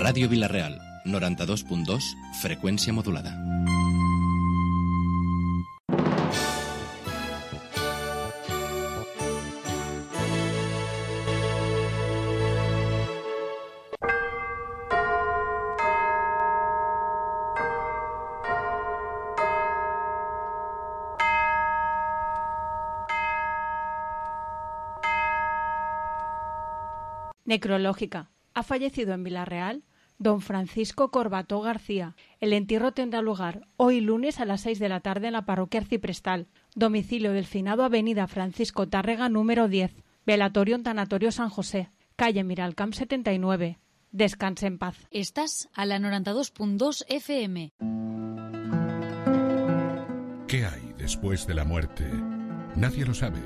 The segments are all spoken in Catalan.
Ràdio Vila-real, 92.2, freqüència modulada. Necrológica. Ha fallecido en Vila-real don Francisco Corbató García. El entierro tendrá lugar hoy lunes a las 6 de la tarde en la parroquia arciprestal. Domicilio del finado, avenida Francisco Tárrega número 10. Velatorio en Tanatorio San José. Calle Miralcamp 79. Descanse en paz. Estás a la 92.2 FM. ¿Qué hay después de la muerte? Nadie lo sabe.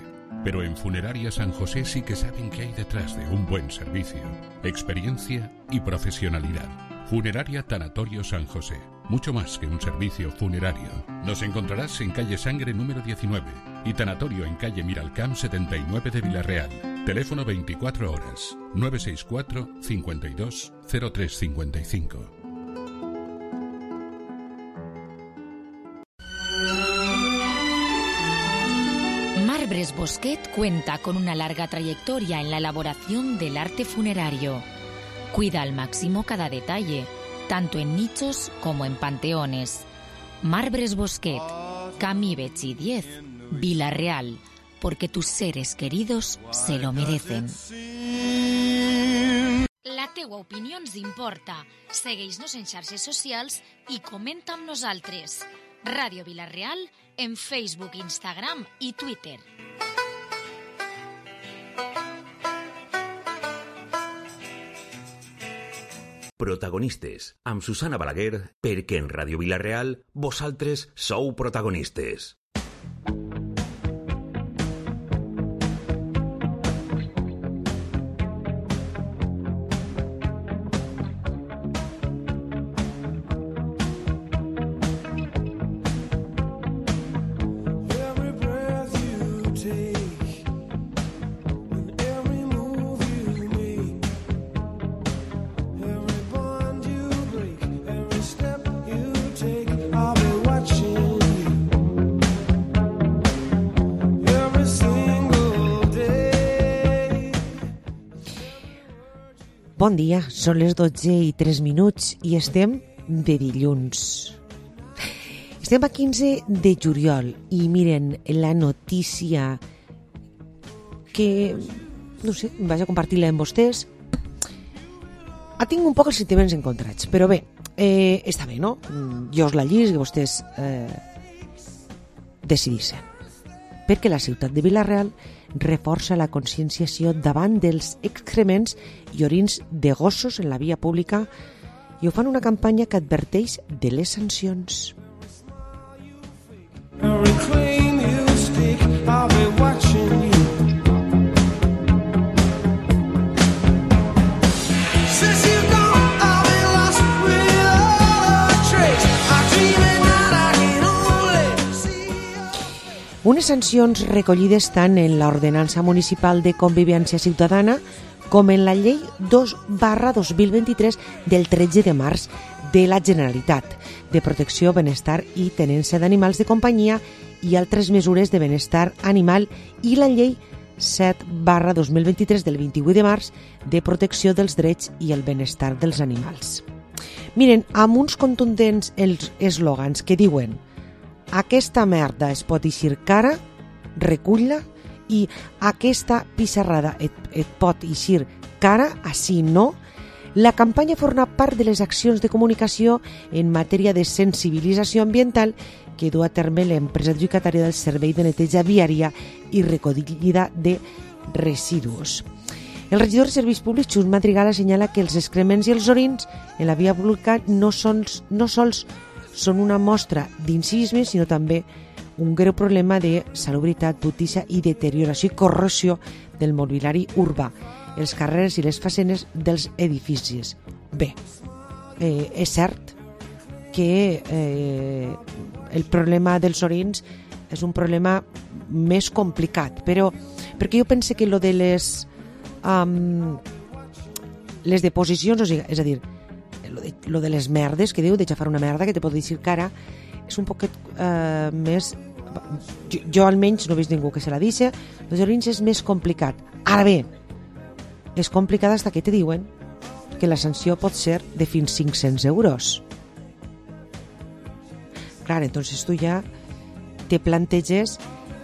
Pero en Funeraria San José sí que saben qué hay detrás de un buen servicio, experiencia y profesionalidad. Funeraria Tanatorio San José. Mucho más que un servicio funerario. Nos encontrarás en calle Sangre número 19 y Tanatorio en calle Miralcamp 79 de Vila-real. Teléfono 24 horas 964 52 0355. Marbres Bosquet cuenta con una larga trayectoria en la elaboración del arte funerario. Cuida al máximo cada detalle, tanto en nichos como en panteones. Marbres Bosquet, Camí Betxí 10, Vila-real, porque tus seres queridos se lo merecen. La teua opinió ens importa. Segueix-nos en xarxes socials i comenta amb nosaltres. Ràdio Vila-real en Facebook, Instagram i Twitter. Protagonistes, amb Susana Balaguer, perquè en Ràdio Vila-real vosaltres sou protagonistes. Bon dia, són les 12:03 i estem de dilluns. Estem a 15 de juliol i miren la notícia que, no sé, vaig a compartir-la amb vostès. Tinc un poc els sentiments encontrats, però bé, està bé, no? Jo us la llisc i vostès decidissin. Perquè la ciutat de Vila-real reforça la conscienciació davant dels excrements i orins de gossos en la via pública i ho fan una campanya que adverteix de les sancions. Unes sancions recollides tant en l'Ordenança Municipal de Convivència Ciutadana com en la Llei 2/2023 del 13 de març de la Generalitat de Protecció, Benestar i Tenença d'Animals de Companyia i altres mesures de benestar animal i la Llei 7/2023 del 28 de març de Protecció dels Drets i el Benestar dels Animals. Miren, amb uns contundents eslògans que diuen: aquesta merda es pot eixir cara, recull-la, i aquesta pissarrada et pot eixir cara, així no. La campanya forma part de les accions de comunicació en matèria de sensibilització ambiental que du a terme l'empresa adjudicatària del servei de neteja viària i recollida de residus. El regidor de Serveis Públics, Xus Madrigal, assenyala que els excrements i els orins en la via pública no sols són una mostra d'incivisme, sinó també un greu problema de salubritat, brutícia i deterioració i corrosió del mobiliari urbà, els carrers i les façanes dels edificis. Bé, és cert que el problema dels orins és un problema més complicat, però perquè jo pense que lo de les deposicions, o sigui, és a dir, lo de les merdes, que diu, de xafar una merda, que te pot dir que ara és un poquet més... Jo almenys no he vist ningú que se la dice, los orins és més complicat. Ara bé, és complicat fins que te diuen que la sanció pot ser de fins 500 euros. Clar, entonces tu ja te planteges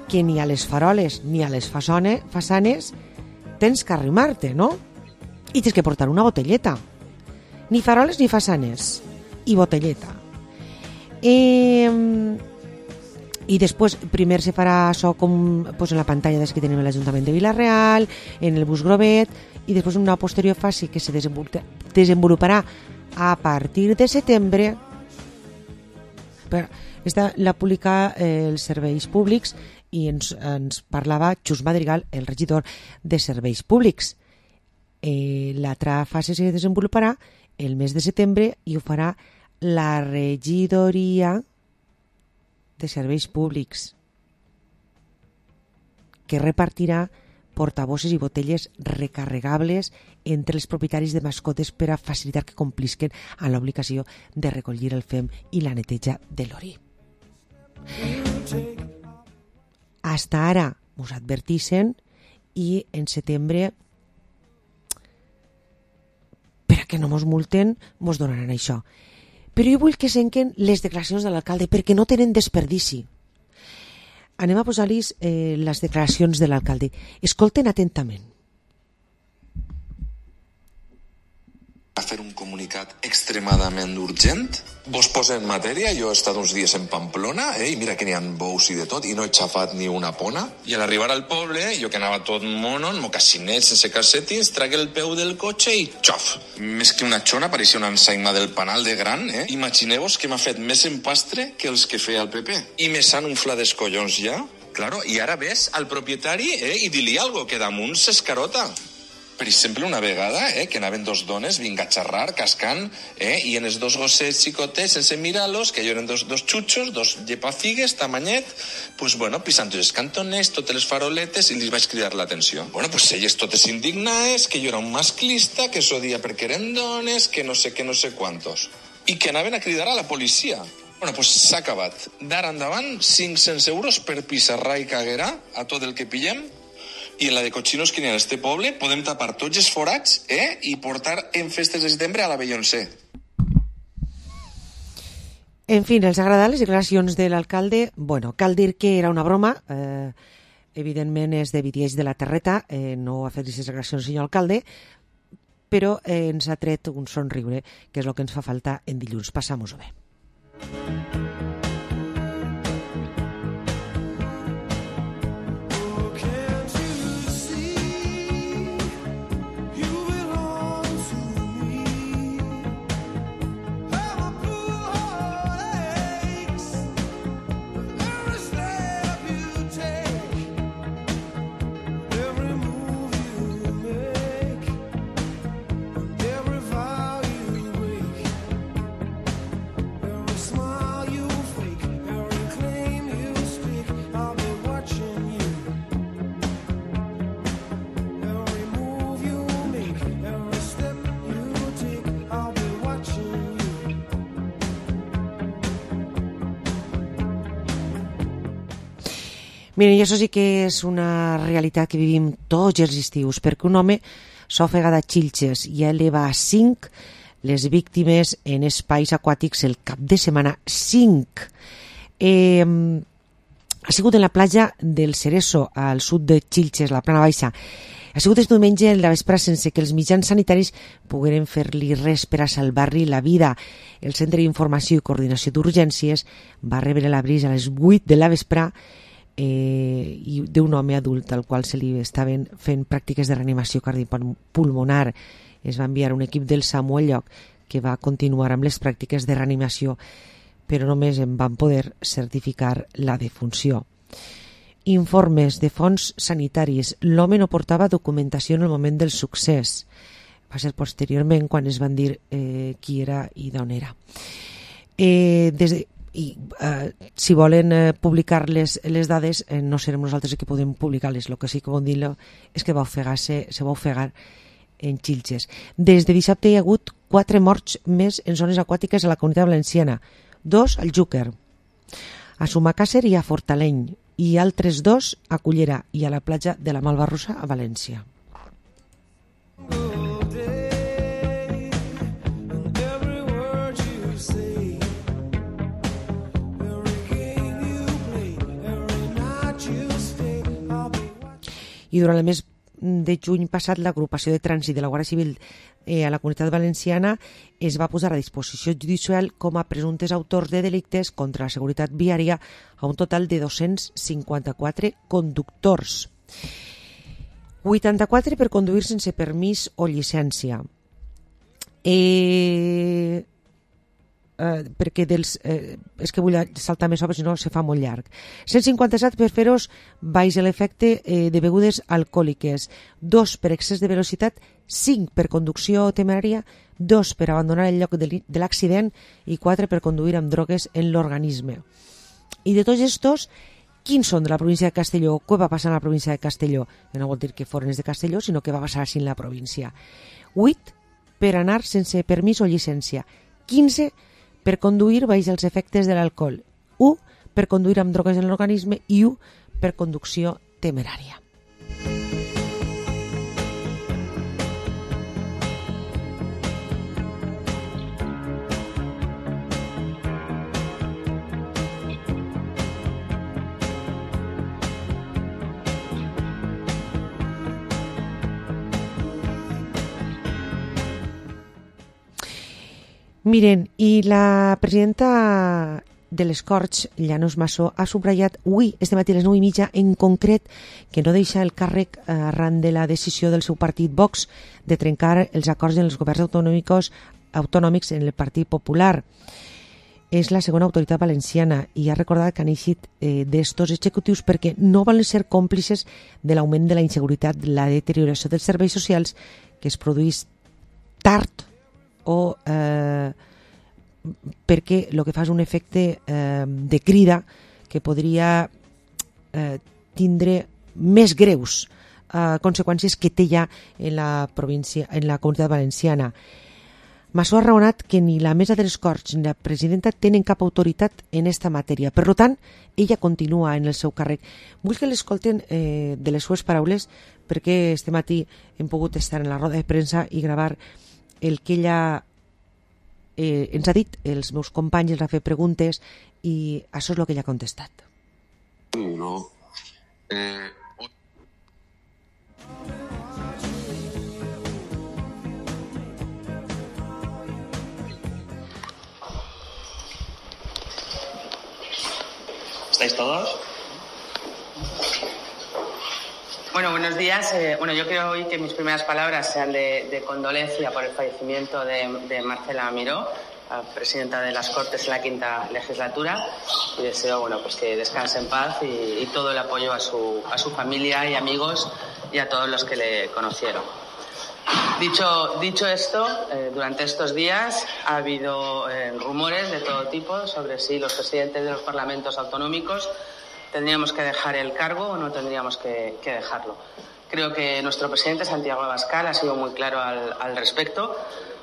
que ni a les faroles ni a les façanes tens que arrimar-te, no? I tens que portar una botelleta. Ni faroles ni façanes. I botelleta. I després primer se farà això com pues, en la pantalla des que tenim a l'Ajuntament de Vila-real, en el bus Grovet, i després una posterior fase que se desenvoluparà a partir de setembre. Esta la publica els Serveis Públics i ens parlava Xus Madrigal, el regidor de Serveis Públics. L'altra fase se desenvoluparà el mes de setembre i ho farà la regidoria de Serveis Públics, que repartirà portabosses i botelles recarregables entre els propietaris de mascotes per a facilitar que complisquen a l'obligació de recollir el fem i la neteja de l'orí. Hasta ara us advertixen i en setembre, per a que no mos multen, mos donaran això. Però jo vull que senquen les declaracions de l'alcalde perquè no tenen desperdici. Anem a posar-los les declaracions de l'alcalde. Escolten atentament. A fer un comunicat extremadament urgent. Vos posa en matèria, jo he estat uns dies en Pamplona, i mira que n'hi ha bous i de tot, i no he xafat ni una pona. I a l'arribar al poble, jo que anava tot mono, en mocassinet, sense calcetins, tragué el peu del cotxe i xof! Més que una xona, pareixia una ensaïma del panal de gran, Imagineu-vos que m'ha fet més empastre que els que feia el PP. I me s'han unflat els collons ja. Claro, i ara ves al propietari i dir-li algo, que damunt s'escarota. Per exemple, una vegada, que anaven dos dones vinc a xerrar, cascant, i en els dos gossets xicotets, sense mirar-los, que jo eren dos xutxos, dos llepafigues, tamanyet, pues bueno, pisant els cantoners, totes les faroletes, i li vaig cridar l'atenció. Bueno, pues elles totes indignades, que jo era un masclista, que s'odia perquè eren dones, que no sé quantos. I que anaven a cridar a la policia. Bueno, pues s'ha acabat. D'ara endavant, 500 euros per pissarrar i caguerà a tot el que pillem. I en la de cochinos que n'hi ha en este poble podem tapar tots els forats i portar en festes de setembre a la Beyoncé. En fi, els agraden les declaracions de l'alcalde. Bueno, cal dir que era una broma. Evidentment és de Vidiells de la Terreta. No ha fet aquestes declaracions el senyor alcalde, però ens ha tret un somriure, que és el que ens fa falta en dilluns. Passam-ho bé. Miren, i això sí que és una realitat que vivim tots els estius, perquè un home s'ha ofegat a Xilxes i eleva a 5 les víctimes en espais aquàtics el cap de setmana. 5. Ha sigut en la platja del Cereso, al sud de Xilxes, la Plana Baixa. Ha sigut este diumenge a la vespre sense que els mitjans sanitaris pogueren fer-li res per a salvar-li la vida. El Centre d'Informació i Coordinació d'Urgències va rebre l'avís a les 8 de la vespre i d'un home adult al qual se li estaven fent pràctiques de reanimació cardiopulmonar. Es va enviar un equip del SAMU al lloc que va continuar amb les pràctiques de reanimació, però només en van poder certificar la defunció. Informes de fonts sanitàries. L'home no portava documentació en el moment del succés. Va ser posteriorment quan es van dir qui era i d'on era. Si volen publicar les dades, no serem nosaltres que podem publicar-les. El que sí que podem dir és que se va ofegar en Xilxes. Des de dissabte hi ha hagut 4 morts més en zones aquàtiques a la Comunitat Valenciana, 2 al Júquer, a Sumacàsser i a Fortaleny, i altres 2 a Cullera i a la platja de la Malvarrosa a València. I durant el mes de juny passat, l'agrupació de trànsit de la Guàrdia Civil a la Comunitat Valenciana es va posar a disposició judicial com a presumptes autors de delictes contra la seguretat viària a un total de 254 conductors. 84 per conduir sense permís o llicència. Perquè és que vull saltar més sobre, si no se fa molt llarg. 157 per fer-los baix l'efecte de begudes alcohòliques, 2 per excés de velocitat, 5 per conducció temerària, 2 per abandonar el lloc de l'accident i 4 per conduir amb drogues en l'organisme. I de tots estos, quins són de la província de Castelló? Què va passar en la província de Castelló? No vol dir que foren de Castelló, sinó que va passar així en la província. 8 per anar sense permís o llicència, 15 per conduir baix els efectes de l'alcohol, 1 per conduir amb drogues en l'organisme i 1 per conducció temerària. Miren, i la presidenta de les Corts, Llanos Massó, ha subratllat avui, este matí a les 9:30, en concret, que no deixa el càrrec arran de la decisió del seu partit Vox de trencar els acords en els governs autonòmics en el Partit Popular. És la segona autoritat valenciana i ha recordat que han eixit d'estos executius perquè no volen ser còmplices de l'augment de la inseguretat, la deterioració dels serveis socials que es produeix tard o perquè el que fa és un efecte de crida que podria tindre més greus conseqüències que té ja en la província, en la Comunitat Valenciana. Massó ha raonat que ni la mesa de les Corts ni la presidenta tenen cap autoritat en esta matèria. Per tant, ella continua en el seu càrrec. Vull que l'escolten de les seues paraules perquè este matí hem pogut estar en la roda de premsa i gravar el que ella ens ha dit, els meus companys els ha fet preguntes i això és el que ella ha contestat. No. ¿Estáis todos? Bueno, buenos días. Yo creo hoy que mis primeras palabras sean de condolencia por el fallecimiento de Marcela Miró, presidenta de las Cortes en la quinta legislatura, y deseo pues que descanse en paz y todo el apoyo a su familia y amigos y a todos los que le conocieron. Dicho esto, durante estos días ha habido rumores de todo tipo sobre si los presidentes de los parlamentos autonómicos tendríamos que dejar el cargo o no tendríamos que dejarlo. Creo que nuestro presidente Santiago Abascal ha sido muy claro al respecto.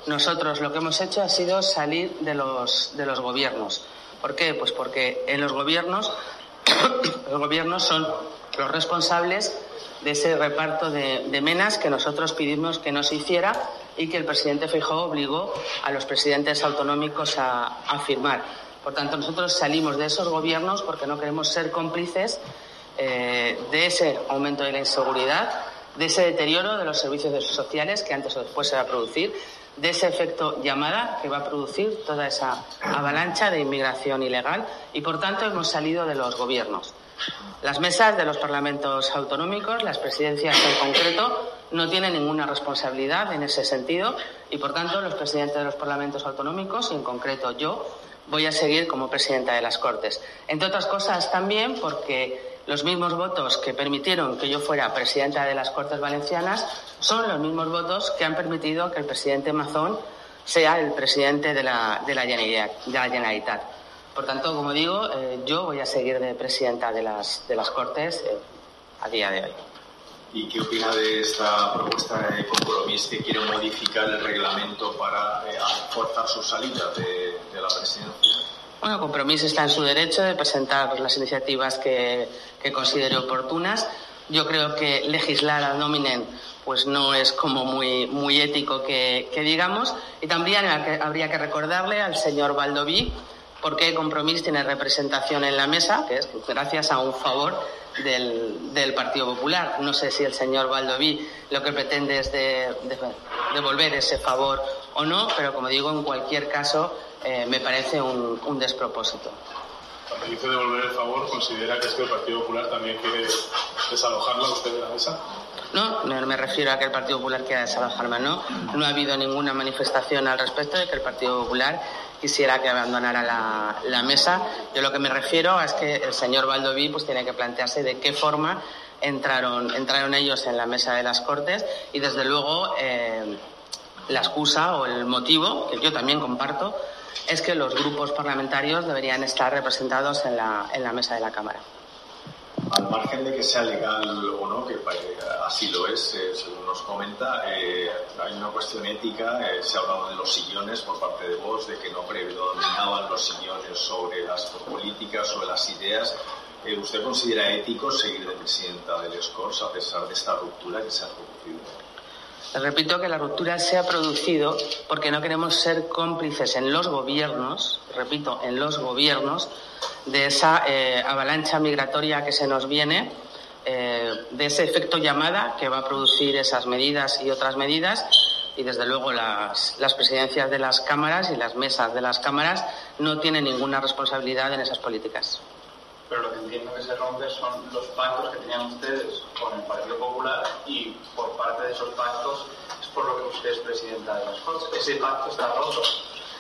Nosotros lo que hemos hecho ha sido salir de los gobiernos. ¿Por qué? Pues porque en los gobiernos son los responsables de ese reparto de menas que nosotros pedimos que no se hiciera y que el presidente Feijóo obligó a los presidentes autonómicos a firmar. Por tanto, nosotros salimos de esos gobiernos porque no queremos ser cómplices de ese aumento de la inseguridad, de ese deterioro de los servicios sociales que antes o después se va a producir, de ese efecto llamada que va a producir toda esa avalancha de inmigración ilegal y, por tanto, hemos salido de los gobiernos. Las mesas de los parlamentos autonómicos, las presidencias en concreto, no tienen ninguna responsabilidad en ese sentido y, por tanto, los presidentes de los parlamentos autonómicos, y en concreto yo, voy a seguir como presidenta de las Cortes. Entre otras cosas también porque los mismos votos que permitieron que yo fuera presidenta de las Cortes Valencianas son los mismos votos que han permitido que el presidente Mazón sea el presidente de la Generalitat. Por tanto, como digo, yo voy a seguir de presidenta de las Cortes a día de hoy. ¿Y qué opina de esta propuesta de Compromís que quiere modificar el reglamento para forzar su salida de la presidencia? Bueno, Compromís está en su derecho de presentar las iniciativas que considere oportunas. Yo creo que legislar ad nominem pues no es como muy ético que digamos. Y también habría que recordarle al señor Baldoví por qué Compromís tiene representación en la mesa, que es gracias a un favor del Partido Popular. No sé si el señor Baldoví lo que pretende es devolver ese favor o no, pero como digo, en cualquier caso me parece un despropósito. Cuando dice devolver el favor, ¿considera que es que el Partido Popular también quiere desalojarlo a usted de la mesa? No me refiero a que el Partido Popular quiera desalojarme, no ha habido ninguna manifestación al respecto de que el Partido Popular quisiera que abandonara la mesa. Yo lo que me refiero es que el señor Baldoví pues tiene que plantearse de qué forma entraron ellos en la mesa de las Cortes y desde luego la excusa o el motivo, que yo también comparto, es que los grupos parlamentarios deberían estar representados en la mesa de la Cámara. Al margen de que sea legal o no, que así lo es, según nos comenta, hay una cuestión ética. Se ha hablado de los sillones por parte de Vox, de que no predominaban los sillones sobre las políticas, sobre las ideas. ¿Usted considera ético seguir de presidenta del Escorts a pesar de esta ruptura que se ha producido? Repito que la ruptura se ha producido porque no queremos ser cómplices en los gobiernos, de esa avalancha migratoria que se nos viene, de ese efecto llamada que va a producir esas medidas y otras medidas, y desde luego las presidencias de las cámaras y las mesas de las cámaras no tienen ninguna responsabilidad en esas políticas. Pero lo que entiendo que se rompe son los pactos que tenían ustedes con el Partido Popular y por parte de esos pactos es por lo que usted es presidenta de las Cortes. Ese pacto está roto.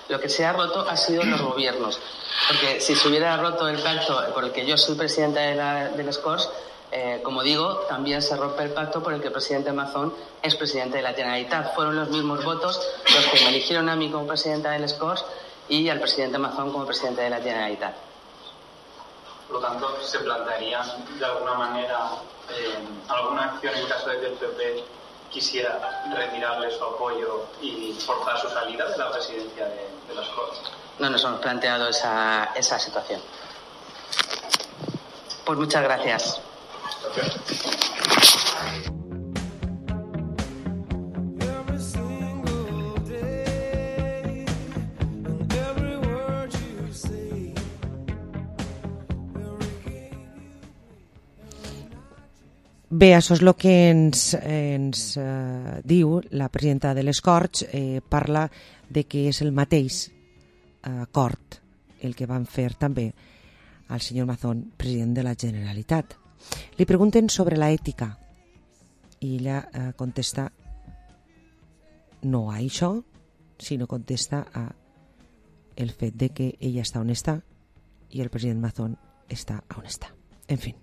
Lo que se ha roto ha sido los gobiernos, porque si se hubiera roto el pacto por el que yo soy presidenta de las Corts, como digo, también se rompe el pacto por el que el presidente Mazón es presidente de la Generalitat. Fueron los mismos votos los que me eligieron a mí como presidenta de las Corts y al presidente Mazón como presidente de la Generalitat. Por lo tanto, ¿se plantearía de alguna manera alguna acción en caso de que el PP quisiera retirarle su apoyo y forzar su salida de la presidencia de las Cortes? No nos hemos planteado esa situación. Pues muchas gracias. Bé, això és el que ens diu la presidenta de les Corts. Parla de que és el mateix acord el que van fer també al senyor Mazón, president de la Generalitat. Li pregunten sobre la ètica i ella contesta no a això, sinó contesta a el fet de que ella està on està i el president Mazón està on està. En fi.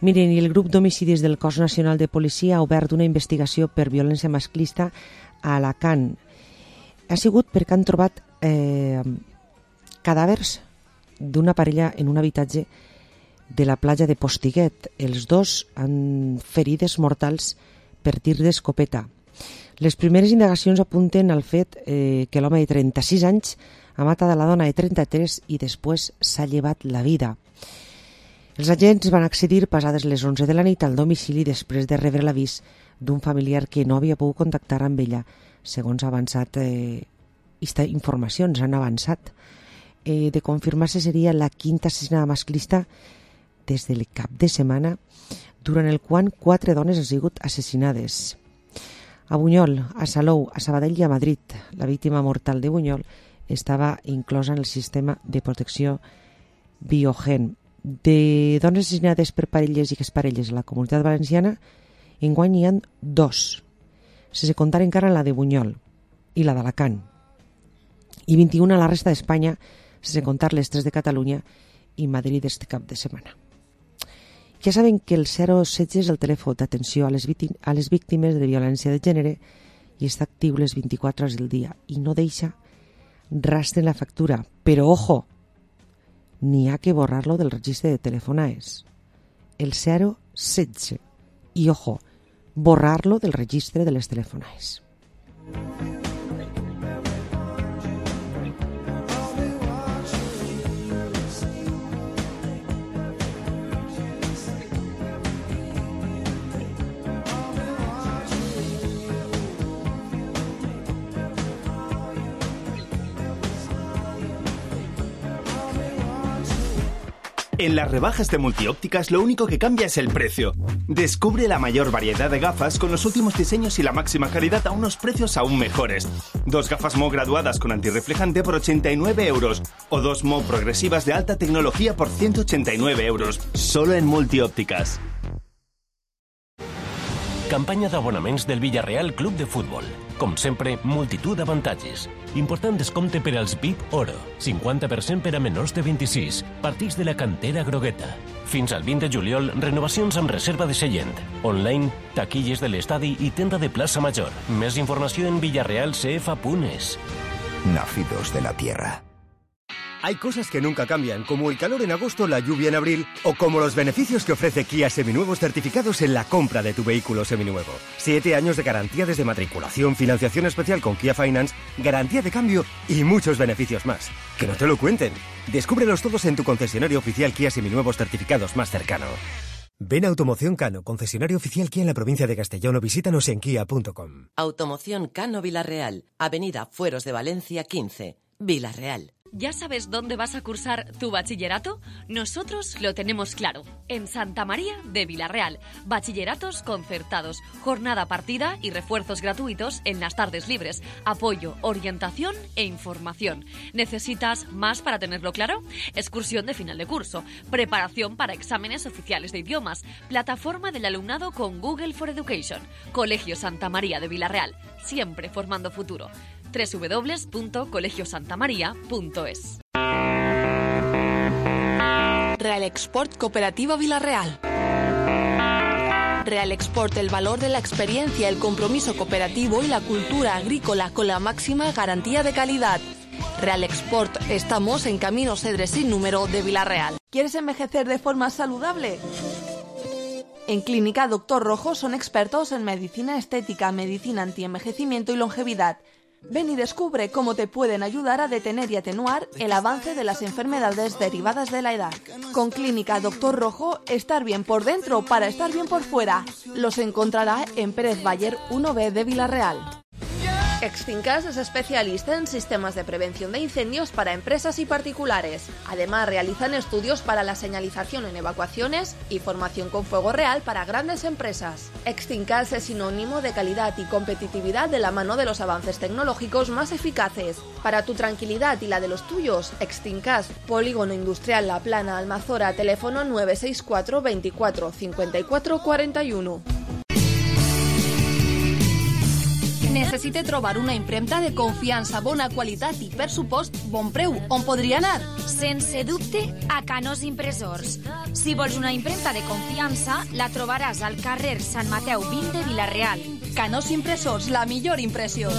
Miren, i el grup d'homicidis del Cos Nacional de Policia ha obert una investigació per violència masclista a Alacant. Ha sigut perquè han trobat cadàvers d'una parella en un habitatge de la platja de Postiguet. Els dos han ferides mortals per tir d'escopeta. Les primeres indagacions apunten al fet que l'home de 36 anys ha matat a la dona de 33 i després s'ha llevat la vida. Els agents van accedir passades les 11 de la nit al domicili després de rebre l'avís d'un familiar que no havia pogut contactar amb ella, segons ha avançat informacions han avançat. De confirmar-se seria la quinta assassinada masclista des del cap de setmana, durant el qual 4 dones han sigut assassinades. A Bunyol, a Salou, a Sabadell i a Madrid, la víctima mortal de Bunyol estava inclosa en el sistema de protecció Biogen. De dones assassinades per parelles i exparelles a la Comunitat Valenciana, enguany hi ha 2, sense comptar encara la de Bunyol i la d'Alacant, i 21 a la resta d'Espanya, sense comptar les 3 de Catalunya i Madrid este cap de setmana. Ja saben que el 016 és el telèfon d'atenció a les víctimes de violència de gènere i està actiu les 24 hores del dia i no deixa rastre en la factura. Però, ojo, n'hi ha que borrar-lo del registre de telefonaes. El 016. I, ojo, borrar-lo del registre de les telefonaes. En las rebajas de Multiópticas lo único que cambia es el precio. Descubre la mayor variedad de gafas con los últimos diseños y la máxima calidad a unos precios aún mejores. 2 gafas Mo graduadas con antirreflejante por 89 euros o 2 Mo progresivas de alta tecnología por 189 euros. Solo en Multiópticas. Campanya d'abonaments del Villarreal Club de Futbol. Com sempre, multitud d'avantatges. Important descompte per als VIP Oro. 50% per a menors de 26. Partits de la cantera grogueta. Fins al 20 de juliol, renovacions amb reserva de seient. Online, taquilles de l'estadi i tenda de plaça Major. Més informació en villarrealcf.es. Nacidos de la tierra. Hay cosas que nunca cambian, como el calor en agosto, la lluvia en abril, o como los beneficios que ofrece Kia Seminuevos certificados en la compra de tu vehículo seminuevo. 7 años de garantía desde matriculación, financiación especial con Kia Finance, garantía de cambio y muchos beneficios más. Que no te lo cuenten. Descúbrelos todos en tu concesionario oficial Kia Seminuevos certificados más cercano. Ven a Automoción Cano, concesionario oficial Kia en la provincia de Castellón, o visítanos en kia.com. Automoción Cano Vilarreal, Avenida Fueros de Valencia 15, Vilarreal. ¿Ya sabes dónde vas a cursar tu bachillerato? Nosotros lo tenemos claro. En Santa María de Vilarreal. Bachilleratos concertados, jornada partida y refuerzos gratuitos en las tardes libres. Apoyo, orientación e información. ¿Necesitas más para tenerlo claro? Excursión de final de curso, preparación para exámenes oficiales de idiomas, plataforma del alumnado con Google for Education. Colegio Santa María de Vilarreal, siempre formando futuro. www.colegiosantamaria.es. Real Export Cooperativa Vilarreal. Real Export, el valor de la experiencia, el compromiso cooperativo y la cultura agrícola con la máxima garantía de calidad. Real Export, estamos en Camino Cedres sin número de Vilarreal. ¿Quieres envejecer de forma saludable? En Clínica Doctor Rojo son expertos en medicina estética, medicina antienvejecimiento y longevidad. Ven y descubre cómo te pueden ayudar a detener y atenuar el avance de las enfermedades derivadas de la edad. Con Clínica Doctor Rojo, estar bien por dentro para estar bien por fuera. Los encontrará en Pérez Bayer 1B de Vilarreal. Extincas es especialista en sistemas de prevención de incendios para empresas y particulares. Además, realizan estudios para la señalización en evacuaciones y formación con fuego real para grandes empresas. Extincas es sinónimo de calidad y competitividad de la mano de los avances tecnológicos más eficaces. Para tu tranquilidad y la de los tuyos, Extincas, Polígono Industrial La Plana, Almazora, teléfono 964 24 54 41. Necessite trobar una impremta de confiança, bona qualitat i, per supost, bon preu. On podria anar? Sense dubte, a Canós Impressors. Si vols una impremta de confiança, la trobaràs al carrer Sant Mateu 20 de Vilarreal. Canós Impressors, la millor impressió.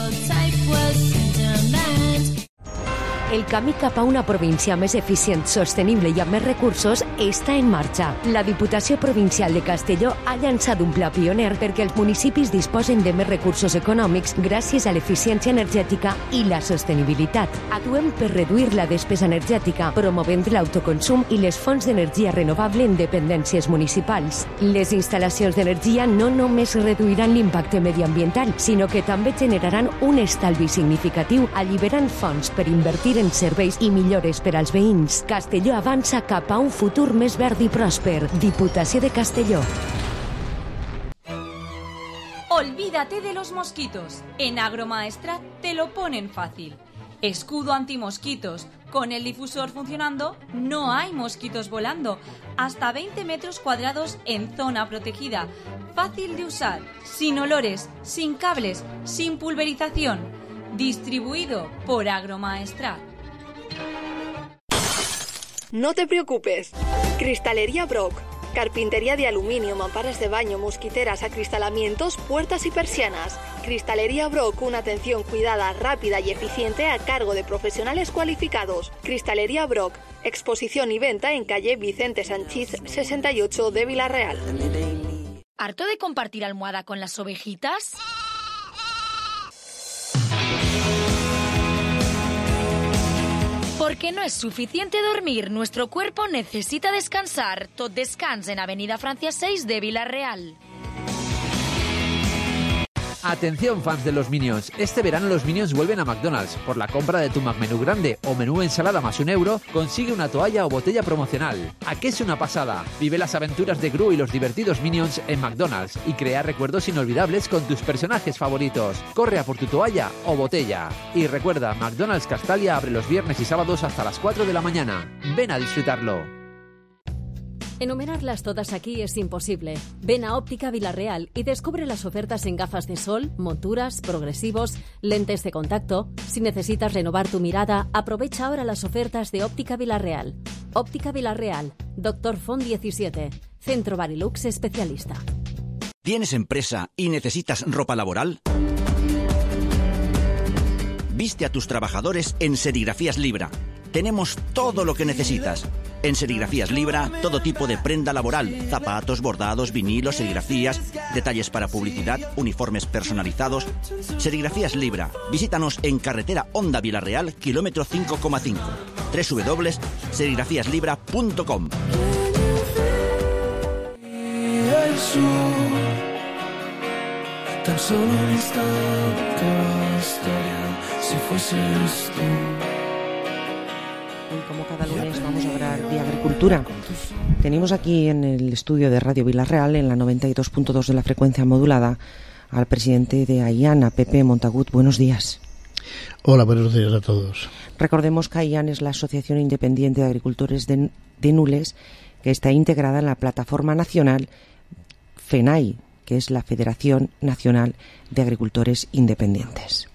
El camí cap a una província més eficient, sostenible i amb més recursos està en marxa. La Diputació Provincial de Castelló ha llançat un pla pioner perquè els municipis disposen de més recursos econòmics gràcies a l'eficiència energètica i la sostenibilitat. Actuem per reduir la despesa energètica, promovent l'autoconsum i les fonts d'energia renovable en dependències municipals. Les instal·lacions d'energia no només reduiran l'impacte mediambiental, sinó que també generaran un estalvi significatiu, alliberant fons per invertir en serveis i millores per als veïns. Castelló avança cap a un futur més verd i pròsper. Diputació de Castelló. Olvídate de los mosquitos. En Agromaestrat te lo ponen fácil. Escudo antimosquitos. Con el difusor funcionando, no hay mosquitos volando. Hasta 20 metros cuadrados en zona protegida. Fácil de usar, sin olores, sin cables, sin pulverización. Distribuido por Agromaestrat. No te preocupes. Cristalería Brock. Carpintería de aluminio, mamparas de baño, mosquiteras, acristalamientos, puertas y persianas. Cristalería Brock, una atención cuidada, rápida y eficiente a cargo de profesionales cualificados. Cristalería Brock, exposición y venta en calle Vicente Sanchís 68 de Vila-real. ¿Harto de compartir almohada con las ovejitas? Porque no es suficiente dormir, nuestro cuerpo necesita descansar. Tot Descans en Avenida Francia 6 de Vila-real. Atención, fans de los Minions. Este verano los Minions vuelven a McDonald's. Por la compra de tu McMenú grande o menú ensalada más €1, consigue una toalla o botella promocional. ¿A qué es una pasada? Vive las aventuras de Gru y los divertidos Minions en McDonald's y crea recuerdos inolvidables con tus personajes favoritos. Corre a por tu toalla o botella. Y recuerda, McDonald's Castalia abre los viernes y sábados hasta las 4 de la mañana. Ven a disfrutarlo. Enumerarlas todas aquí es imposible. Ven a Óptica Vila-real y descubre las ofertas en gafas de sol, monturas, progresivos, lentes de contacto. Si necesitas renovar tu mirada, aprovecha ahora las ofertas de Óptica Vila-real. Óptica Vila-real, Dr. Font 17, Centro Barilux especialista. ¿Tienes empresa y necesitas ropa laboral? Viste a tus trabajadores en Serigrafías Libra. Tenemos todo lo que necesitas. En Serigrafías Libra, todo tipo de prenda laboral, zapatos, bordados, vinilos, serigrafías, detalles para publicidad, uniformes personalizados. Serigrafías Libra. Visítanos en carretera Honda Vila-real, kilómetro 5,5. www.serigrafíaslibra.com. Tan solo un instante bastaría si fueses tú. Y como cada lunes vamos a hablar de agricultura. Tenemos aquí en el estudio de Radio Vila-real, en la 92.2 de la frecuencia modulada, al presidente de AIAN, Pepe Montagut. Buenos días. Hola, buenos días a todos. Recordemos que AIAN es la Asociación Independiente de Agricultores de Nules, que está integrada en la plataforma nacional FENAI, que es la Federación Nacional de Agricultores Independientes.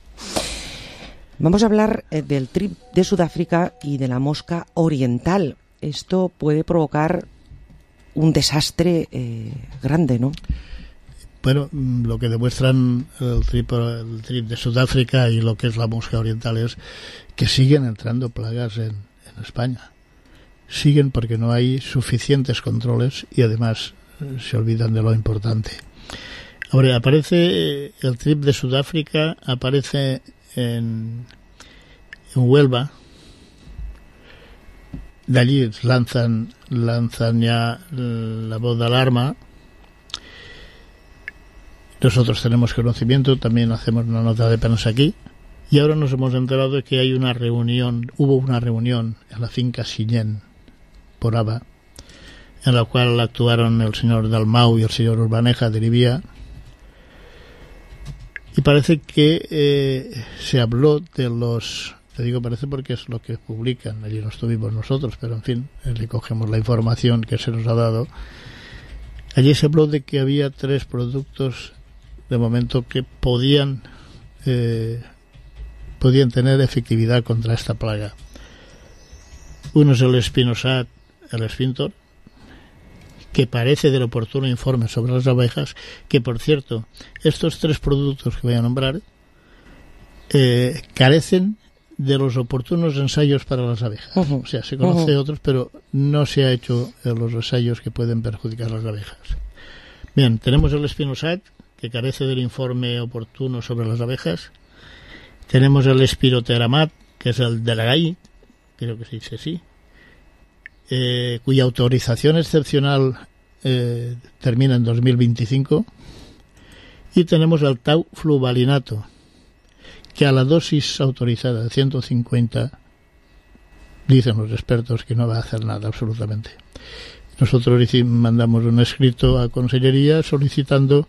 Vamos a hablar del trip de Sudáfrica y de la mosca oriental. Esto puede provocar un desastre grande, ¿no? Bueno, lo que demuestran el trip de Sudáfrica y lo que es la mosca oriental es que siguen entrando plagas en España. Siguen porque no hay suficientes controles y además se olvidan de lo importante. Ahora, aparece el trip de Sudáfrica, aparece en Huelva. De allí lanzan ya la voz de alarma. Nosotros tenemos conocimiento, también hacemos una nota de prensa aquí. Y ahora nos hemos enterado de que hubo una reunión en la finca Sillén, por Aba, en la cual actuaron el señor Dalmau y el señor Urbaneja de Libia. Y parece que se habló de los... Te digo parece porque es lo que publican. Allí no estuvimos nosotros, pero en fin, le cogemos la información que se nos ha dado. Allí se habló de que había 3 productos de momento que podían tener efectividad contra esta plaga. Uno es el Spinosad, el Spintor, que parece del oportuno informe sobre las abejas, que por cierto, estos 3 productos que voy a nombrar carecen de los oportunos ensayos para las abejas. O sea, se conoce otros, pero no se ha hecho los ensayos que pueden perjudicar a las abejas. Bien, tenemos el Spinosad, que carece del informe oportuno sobre las abejas. Tenemos el Spirotheramat, que es el de la GAI, creo que se dice así, cuya autorización excepcional termina en 2025, y tenemos el Taufluvalinato, que a la dosis autorizada de 150 dicen los expertos que no va a hacer nada absolutamente. Nosotros mandamos un escrito a Consellería solicitando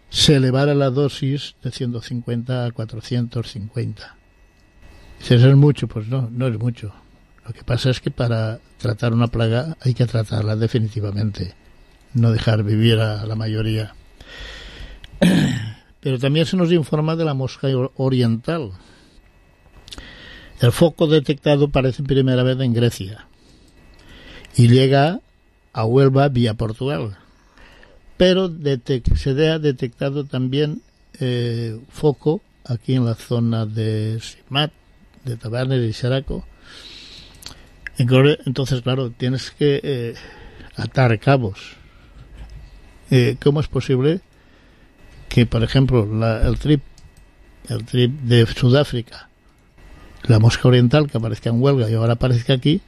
se elevara la dosis de 150 a 450. Dices, ¿es mucho? Pues no es mucho. Lo que pasa es que para tratar una plaga hay que tratarla definitivamente, no dejar vivir a la mayoría. Pero también se nos informa de la mosca oriental. El foco detectado parece primera vez en Grecia y llega a Huelva vía Portugal. Pero se ha detectado también foco aquí en la zona de Simat, de Tabernes y Xeraco. Entonces, claro, tienes que atar cabos. ¿Cómo es posible que, por ejemplo, el trip de Sudáfrica, la mosca oriental, que aparezca en Huelva y ahora aparezca aquí?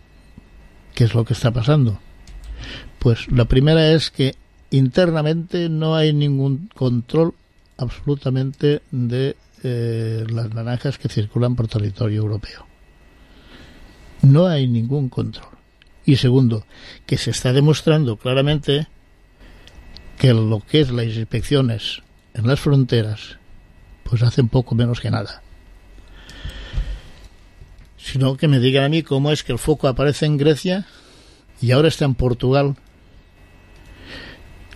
¿Qué es lo que está pasando? Pues la primera es que internamente no hay ningún control absolutamente de las naranjas que circulan por territorio europeo. No hay ningún control. Y segundo, que se está demostrando claramente que lo que es las inspecciones en las fronteras pues hacen poco menos que nada. Sino que me digan a mí cómo es que el foco aparece en Grecia y ahora está en Portugal.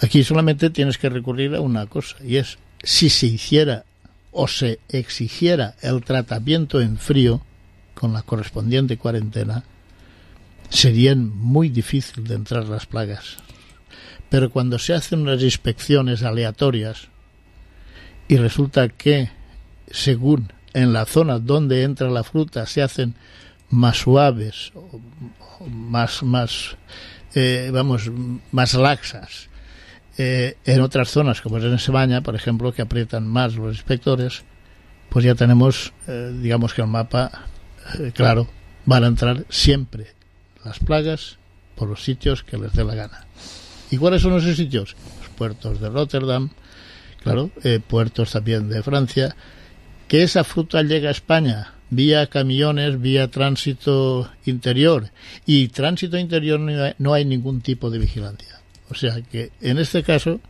Aquí solamente tienes que recurrir a una cosa, y es si se hiciera o se exigiera el tratamiento en frío con la correspondiente cuarentena, serían muy difícil de entrar las plagas. Pero cuando se hacen unas inspecciones aleatorias y resulta que, según en la zona donde entra la fruta, se hacen más suaves, más laxas, en otras zonas, como es en España, por ejemplo, que aprietan más los inspectores, pues ya tenemos, digamos que el mapa claro, van a entrar siempre las plagas por los sitios que les dé la gana. ¿Y cuáles son esos sitios? Los puertos de Rotterdam, claro, puertos también de Francia. Que esa fruta llega a España vía camiones, vía tránsito interior, y tránsito interior no hay ningún tipo de vigilancia. O sea que en este caso,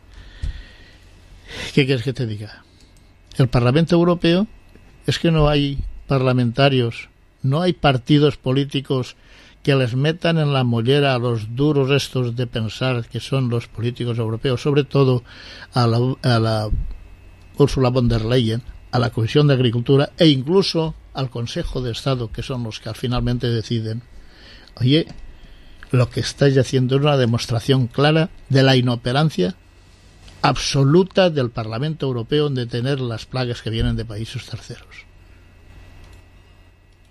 ¿qué quieres que te diga? El Parlamento Europeo es que no hay parlamentarios, no hay partidos políticos que les metan en la mollera a los duros estos de pensar que son los políticos europeos, sobre todo a la Ursula von der Leyen, a la Comisión de Agricultura e incluso al Consejo de Estado, que son los que finalmente deciden. Oye, lo que estáis haciendo es una demostración clara de la inoperancia absoluta del Parlamento Europeo en detener las plagas que vienen de países terceros.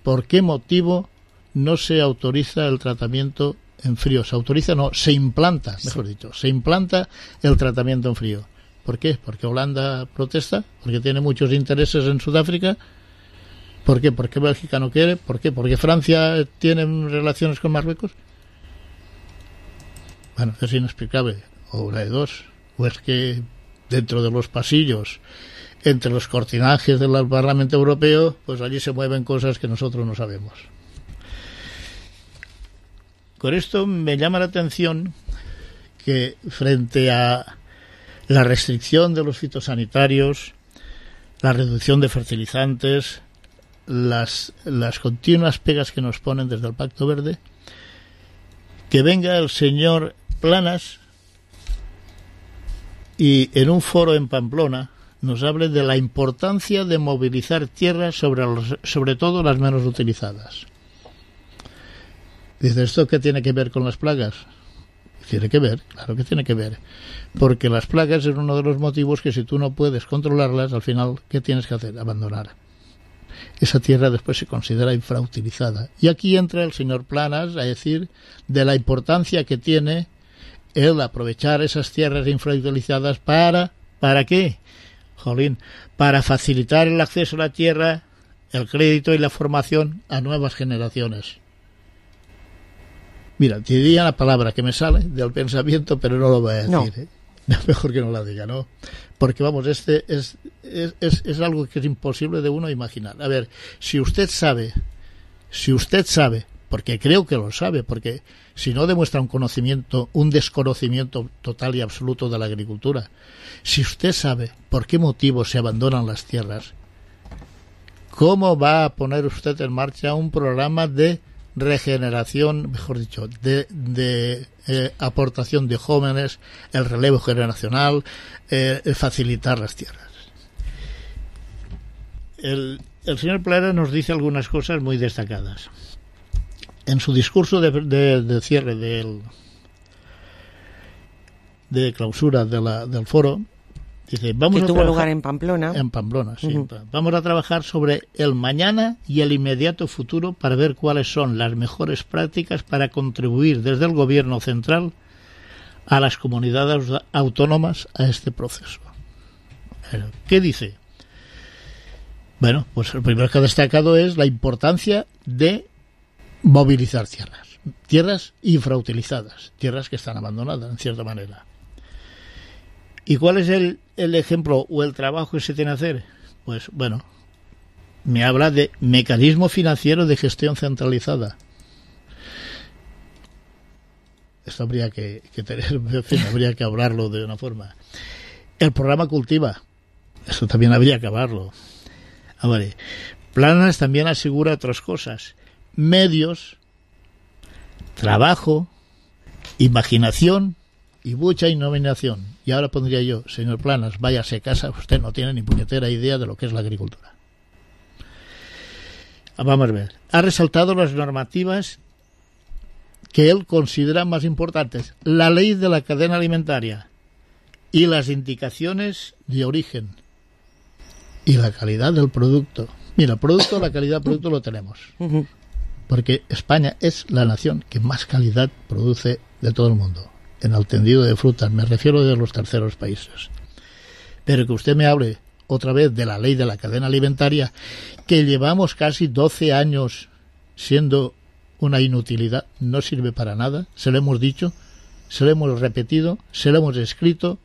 ¿Por qué motivo no se autoriza el tratamiento en frío? Se autoriza, no, se implanta, mejor dicho, se implanta el tratamiento en frío. ¿Por qué? ¿Porque Holanda protesta? ¿Porque tiene muchos intereses en Sudáfrica? ¿Por qué? ¿Porque Bélgica no quiere? ¿Por qué? ¿Porque Francia tiene relaciones con Marruecos? Bueno, es inexplicable. O una de dos. O es que dentro de los pasillos, entre los cortinajes del Parlamento Europeo, pues allí se mueven cosas que nosotros no sabemos. Con esto me llama la atención que frente a la restricción de los fitosanitarios, la reducción de fertilizantes, las continuas pegas que nos ponen desde el Pacto Verde, que venga el señor Planas y en un foro en Pamplona nos hable de la importancia de movilizar tierras sobre todo las menos utilizadas. Dice, ¿esto qué tiene que ver con las plagas? Tiene que ver, claro que tiene que ver, porque las plagas es uno de los motivos que si tú no puedes controlarlas, al final, ¿qué tienes que hacer? Abandonar. Esa tierra después se considera infrautilizada. Y aquí entra el señor Planas a decir de la importancia que tiene el aprovechar esas tierras infrautilizadas ¿para qué? Jolín, para facilitar el acceso a la tierra, el crédito y la formación a nuevas generaciones. Mira, te diría la palabra que me sale del pensamiento, pero no lo voy a decir. No. Mejor que no la diga, ¿no? Porque, vamos, este es algo que es imposible de uno imaginar. A ver, si usted sabe, porque creo que lo sabe, porque si no demuestra un desconocimiento total y absoluto de la agricultura, si usted sabe por qué motivo se abandonan las tierras, ¿cómo va a poner usted en marcha un programa de regeneración, mejor dicho, de aportación de jóvenes, el relevo generacional, facilitar las tierras? El señor Planas nos dice algunas cosas muy destacadas. En su discurso de cierre de clausura del foro, dice, que tuvo lugar en Pamplona. En Pamplona, sí. Vamos a trabajar sobre el mañana y el inmediato futuro para ver cuáles son las mejores prácticas para contribuir desde el gobierno central a las comunidades autónomas a este proceso. ¿Qué dice? Bueno, pues lo primero que ha destacado es la importancia de movilizar tierras infrautilizadas, tierras que están abandonadas en cierta manera. ¿Y cuál es el ejemplo o el trabajo que se tiene que hacer? Pues bueno, me habla de mecanismo financiero de gestión centralizada. Esto habría que tener, en fin, habría que hablarlo de una forma. El programa Cultiva, eso también habría que hablarlo. Vale. Planas también asegura otras cosas: medios, trabajo, imaginación y mucha innovación. Y ahora pondría yo, señor Planas, váyase a casa, usted no tiene ni puñetera idea de lo que es la agricultura. Vamos a ver. Ha resaltado las normativas que él considera más importantes: la ley de la cadena alimentaria y las indicaciones de origen y la calidad del producto. Mira, la calidad del producto lo tenemos, porque España es la nación que más calidad produce de todo el mundo en el tendido de frutas, me refiero de los terceros países. Pero que usted me hable otra vez de la ley de la cadena alimentaria, que llevamos casi 12 años siendo una inutilidad, no sirve para nada, se lo hemos dicho, se lo hemos repetido, se lo hemos escrito,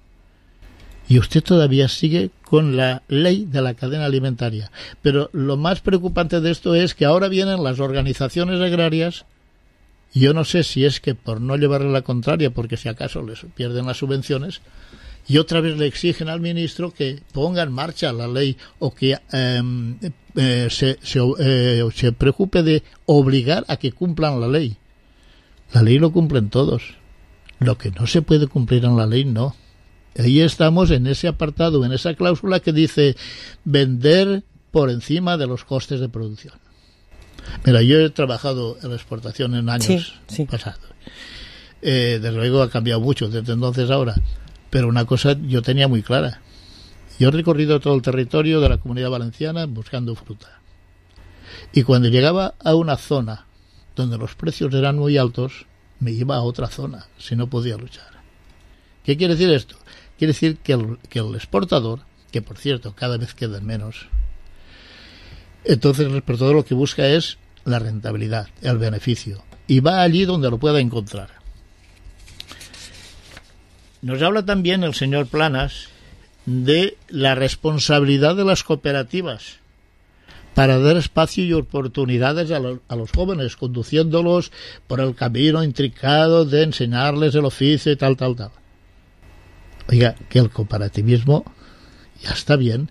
y usted todavía sigue con la ley de la cadena alimentaria. Pero lo más preocupante de esto es que ahora vienen las organizaciones agrarias. Yo no sé si es que por no llevarle la contraria, porque si acaso les pierden las subvenciones, y otra vez le exigen al ministro que ponga en marcha la ley o que se preocupe de obligar a que cumplan la ley. La ley lo cumplen todos. Lo que no se puede cumplir en la ley, no. Ahí estamos en ese apartado, en esa cláusula que dice vender por encima de los costes de producción. Mira, yo he trabajado en la exportación en años pasados. Desde luego ha cambiado mucho desde entonces a ahora. Pero una cosa yo tenía muy clara. Yo he recorrido todo el territorio de la Comunidad Valenciana buscando fruta. Y cuando llegaba a una zona donde los precios eran muy altos, me iba a otra zona, si no podía luchar. ¿Qué quiere decir esto? Quiere decir que el exportador, que por cierto cada vez quedan menos, entonces el exportador lo que busca es la rentabilidad, el beneficio, y va allí donde lo pueda encontrar. Nos habla también el señor Planas de la responsabilidad de las cooperativas para dar espacio y oportunidades a los jóvenes, conduciéndolos por el camino intricado de enseñarles el oficio y tal. Oiga, que el cooperativismo ya está bien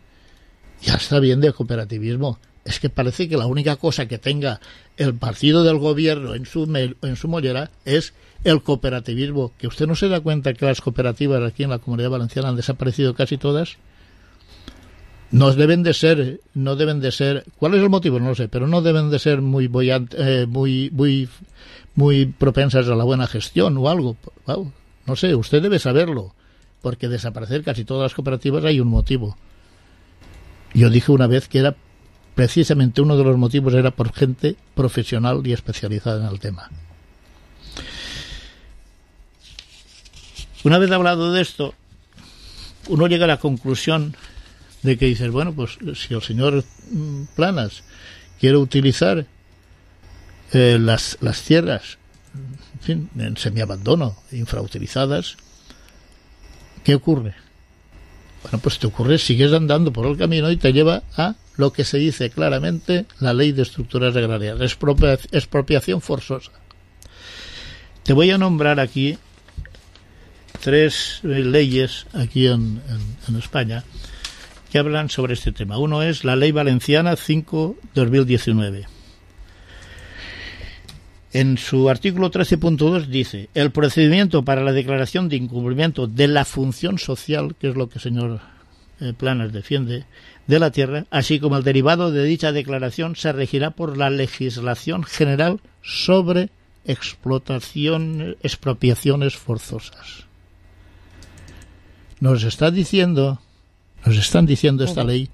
de cooperativismo. Es que parece que la única cosa que tenga el partido del gobierno en su mollera es el cooperativismo. ¿Que usted no se da cuenta que las cooperativas aquí en la Comunidad Valenciana han desaparecido casi todas? No deben de ser, ¿cuál es el motivo? No lo sé, pero no deben de ser muy propensas a la buena gestión o algo. Wow, no sé, usted debe saberlo, porque desaparecer casi todas las cooperativas hay un motivo. Yo dije una vez que era precisamente uno de los motivos era por gente profesional y especializada en el tema. Una vez hablado de esto, uno llega a la conclusión de que dices, bueno, pues si el señor Planas quiere utilizar las tierras, en fin, en semiabandono, infrautilizadas, ¿qué ocurre? Bueno, pues te ocurre, sigues andando por el camino y te lleva a lo que se dice claramente la ley de estructuras agrarias, expropiación forzosa. Te voy a nombrar aquí 3 leyes aquí en España que hablan sobre este tema. Uno es la Ley Valenciana 5/2019. En su artículo 13.2 dice: el procedimiento para la declaración de incumplimiento de la función social, que es lo que el señor Planas defiende, de la tierra, así como el derivado de dicha declaración, se regirá por la legislación general sobre expropiaciones forzosas. nos están diciendo esta ley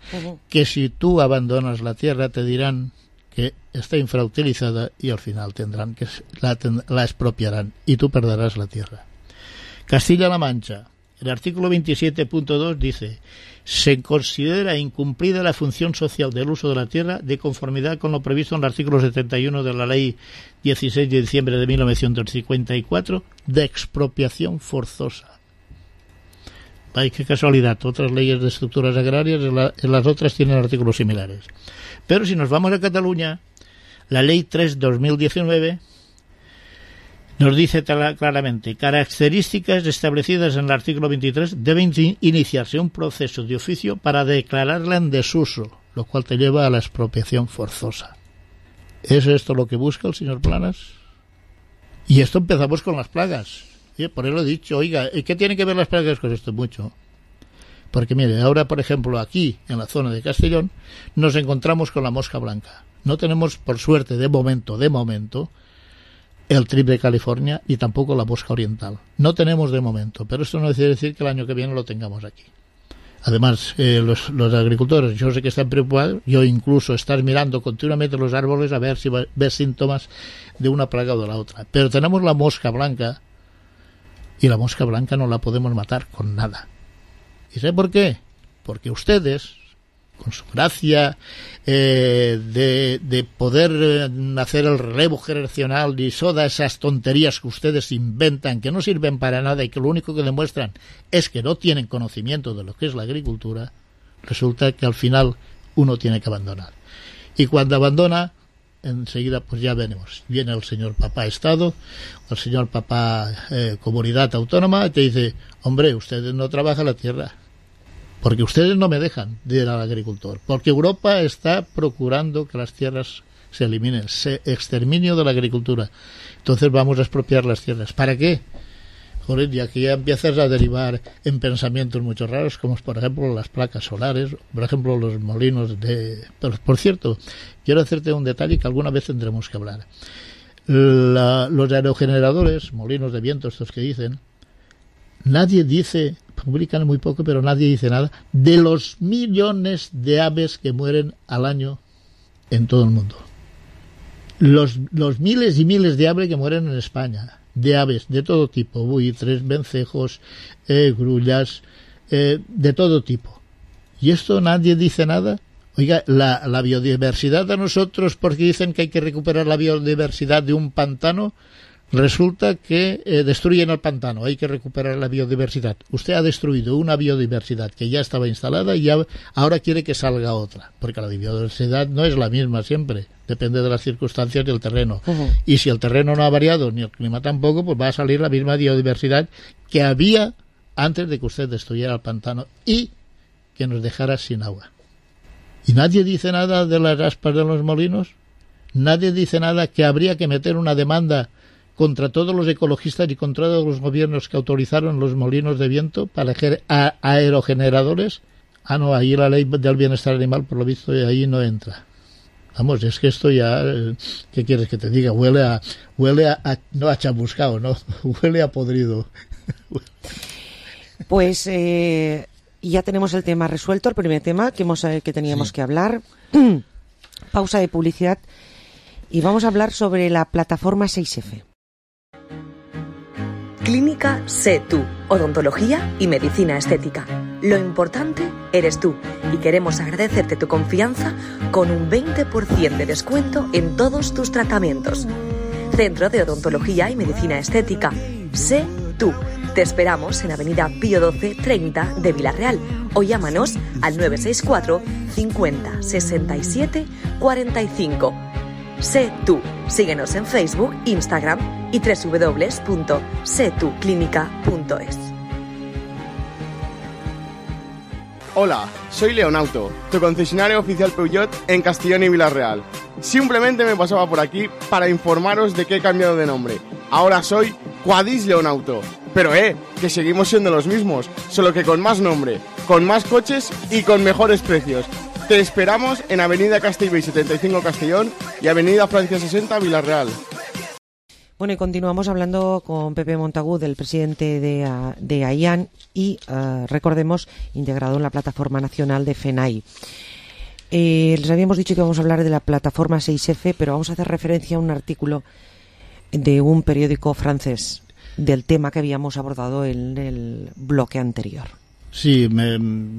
que si tú abandonas la tierra te dirán que está infrautilizada y al final tendrán que la expropiarán y tú perderás la tierra. Castilla-La Mancha, el artículo 27.2 dice: se considera incumplida la función social del uso de la tierra de conformidad con lo previsto en el artículo 71 de la Ley 16 de diciembre de 1954 de expropiación forzosa. Ay, qué casualidad, otras leyes de estructuras agrarias en las otras tienen artículos similares. Pero si nos vamos a Cataluña, la Ley 3/2019 nos dice claramente: características establecidas en el artículo 23 deben iniciarse un proceso de oficio para declararla en desuso, lo cual te lleva a la expropiación forzosa. ¿Es esto lo que busca el señor Planas? Y esto empezamos con las plagas. Por eso he dicho, oiga, ¿qué tienen que ver las plagas con esto? Mucho. Porque mire, ahora por ejemplo aquí en la zona de Castellón nos encontramos con la mosca blanca. No tenemos, por suerte, de momento, el trip de California y tampoco la mosca oriental. No tenemos de momento, pero esto no quiere decir que el año que viene lo tengamos aquí. Además, los agricultores, yo sé que están preocupados, yo incluso estar mirando continuamente los árboles a ver si ves síntomas de una plaga o de la otra. Pero tenemos la mosca blanca y la mosca blanca no la podemos matar con nada. ¿Y sabe por qué? Porque ustedes, con su gracia de poder hacer el relevo generacional y todas esas tonterías que ustedes inventan, que no sirven para nada y que lo único que demuestran es que no tienen conocimiento de lo que es la agricultura, resulta que al final uno tiene que abandonar. Y cuando abandona, enseguida pues ya veremos, viene el señor papá Estado, el señor papá comunidad autónoma, y te dice: hombre, ustedes no trabajan la tierra, porque ustedes no me dejan de ir al agricultor, porque Europa está procurando que las tierras se eliminen, exterminio de la agricultura, entonces vamos a expropiar las tierras. ¿Para qué? Joder, y aquí ya empiezas a derivar en pensamientos mucho raros, como por ejemplo las placas solares, por ejemplo los molinos de... Pero, por cierto, quiero hacerte un detalle que alguna vez tendremos que hablar. Los aerogeneradores, molinos de viento, estos que dicen, nadie dice, publican muy poco, pero nadie dice nada de los millones de aves que mueren al año en todo el mundo. Los miles y miles de aves que mueren en España, de aves de todo tipo, buitres, vencejos, grullas, de todo tipo. ¿Y esto nadie dice nada? Oiga, la biodiversidad a nosotros, porque dicen que hay que recuperar la biodiversidad de un pantano, resulta que destruyen el pantano, hay que recuperar la biodiversidad. Usted ha destruido una biodiversidad que ya estaba instalada y ahora quiere que salga otra, porque la biodiversidad no es la misma siempre, depende de las circunstancias del terreno. Y si el terreno no ha variado, ni el clima tampoco, pues va a salir la misma biodiversidad que había antes de que usted destruyera el pantano y que nos dejara sin agua. ¿Y nadie dice nada de las aspas de los molinos? ¿Nadie dice nada que habría que meter una demanda contra todos los ecologistas y contra todos los gobiernos que autorizaron los molinos de viento para aerogeneradores? Ah, no, ahí la ley del bienestar animal, por lo visto, ahí no entra. Vamos, es que esto ya, ¿qué quieres que te diga? Huele a no a chamuscado, no, huele a podrido. Pues ya tenemos el tema resuelto, el primer tema que teníamos que hablar. Pausa de publicidad y vamos a hablar sobre la plataforma 6F. Clínica Sé Tú, odontología y medicina estética. Lo importante eres tú y queremos agradecerte tu confianza con un 20% de descuento en todos tus tratamientos. Centro de Odontología y Medicina Estética. Sé Tú. Te esperamos en Avenida Pío 12 30 de Vilarreal o llámanos al 964 50 67 45. Sé Tú. Síguenos en Facebook, Instagram y www.setuclinica.es. Hola, soy Leonauto, tu concesionario oficial Peugeot en Castellón y Vilarreal. Simplemente me pasaba por aquí para informaros de que he cambiado de nombre. Ahora soy Quadis Leonauto. Pero que seguimos siendo los mismos, solo que con más nombre, con más coches y con mejores precios. Te esperamos en Avenida Castellbell 75 Castellón y Avenida Francia 60 Vilarreal. Bueno, y continuamos hablando con Pepe Montagut, el presidente de AIAN y, recordemos, integrado en la Plataforma Nacional de FENAI. Les habíamos dicho que vamos a hablar de la Plataforma 6F, pero vamos a hacer referencia a un artículo de un periódico francés del tema que habíamos abordado en el bloque anterior. Sí,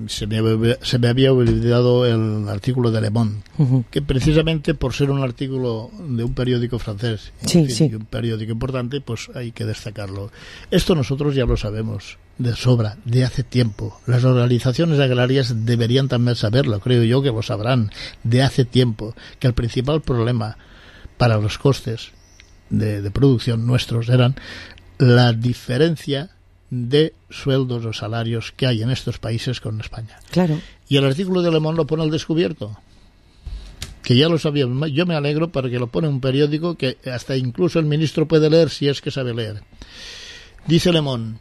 se me había olvidado el artículo de Le Monde, que precisamente por ser un artículo de un periódico francés, y un periódico importante, pues hay que destacarlo. Esto nosotros ya lo sabemos de sobra, de hace tiempo. Las organizaciones agrarias deberían también saberlo, creo yo que lo sabrán, de hace tiempo, que el principal problema para los costes de producción nuestros eran la diferencia de sueldos o salarios que hay en estos países con España. Claro. Y el artículo de Le Monde lo pone al descubierto, que ya lo sabíamos. Yo me alegro porque lo pone un periódico que hasta incluso el ministro puede leer si es que sabe leer. Dice Le Monde,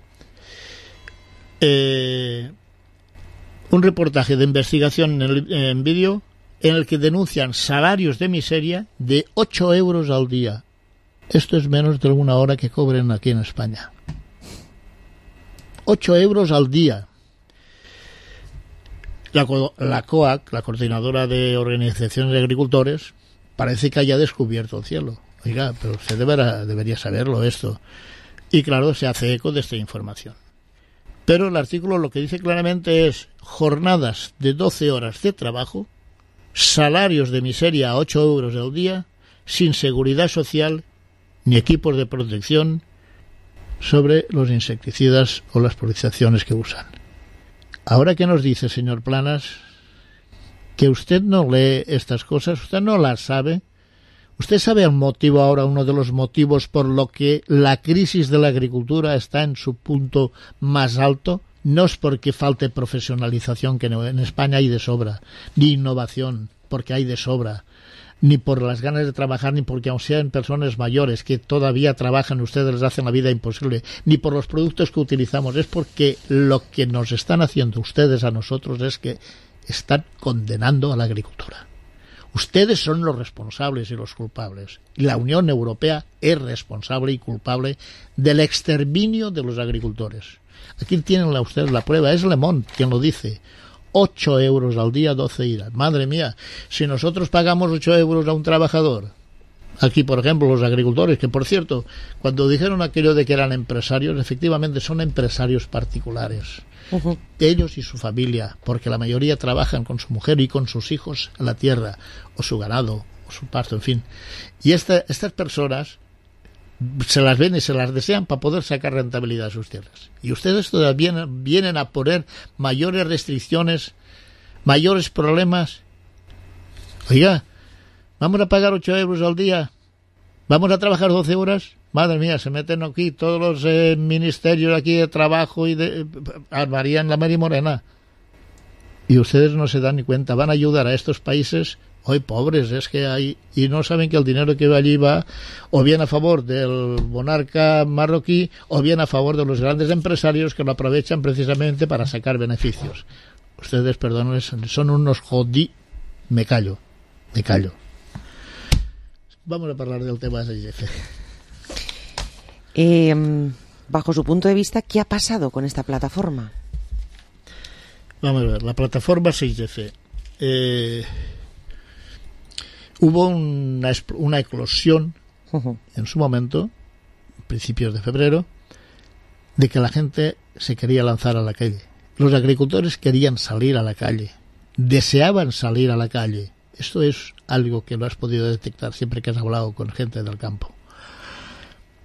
un reportaje de investigación en vídeo en el que denuncian salarios de miseria de 8 euros al día. Esto es menos de alguna hora que cobren aquí en España. 8 euros al día. La COAC, la Coordinadora de Organizaciones de Agricultores, parece que haya descubierto el cielo. Oiga, pero usted debería saberlo esto. Y claro, se hace eco de esta información. Pero el artículo lo que dice claramente es jornadas de 12 horas de trabajo, salarios de miseria a 8 euros al día, sin seguridad social ni equipos de protección sobre los insecticidas o las polinizaciones que usan. Ahora que nos dice, señor Planas, que usted no lee estas cosas, usted no las sabe. ¿Usted sabe el motivo ahora, uno de los motivos por lo que la crisis de la agricultura está en su punto más alto? No es porque falte profesionalización, que en España hay de sobra, ni innovación, porque hay de sobra, ni por las ganas de trabajar, ni porque aun sean personas mayores que todavía trabajan, ustedes les hacen la vida imposible, ni por los productos que utilizamos. Es porque lo que nos están haciendo ustedes a nosotros es que están condenando a la agricultura. Ustedes son los responsables y los culpables. La Unión Europea es responsable y culpable del exterminio de los agricultores. Aquí tienen ustedes la prueba, es Le Monde quien lo dice. 8 euros al día, 12 iras. Madre mía, si nosotros pagamos 8 euros a un trabajador, aquí por ejemplo los agricultores, que por cierto, cuando dijeron aquello de que eran empresarios, efectivamente son empresarios particulares, ellos y su familia, porque la mayoría trabajan con su mujer y con sus hijos en la tierra, o su ganado, o su pasto, en fin. Y estas personas se las ven y se las desean para poder sacar rentabilidad a sus tierras. Y ustedes todavía vienen a poner mayores restricciones, mayores problemas. Oiga, ¿vamos a pagar 8 euros al día? ¿Vamos a trabajar 12 horas? Madre mía, se meten aquí todos los ministerios aquí de trabajo y de armarían la Mari Morena. Y ustedes no se dan ni cuenta, van a ayudar a estos países hoy pobres, es que hay, y no saben que el dinero que va allí va o bien a favor del monarca marroquí o bien a favor de los grandes empresarios que lo aprovechan precisamente para sacar beneficios. Ustedes, perdón, son unos jodí. Me callo. Vamos a hablar del tema de 6F. Bajo su punto de vista, ¿qué ha pasado con esta plataforma? Vamos a ver, la plataforma 6F. Hubo una eclosión en su momento, principios de febrero, de que la gente se quería lanzar a la calle. Los agricultores querían salir a la calle, deseaban salir a la calle. Esto es algo que lo has podido detectar siempre que has hablado con gente del campo.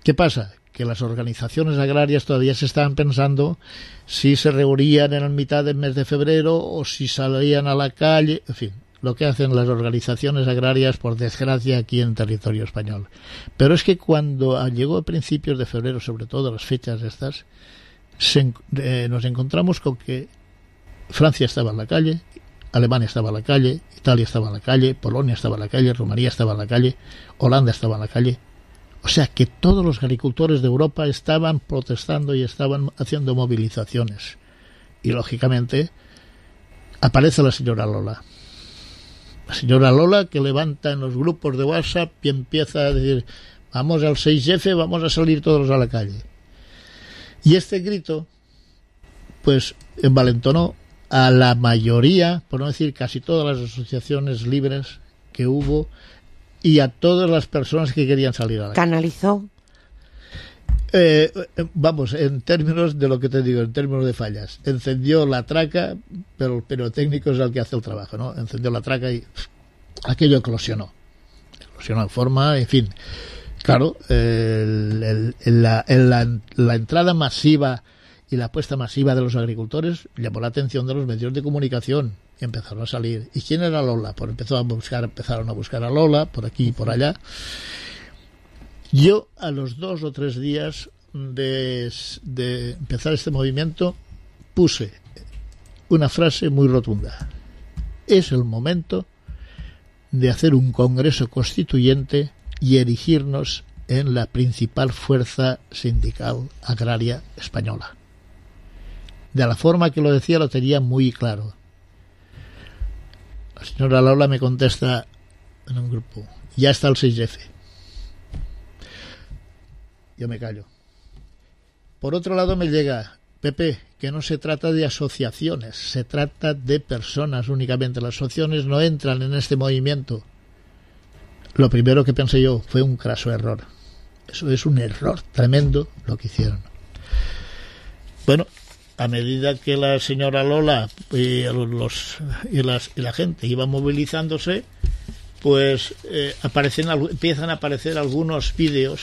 ¿Qué pasa? Que las organizaciones agrarias todavía se estaban pensando si se reunían en la mitad del mes de febrero o si salían a la calle, en fin, lo que hacen las organizaciones agrarias, por desgracia, aquí en territorio español. Pero es que cuando llegó a principios de febrero, sobre todo las fechas estas, nos encontramos con que Francia estaba en la calle, Alemania estaba en la calle, Italia estaba en la calle, Polonia estaba en la calle, Rumanía estaba en la calle, Holanda estaba en la calle. O sea que todos los agricultores de Europa estaban protestando y estaban haciendo movilizaciones. Y lógicamente aparece la señora Lola. La señora Lola, que levanta en los grupos de WhatsApp y empieza a decir: vamos al 6F, vamos a salir todos a la calle. Y este grito, pues, envalentonó a la mayoría, por no decir casi todas las asociaciones libres que hubo, y a todas las personas que querían salir a la calle. ¿Canalizó? Vamos, en términos de lo que te digo, en términos de fallas. Encendió la traca, pero el pirotécnico es el que hace el trabajo, ¿no? Encendió la traca y aquello eclosionó. Eclosionó en forma, en fin. Claro, la entrada masiva y la apuesta masiva de los agricultores llamó la atención de los medios de comunicación y empezaron a salir. ¿Y quién era Lola? Pues empezaron a buscar a Lola por aquí y por allá. Yo, a los 2 o 3 días de empezar este movimiento, puse una frase muy rotunda. Es el momento de hacer un congreso constituyente y erigirnos en la principal fuerza sindical agraria española. De la forma que lo decía, lo tenía muy claro. La señora Lola me contesta en un grupo: ya está el 6F. Yo me callo. Por otro lado me llega: Pepe, que no se trata de asociaciones, se trata de personas únicamente. Las asociaciones no entran en este movimiento. Lo primero que pensé yo fue un craso error. Eso es un error tremendo lo que hicieron. Bueno, a medida que la señora Lola y la gente iba movilizándose, pues empiezan a aparecer algunos vídeos.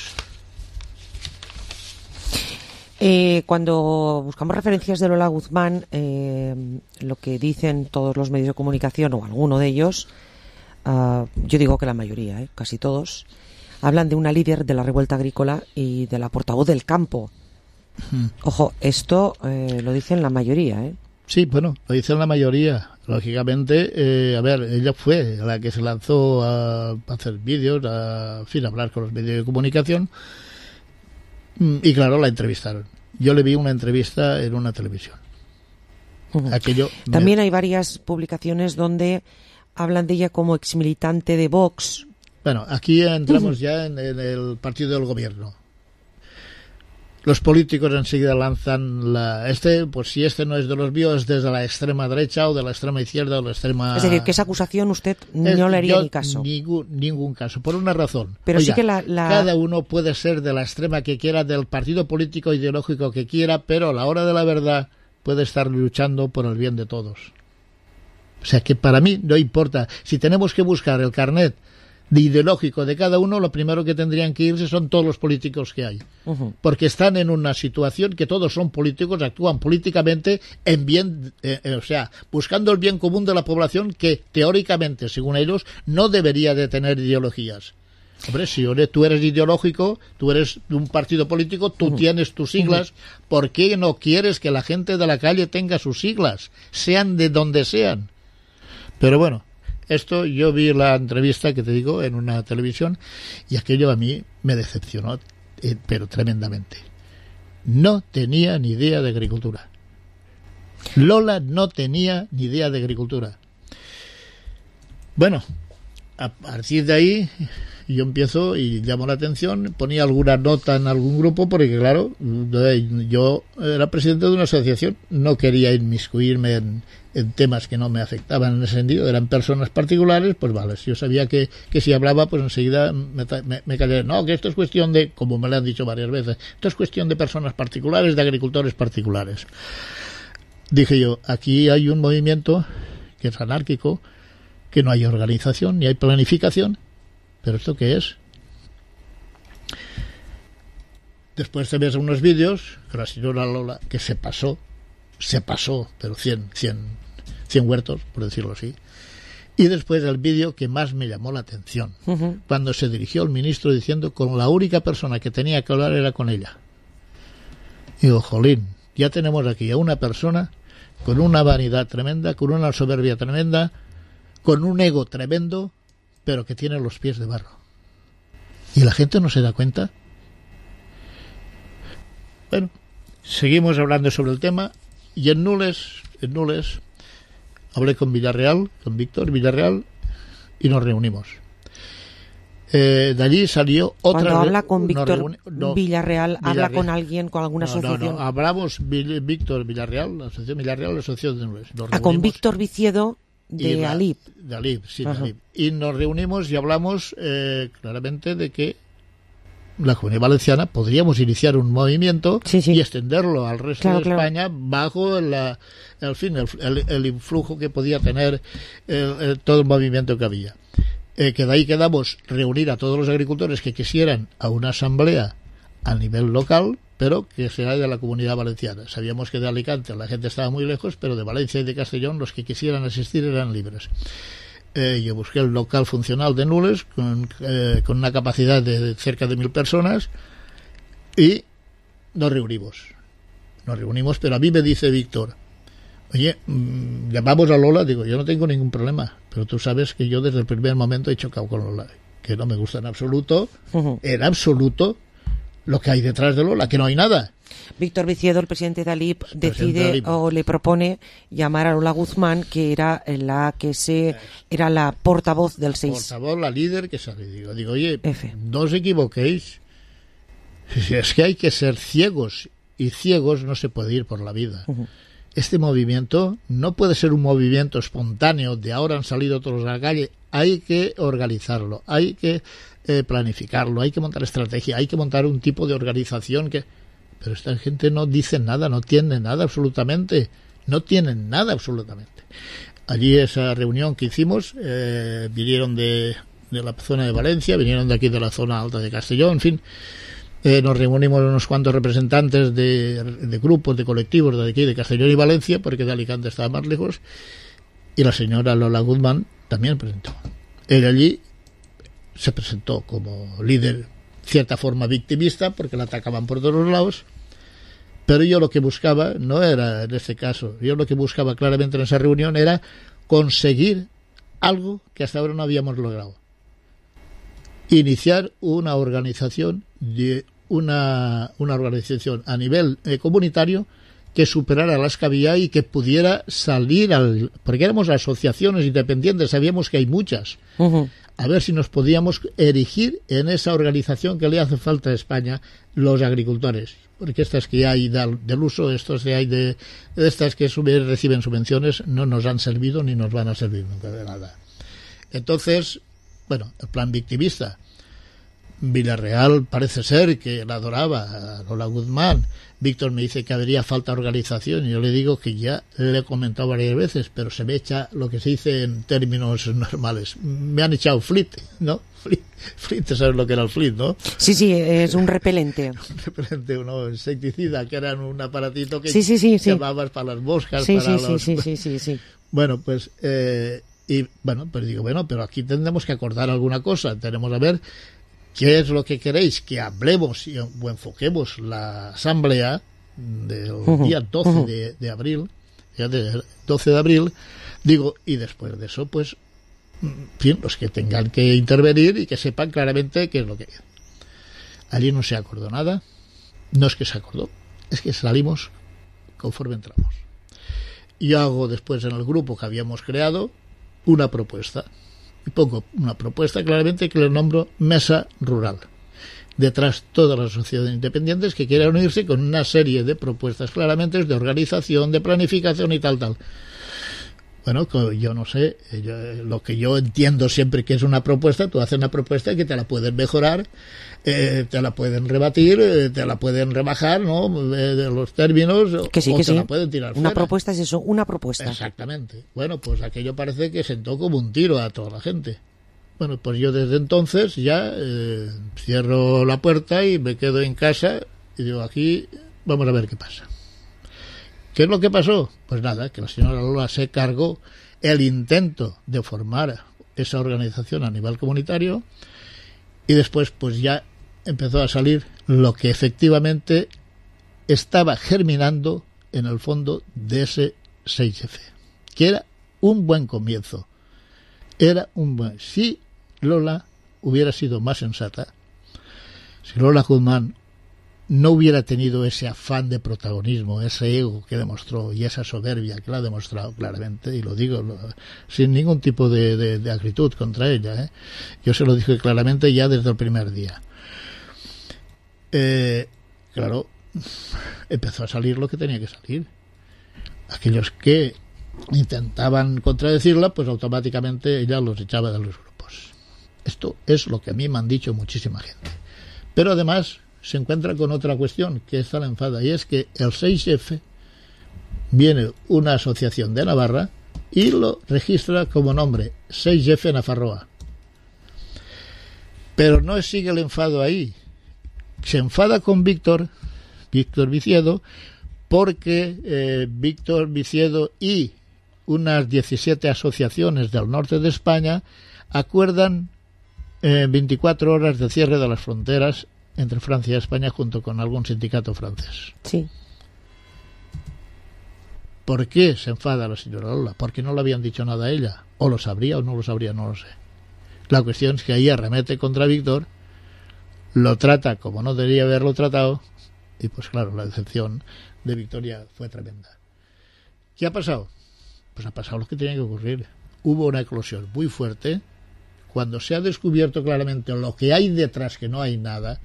Cuando buscamos referencias de Lola Guzmán, lo que dicen todos los medios de comunicación, o alguno de ellos, yo digo que la mayoría, casi todos, hablan de una líder de la revuelta agrícola y de la portavoz del campo. Ojo, esto lo dicen la mayoría, Sí, bueno, lo dicen la mayoría. Lógicamente, ella fue la que se lanzó a hacer vídeos, a hablar con los medios de comunicación. Y claro, la entrevistaron. Yo le vi una entrevista en una televisión. También hay varias publicaciones donde hablan de ella como exmilitante de Vox. Bueno, aquí entramos ya en el partido del gobierno. Los políticos enseguida lanzan pues si este no es de los míos, es desde la extrema derecha o de la extrema izquierda o de la extrema... Es decir, que esa acusación usted no le haría ni caso. Ningún caso, por una razón. Pero Oiga, sí que cada uno puede ser de la extrema que quiera, del partido político ideológico que quiera, pero a la hora de la verdad puede estar luchando por el bien de todos. O sea que para mí no importa. Si tenemos que buscar el carnet de ideológico de cada uno, lo primero que tendrían que irse son todos los políticos que hay. Porque están en una situación que todos son políticos, actúan políticamente en bien, buscando el bien común de la población, que teóricamente, según ellos, no debería de tener ideologías. Hombre, si tú eres ideológico, tú eres de un partido político, tú tienes tus siglas, ¿por qué no quieres que la gente de la calle tenga sus siglas, sean de donde sean? Pero bueno, esto yo vi la entrevista que te digo en una televisión y aquello a mí me decepcionó, pero tremendamente. No tenía ni idea de agricultura. Lola no tenía ni idea de agricultura. Bueno, a partir de ahí yo empiezo y llamo la atención, ponía alguna nota en algún grupo porque claro, yo era presidente de una asociación, no quería inmiscuirme en temas que no me afectaban en ese sentido, eran personas particulares, pues vale, yo sabía que si hablaba, pues enseguida me callé. No, que esto es cuestión de, como me lo han dicho varias veces, esto es cuestión de personas particulares, de agricultores particulares. Dije yo, aquí hay un movimiento que es anárquico, que no hay organización, ni hay planificación, pero ¿esto qué es? Después te ves unos vídeos con la señora Lola, que se pasó, pero 100 huertos, por decirlo así. Y después el vídeo que más me llamó la atención, cuando se dirigió al ministro diciendo con la única persona que tenía que hablar era con ella. Y digo, jolín, ya tenemos aquí a una persona con una vanidad tremenda, con una soberbia tremenda, con un ego tremendo, pero que tiene los pies de barro. ¿Y la gente no se da cuenta? Bueno, seguimos hablando sobre el tema y en Nules hablé con Villarreal, con Víctor Villarreal, y nos reunimos. De allí salió otra... Cuando habla con Víctor Villarreal, habla con alguien, con alguna asociación. No, hablamos Víctor Villarreal, la asociación Villarreal, la asociación de Nules. Con Víctor Viciedo de Alip. De Alip, sí, de Alip. Y nos reunimos y hablamos claramente de que la Comunidad Valenciana podríamos iniciar un movimiento y extenderlo al resto de España bajo el influjo que podía tener todo el movimiento que había. Que de ahí quedamos reunir a todos los agricultores que quisieran a una asamblea a nivel local, pero que sea de la Comunidad Valenciana. Sabíamos que de Alicante la gente estaba muy lejos, pero de Valencia y de Castellón los que quisieran asistir eran libres. Yo busqué el local funcional de Nules con una capacidad de cerca de 1.000 personas y nos reunimos, pero a mí me dice Víctor: oye, llamamos a Lola. Digo, yo no tengo ningún problema, pero tú sabes que yo desde el primer momento he chocado con Lola, que no me gusta en absoluto, lo que hay detrás de Lola, que no hay nada. Víctor Viciedo, el presidente de Alip, decide o le propone llamar a Lola Guzmán, que era la portavoz del 6. Portavoz, la líder que sale. Digo, oye, no os equivoquéis. Es que hay que ser ciegos, y ciegos no se puede ir por la vida. Este movimiento no puede ser un movimiento espontáneo de ahora han salido todos a la calle. Hay que organizarlo, hay que planificarlo, hay que montar estrategia, hay que montar un tipo de organización que... Pero esta gente no dice nada, no tiene nada absolutamente. Allí esa reunión que hicimos, vinieron de la zona de Valencia, vinieron de aquí de la zona alta de Castellón, en fin. Nos reunimos unos cuantos representantes de grupos, de colectivos de aquí, de Castellón y Valencia, porque de Alicante estaba más lejos, y la señora Lola Guzmán también presentó. Él allí se presentó como líder, cierta forma victimista, porque la atacaban por todos lados, pero yo lo que buscaba, no era en este caso, yo lo que buscaba claramente en esa reunión era conseguir algo que hasta ahora no habíamos logrado. Iniciar una organización una organización a nivel comunitario que superara las que había y que pudiera salir porque éramos asociaciones independientes, sabíamos que hay muchas. A ver si nos podíamos erigir en esa organización que le hace falta a España, los agricultores, porque estas que hay del uso, estos que hay de estas que reciben subvenciones, no nos han servido ni nos van a servir nunca de nada. Entonces, bueno, el plan victimista. Villarreal parece ser que la adoraba a Lola Guzmán. Víctor me dice que habría falta de organización y yo le digo que ya le he comentado varias veces, pero se me echa lo que se dice en términos normales. Me han echado flit, ¿no? Flit, ¿sabes lo que era el flit, no? Sí, es un repelente. Un repelente, un insecticida, que era un aparatito que sí. llamabas para las moscas. Sí. Bueno, pues... y bueno, pues digo, pero aquí tendremos que acordar alguna cosa. Tenemos a ver qué es lo que queréis que hablemos o enfoquemos la asamblea del día 12 de abril, ya del 12 de abril, digo, y después de eso, pues, en fin, los que tengan que intervenir y que sepan claramente qué es lo que hay. Allí no se acordó nada, no es que se acordó, es que salimos conforme entramos. Yo hago después en el grupo que habíamos creado una propuesta. Y pongo una propuesta claramente que le nombro Mesa Rural. Detrás todas las sociedades independientes que quieran unirse con una serie de propuestas claramente de organización, de planificación y tal. Bueno, yo no sé, lo que yo entiendo siempre que es una propuesta, tú haces una propuesta que te la pueden mejorar, te la pueden rebatir, te la pueden rebajar, ¿no? De los términos, que sí, la pueden tirar una fuera. Propuesta es eso, una propuesta. Exactamente. Bueno, pues aquello parece que sentó como un tiro a toda la gente. Bueno, pues yo desde entonces ya cierro la puerta y me quedo en casa y digo, aquí vamos a ver qué pasa. ¿Qué es lo que pasó? Pues nada, que la señora Lola se cargó el intento de formar esa organización a nivel comunitario y después pues ya empezó a salir lo que efectivamente estaba germinando en el fondo de ese 6F, que era un buen comienzo. Si Lola hubiera sido más sensata, si Lola Guzmán no hubiera tenido ese afán de protagonismo, ese ego que demostró y esa soberbia que la ha demostrado claramente, y lo digo sin ningún tipo de acritud contra ella, yo se lo dije claramente ya desde el primer día. Claro, empezó a salir lo que tenía que salir. Aquellos que intentaban contradecirla, pues automáticamente ella los echaba de los grupos. Esto es lo que a mí me han dicho muchísima gente. Pero además se encuentra con otra cuestión que esta la enfada, y es que el 6F viene una asociación de Navarra y lo registra como nombre 6F Nafarroa. Pero no sigue el enfado ahí. Se enfada con Víctor Viciedo, porque Víctor Viciedo y unas 17 asociaciones del norte de España acuerdan 24 horas de cierre de las fronteras entre Francia y España junto con algún sindicato francés. Sí. ¿Por qué se enfada la señora Lola? Porque no le habían dicho nada a ella. O lo sabría o no lo sabría, no lo sé. La cuestión es que ahí arremete contra Víctor, lo trata como no debería haberlo tratado, y pues claro, la decepción de Victoria fue tremenda. ¿Qué ha pasado? Pues ha pasado lo que tenía que ocurrir. Hubo una eclosión muy fuerte. Cuando se ha descubierto claramente lo que hay detrás, que no hay nada,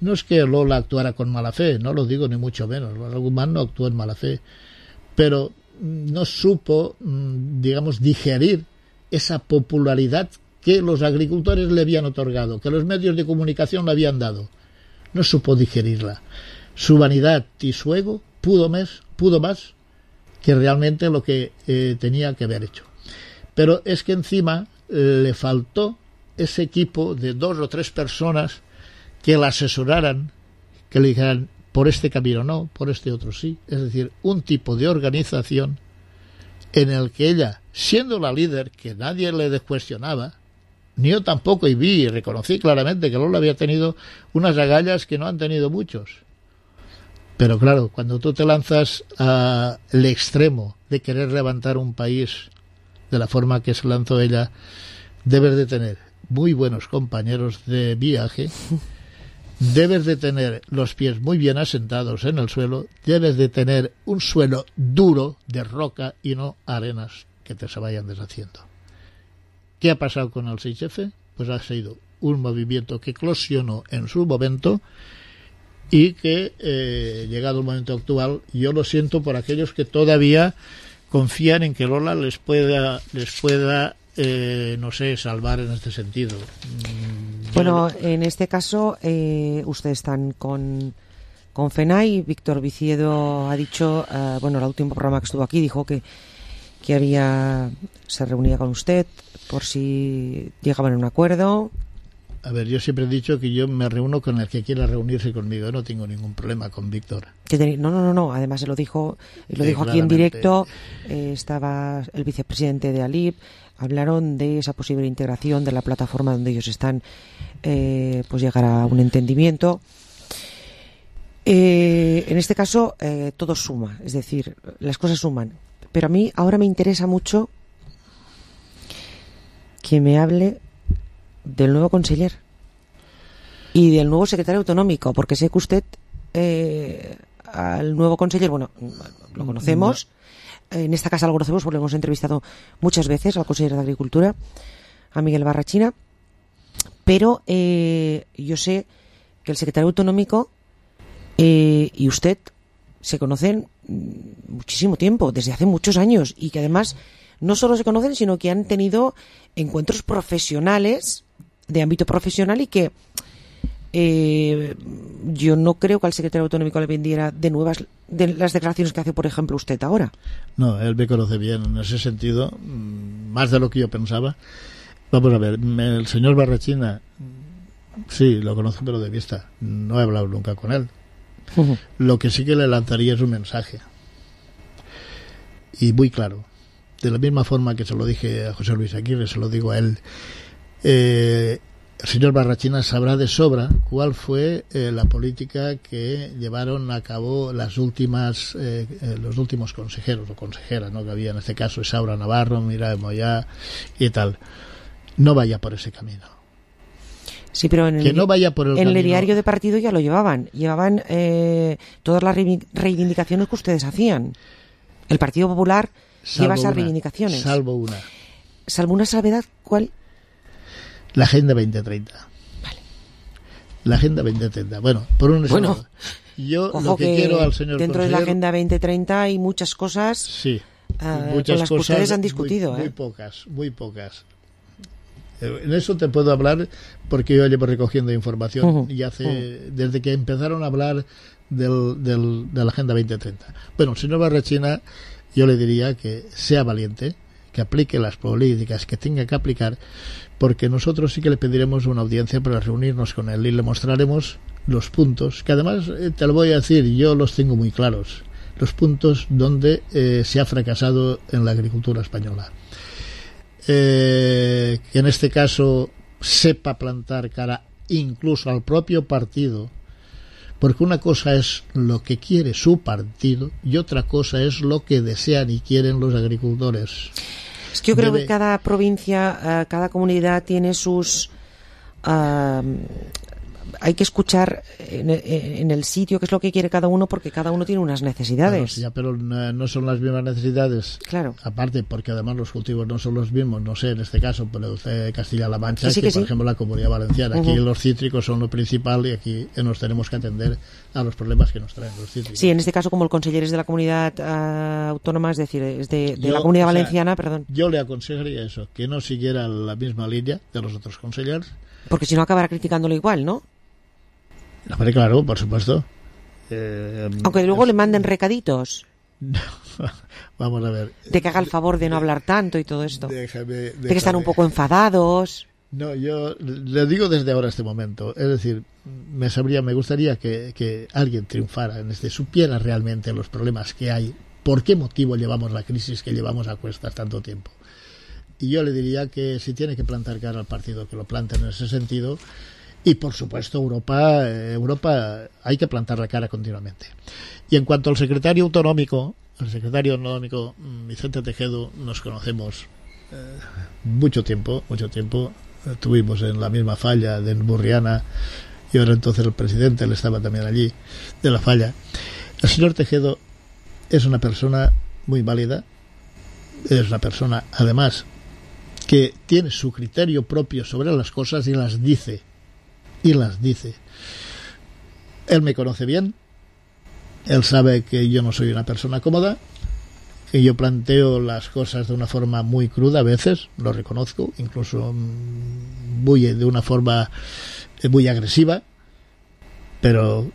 no es que Lola actuara con mala fe, no lo digo ni mucho menos. Lola Guzmán no actuó en mala fe, pero no supo, digamos, digerir esa popularidad que los agricultores le habían otorgado, que los medios de comunicación le habían dado. No supo digerirla. Su vanidad y su ego pudo más que realmente lo que tenía que haber hecho. Pero es que encima le faltó ese equipo de 2 o 3 personas que la asesoraran, que le dijeran por este camino no, por este otro sí. Es decir, un tipo de organización en el que ella, siendo la líder, que nadie le cuestionaba, ni yo tampoco, y vi y reconocí claramente que Lola había tenido unas agallas que no han tenido muchos. Pero claro, cuando tú te lanzas al extremo de querer levantar un país de la forma que se lanzó ella, debes de tener muy buenos compañeros de viaje, debes de tener los pies muy bien asentados en el suelo, debes de tener un suelo duro de roca y no arenas que te se vayan deshaciendo. ¿Qué ha pasado con el 6F? Pues ha sido un movimiento que eclosionó en su momento y que, llegado el momento actual, yo lo siento por aquellos que todavía confían en que Lola les pueda no sé, salvar en este sentido. Bueno, en este caso, ustedes están con FENAI. Víctor Viciedo ha dicho, bueno, el último programa que estuvo aquí dijo que se reunía con usted por si llegaban a un acuerdo. A ver, yo siempre he dicho que yo me reúno con el que quiera reunirse conmigo. Yo no tengo ningún problema con Víctor. No. Además, se lo dijo aquí en directo. Estaba el vicepresidente de ALIP. Hablaron de esa posible integración de la plataforma donde ellos están, pues llegar a un entendimiento. En este caso, todo suma. Es decir, las cosas suman. Pero a mí ahora me interesa mucho que me hable del nuevo conseller y del nuevo secretario autonómico, porque sé que usted al nuevo conseller, bueno, lo conocemos, en esta casa lo conocemos porque lo hemos entrevistado muchas veces al consejero de Agricultura, a Miguel Barrachina, pero yo sé que el secretario autonómico y usted se conocen muchísimo tiempo, desde hace muchos años, y que además no solo se conocen, sino que han tenido encuentros profesionales, de ámbito profesional, y que yo no creo que al secretario autonómico le vendiera de nuevas de las declaraciones que hace, por ejemplo, usted ahora. No, él me conoce bien en ese sentido, más de lo que yo pensaba. Vamos a ver, el señor Barrachina, sí, lo conozco pero de vista, no he hablado nunca con él. Lo que sí que le lanzaría es un mensaje, y muy claro, de la misma forma que se lo dije a José Luis Aguirre, se lo digo a él. El señor Barrachina sabrá de sobra cuál fue la política que llevaron a cabo los últimos consejeros o consejeras, ¿no?, que había en este caso, Isaura Navarro, Mira de Moyá y tal. No vaya por ese camino. Sí, pero en que no vaya por el en camino. el diario de partido ya lo llevaban todas las reivindicaciones que ustedes hacían. El Partido Popular lleva esas reivindicaciones. Salvo una. ¿Salvo una salvedad? ¿Cuál? La Agenda 2030. Vale. La Agenda 2030. Bueno, por un lado, yo ojo, lo que quiero al señor dentro de la Agenda 2030 hay muchas cosas, sí, muchas con las que ustedes han discutido. Muy pocas. En eso te puedo hablar porque yo llevo recogiendo información y desde que empezaron a hablar de la Agenda 2030. Bueno, el señor Barrachina, yo le diría que sea valiente, que aplique las políticas que tenga que aplicar, porque nosotros sí que le pediremos una audiencia para reunirnos con él y le mostraremos los puntos, que además te lo voy a decir, yo los tengo muy claros, los puntos donde se ha fracasado en la agricultura española. Que en este caso sepa plantar cara incluso al propio partido, porque una cosa es lo que quiere su partido y otra cosa es lo que desean y quieren los agricultores. Es que yo creo que cada provincia, cada comunidad tiene sus... hay que escuchar en el sitio qué es lo que quiere cada uno, porque cada uno tiene unas necesidades. Claro, pero no son las mismas necesidades. Claro. Aparte, porque además los cultivos no son los mismos, no sé, en este caso, pero Castilla-La Mancha, sí, por ejemplo, la Comunidad Valenciana. Aquí los cítricos son lo principal y aquí nos tenemos que atender a los problemas que nos traen los cítricos. Sí, en este caso, como el conseller es de la comunidad autónoma, es decir, es de la Comunidad Valenciana, perdón. Yo le aconsejaría eso, que no siguiera la misma línea de los otros consellers. Porque si no acabará criticándolo igual, ¿no? Hombre, claro, por supuesto. Aunque luego le manden recaditos. Vamos a ver. De que haga el favor de no hablar tanto y todo esto. Déjame. De que están un poco enfadados. No, yo le digo desde ahora este momento. Es decir, me gustaría que alguien triunfara en supiera realmente los problemas que hay. ¿Por qué motivo llevamos la crisis que llevamos a cuestas tanto tiempo? Y yo le diría que si tiene que plantar cara al partido, que lo planten en ese sentido. Y por supuesto Europa hay que plantar la cara continuamente. Y en cuanto al secretario autonómico Vicente Tejedo, nos conocemos mucho tiempo, estuvimos en la misma falla de Burriana y ahora entonces el presidente, él estaba también allí, de la falla. El señor Tejedo es una persona muy válida, es una persona además que tiene su criterio propio sobre las cosas y las dice. Él me conoce bien, él sabe que yo no soy una persona cómoda, que yo planteo las cosas de una forma muy cruda a veces, lo reconozco, incluso de una forma muy agresiva, pero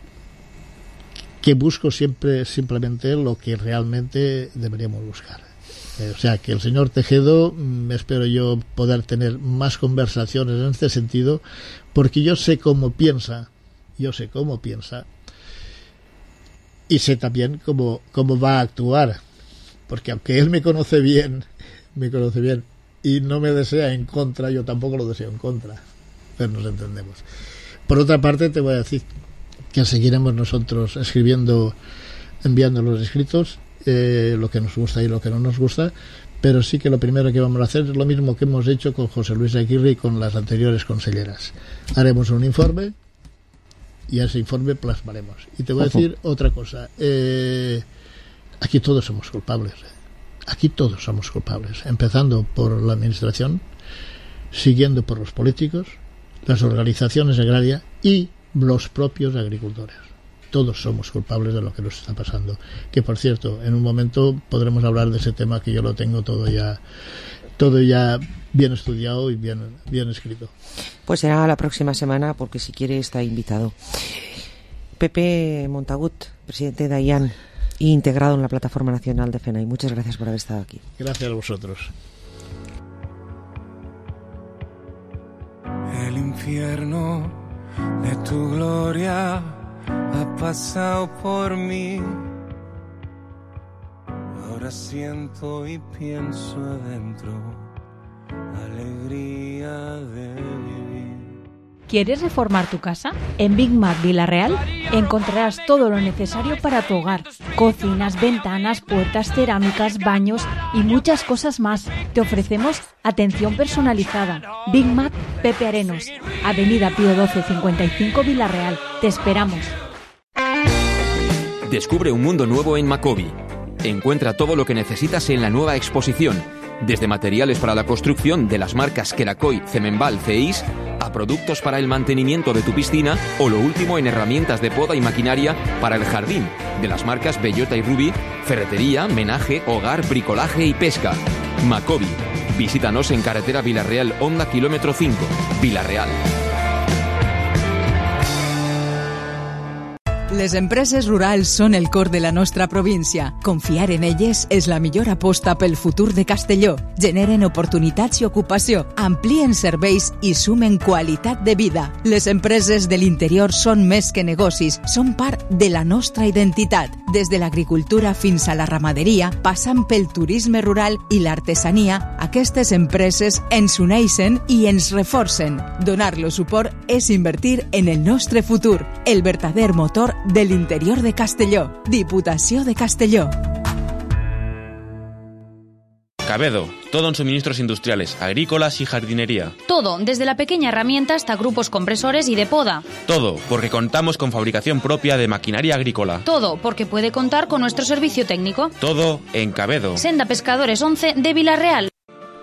que busco simplemente lo que realmente deberíamos buscar. O sea, que el señor Tejedo, espero yo poder tener más conversaciones en este sentido, porque yo sé cómo piensa, y sé también cómo va a actuar, porque aunque él me conoce bien, y no me desea en contra, yo tampoco lo deseo en contra, pero nos entendemos. Por otra parte, te voy a decir que seguiremos nosotros enviando los escritos, lo que nos gusta y lo que no nos gusta, pero sí que lo primero que vamos a hacer es lo mismo que hemos hecho con José Luis Aguirre y con las anteriores conselleras. Haremos un informe y a ese informe plasmaremos. Y te voy a decir otra cosa, aquí todos somos culpables, empezando por la administración, siguiendo por los políticos, las organizaciones agrarias y los propios agricultores. Todos somos culpables de lo que nos está pasando. Que, por cierto, en un momento podremos hablar de ese tema, que yo lo tengo todo ya bien estudiado y bien escrito. Pues será la próxima semana, porque si quiere está invitado. Pepe Montagut, presidente de AIAN, integrado en la Plataforma Nacional de FENAI. Muchas gracias por haber estado aquí. Gracias a vosotros. El infierno de tu gloria ha pasado por mí. Ahora siento y pienso adentro alegría de vivir. ¿Quieres reformar tu casa? En Big Mac Villarreal encontrarás todo lo necesario para tu hogar. Cocinas, ventanas, puertas, cerámicas, baños y muchas cosas más. Te ofrecemos atención personalizada. Big Mac Pepe Arenos, Avenida Pío 12 55 Villarreal. Te esperamos. Descubre un mundo nuevo en Macobi. Encuentra todo lo que necesitas en la nueva exposición, desde materiales para la construcción de las marcas Queracoy, Cemenval, Ceis, a productos para el mantenimiento de tu piscina o lo último en herramientas de poda y maquinaria para el jardín, de las marcas Bellota y Ruby, ferretería, menaje, hogar, bricolaje y pesca. Macobi. Visítanos en carretera Villarreal, Honda, kilómetro 5, Villarreal. Les empreses rurals són el cor de la nostra província. Confiar en elles és la millor aposta pel futur de Castelló. Generen oportunitats i ocupació, amplien serveis i sumen qualitat de vida. Les empreses de l'interior són més que negocis, són part de la nostra identitat. Des de l'agricultura fins a la ramaderia, passant pel turisme rural i l'artesania, aquestes empreses ens uneixen i ens reforcen. Donar-los suport és invertir en el nostre futur, el verdader motor del interior de Castelló. Diputació de Castelló. Cabedo, todo en suministros industriales, agrícolas y jardinería. Todo, desde la pequeña herramienta hasta grupos compresores y de poda. Todo, porque contamos con fabricación propia de maquinaria agrícola. Todo, porque puede contar con nuestro servicio técnico. Todo en Cabedo. Senda Pescadores 11 de Villarreal.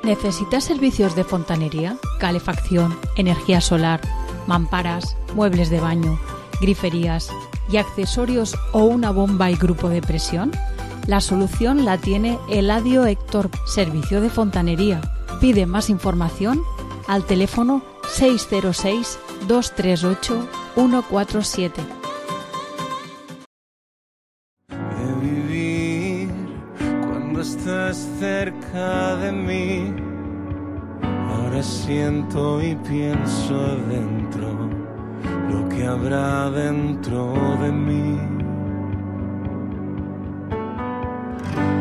¿Necesitas servicios de fontanería, calefacción, energía solar, mamparas, muebles de baño, griferías y accesorios o una bomba y grupo de presión? La solución la tiene Eladio Héctor, servicio de fontanería. Pide más información al teléfono 606 238 147. De vivir cuando estás cerca de mí, ahora siento y pienso adentro lo que habrá dentro de mí.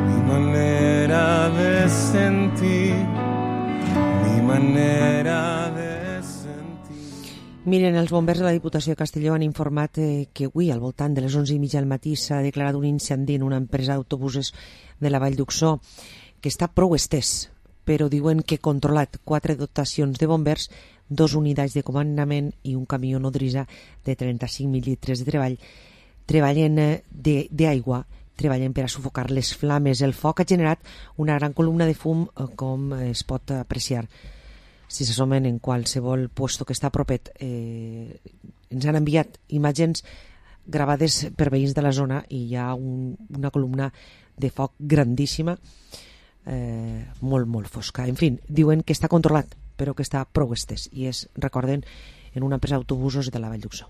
Mi manera de sentir, mi manera de sentir. Miren, els bombers de la Diputació de Castelló han informat que avui, al voltant de les 11:30 del matí, s'ha declarat un incendi en una empresa d'autobusos de la Vall d'Uxó que està prou estès, però diuen que controlat. 4 dotacions de bombers, 2 unitats de comandament i un camió nodrissa de 35.000 litres de treball treballen d'aigua, treballen per a sufocar les flames. El foc ha generat una gran columna de fum, com es pot apreciar si s'assomen en qualsevol puesto que està propet. Ens han enviat imatges gravades per veïns de la zona i hi ha una columna de foc grandíssima, molt, molt fosca. En fi, diuen que està controlat, però que està prou estès, i és, recorden, en una empresa d'autobusos de la Vall d'Uxó.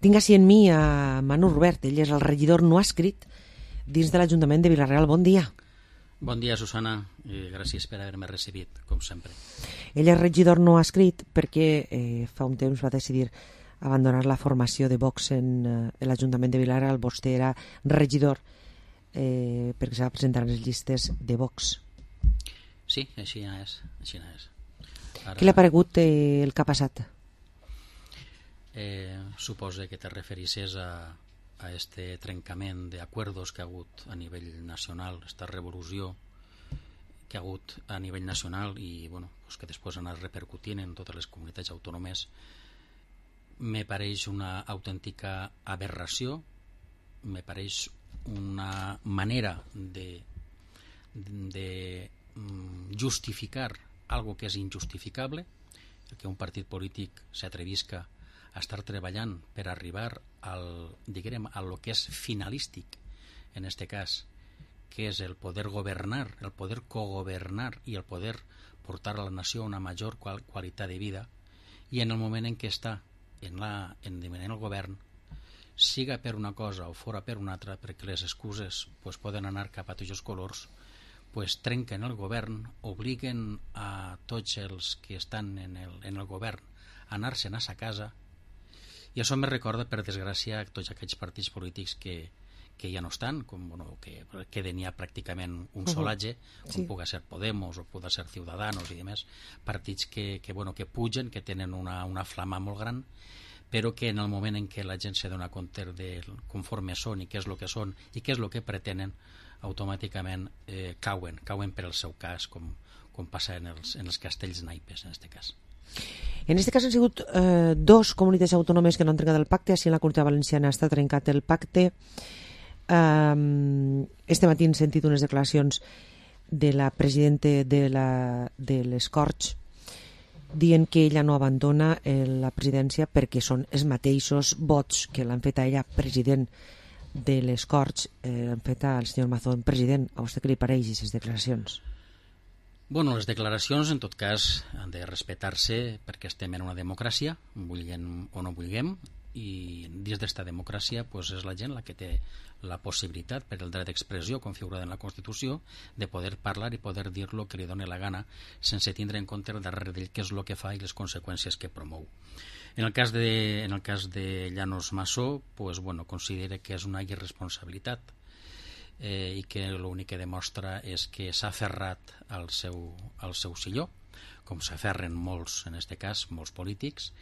Tinc així en mi a Manu Robert, ell és el regidor no escrit dins de l'Ajuntament de Vila-real. Bon dia. Bon dia, Susana, i gràcies per haver-me recibit, com sempre. Ell és regidor no escrit perquè fa un temps va decidir abandonar la formació de Vox en l'Ajuntament de Vila-real. Vostè era regidor perquè s'ha presentat en les llistes de Vox. Sí, així és. Ara... Què li ha paregut el que ha passat? Suposo que te referisses a este trencament d'acords que ha hagut a nivell nacional, esta revolució que ha hagut a nivell nacional i bueno, pues que després ha anat repercutint en totes les comunitats autònomes. Me pareix una autèntica aberració, me pareix una manera de justificar algo que és injustificable, que un partit polític s'atrevisca a estar treballant per arribar al lo que és finalístic, en este cas, que és el poder governar, el poder cogovernar i el poder portar a la nació una major qualitat de vida, i en el moment en què està en el govern, siga per una cosa o fora per una altra, perquè les excuses pues, poden anar cap a tots els colors, pues, trenquen el govern, obliguen a tots els que estan en el govern a anar-se'n a sa casa. I això me recorda, per desgràcia, a tots aquells partits polítics que ja no estan, que queden ja pràcticament un solatge, com pugui ser Podemos o pugui ser Ciudadanos i demés, partits que pugen, que tenen una flama molt gran, però que en el moment en què la gent se dona compte de conforme són i què és el que són i què és el que pretenen, automàticament cauen per el seu cas, com passa en els castells naipes, en aquest cas. En aquest cas han sigut dos comunitats autònomes que no han trencat el pacte. Així en la Comunitat Valenciana està trencat el pacte. Este matí hem sentit unes declaracions de la presidenta de l'Escorch dient que ella no abandona la presidència perquè són els mateixos vots que l'han fet a ella president de l'Escorch, han fet al senyor Mazón president. A vostè què li pareix aquestes declaracions? Bueno, les declaracions, en tot cas, han de respectar-se perquè estem en una democràcia, vulguem o no vulguem, i dins d'esta democràcia és la gent la que té la possibilitat, per el dret d'expressió configurat en la Constitució, de poder parlar i poder dir el que li doni la gana sense tindre en compte darrere d'ell què és el que fa i les conseqüències que promou. En el cas de Llanos Massó, considera que és una irresponsabilitat i que l'únic que demostra és que s'ha aferrat al seu silló, com s'aferren molts, en aquest cas, molts polítics,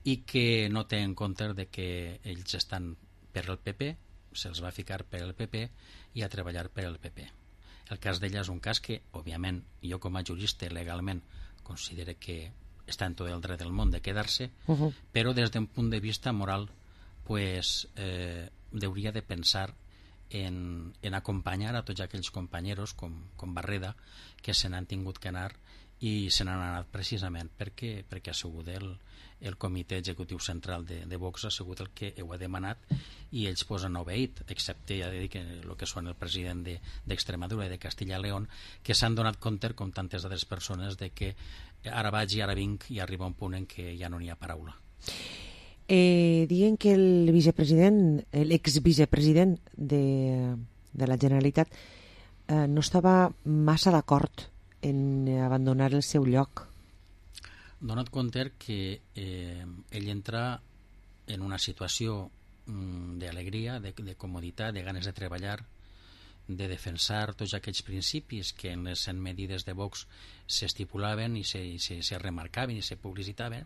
i que no té en compte que ells estan per el PP, se'ls va ficar per el PP i a treballar per el PP. El cas d'ella és un cas que, òbviament, jo com a jurista legalment considero que està en tot el dret del món de quedar-se, però des d'un punt de vista moral hauria de pensar en acompanyar a tots aquells companyeros com Barreda que se n'han tingut que anar i se n'han anat precisament perquè ha sigut el comitè executiu central de Vox ha sigut el que ho ha demanat i ells han obeït, excepte ja dic el que són el president d'Extremadura i de Castilla y León, que s'han donat compte, com tantes altres persones, de que ara vaig i ara vinc i arriba un punt en què ja no n'hi ha paraula. Diuen que l'exvicepresident de la Generalitat no estava massa d'acord en abandonar el seu lloc. Dona't compte que ell entra en una situació d'alegria, de comoditat, de ganes de treballar, de defensar tots aquells principis que en les 100 medides de Vox s'estipulaven i se remarcaven i se publicitaven,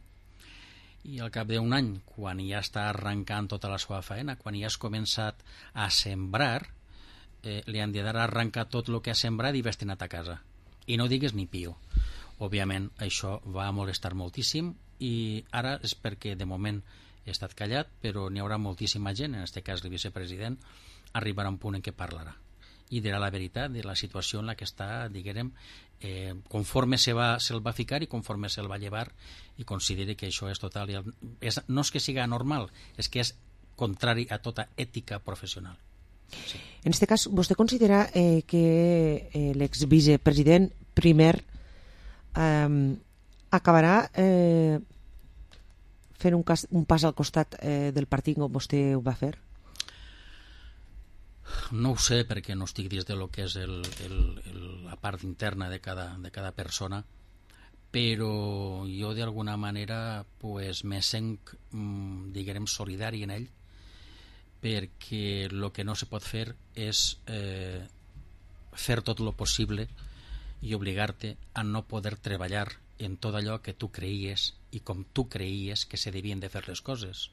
i al cap d'un any, quan ja està arrencant tota la seva faena, quan ja has començat a sembrar, li han de dar a arrencar tot el que ha sembrat i destinat a casa. I no digues ni pio. Òbviament, això va molestar moltíssim i ara és perquè de moment he estat callat, però n'hi haurà moltíssima gent, en aquest cas el vicepresident, arribarà a un punt en què parlarà i dirà la veritat de la situació en la que està, diguem, conforme se'l va ficar i conforme se'l va llevar, i consideri que això és total. No és que sigui anormal, és que és contrari a tota ètica professional. Sí. En aquest cas, vostè considera que l'exvicepresident primer acabarà fent un pas al costat del partit com vostè ho va fer? No ho sé, perquè no estic dins de lo que és la part interna de cada persona, però jo d'alguna manera me sent, diguem, solidari en ell, perquè el que no se pot fer és fer tot el possible i obligar-te a no poder treballar en tot allò que tu creies i com tu creies que se devien de fer les coses.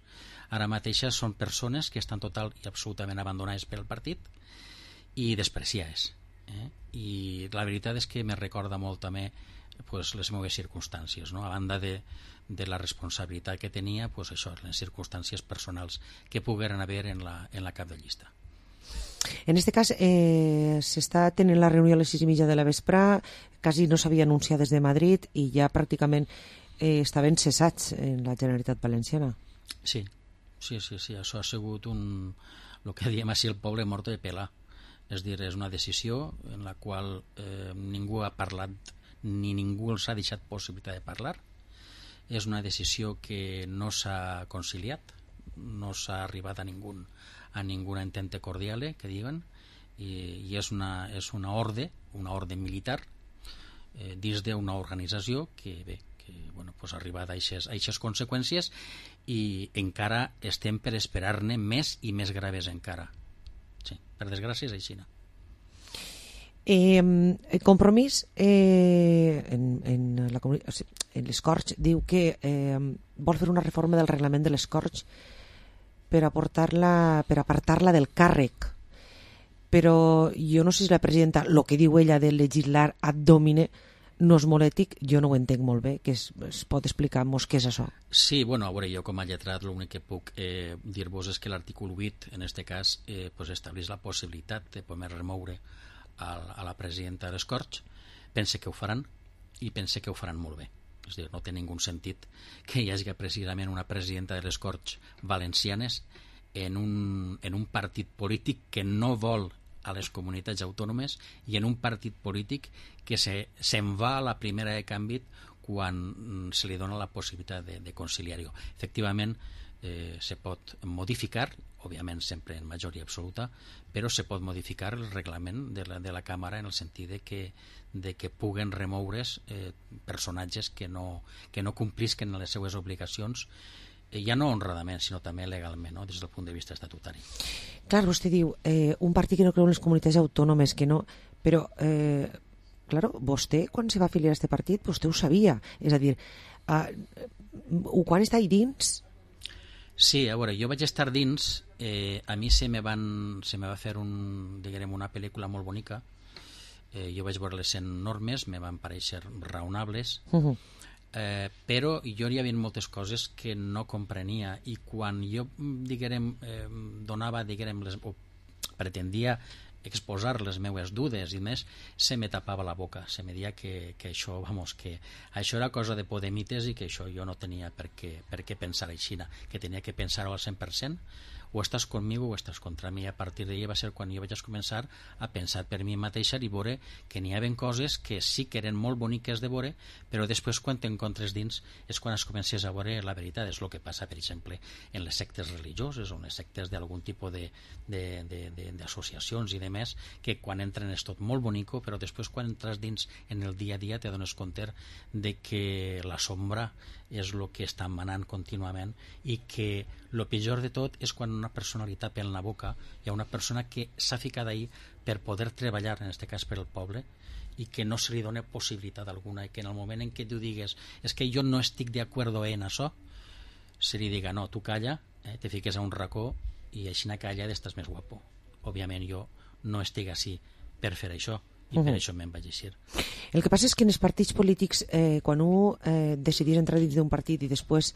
Ara mateixa són persones que estan total i absolutament abandonades pel partit i despreciades. I la veritat és que me recorda molt també les meves circumstàncies, no? A banda de la responsabilitat que tenia, això, les circumstàncies personals que pogueren haver en la cap de llista. En aquest cas, s'està tenint la reunió a les 6:30 de la vesprà, quasi no s'havia anunciat des de Madrid i ja pràcticament estaven cessats en la Generalitat Valenciana. Sí, això ha sigut el que diem així el poble morto de pelar. És dir, és una decisió en la qual ningú ha parlat ni ningú els ha deixat possibilitat de parlar. És una decisió que no s'ha conciliat, no s'ha arribat a ningún entente cordiale, que diuen, i és una ordre militar dins d'una organització que ha arribat a aquestes conseqüències i encara estem per esperar-ne més i més graves encara. Sí. Per desgràcia és així. Compromís en l'Escorx diu que vol fer una reforma del reglament de l'Escorx per apartar-la del càrrec, però jo no sé si la presidenta, el que diu ella de legislar ad domine no és molt ètic, jo no ho entenc molt bé, que es pot explicar-nos què és això? Sí, bueno, a veure, jo com a lletrat l'únic que puc dir-vos és que l'article 8, en aquest cas, estableix la possibilitat de poder remoure a la presidenta de l'Escorx. Pense que ho faran i pense que ho faran molt bé. És a dir, no té ningú sentit que hi hagi precisament una presidenta de l'Escorx valencianes en un partit polític que no vol a les comunitats autònomes i en un partit polític que se'n va a la primera de canvi quan se li dona la possibilitat de conciliar-ho. Efectivament, se pot modificar, òbviament sempre en majoria absoluta, però se pot modificar el reglament de la Càmera en el sentit de que puguen remoure's personatges que no complisquen les seues obligacions, ja no honradament, sinó també legalment, no? Des del punt de vista estatutari. Clar, vostè diu, un partit que no creu en les comunitats autònomes, que no... Però, claro, vostè, quan se va afiliar a aquest partit, vostè ho sabia. És a dir, quan està ahí dins... Sí, a veure, jo vaig estar dins, a mi se me va fer una pel·lícula molt bonica, jo vaig veure les 100 normes, me van parèixer raonables, però jo hi havia moltes coses que no comprenia i quan jo, donava, o pretendia exposar les meues dudes i més, se me tapava la boca, se me deia que això, que això era cosa de podemites i que això jo no tenia per què pensar així, que tenia que pensar-ho al 100%, o estàs conmigo o estàs contra mi. A partir d'ahir va ser quan jo vaig començar a pensar per mi mateixa i veure que n'hi havia coses que sí que eren molt boniques de veure, però després quan t'encontres dins és quan es comences a veure la veritat. És el que passa, per exemple, en les sectes religioses o en les sectes d'algun tipus d'associacions i de més, que quan entren és tot molt bonico, però després quan entres dins en el dia a dia te dones compte de que la sombra és el que està manant contínuament i que el pitjor de tot és quan una persona li tapa en la boca, hi ha una persona que s'ha ficat ahí per poder treballar, en aquest cas per al poble, i que no se li dona possibilitat alguna, i que en el moment en què tu digues és que jo no estic d'acord en això, se li diga no, tu calla, te fiques a un racó i així calla estàs més guapo. Òbviament jo no estic així per fer això, i per això me'n vaig eixir. El que passa és que en els partits polítics, quan un decidís entrar dins d'un partit i després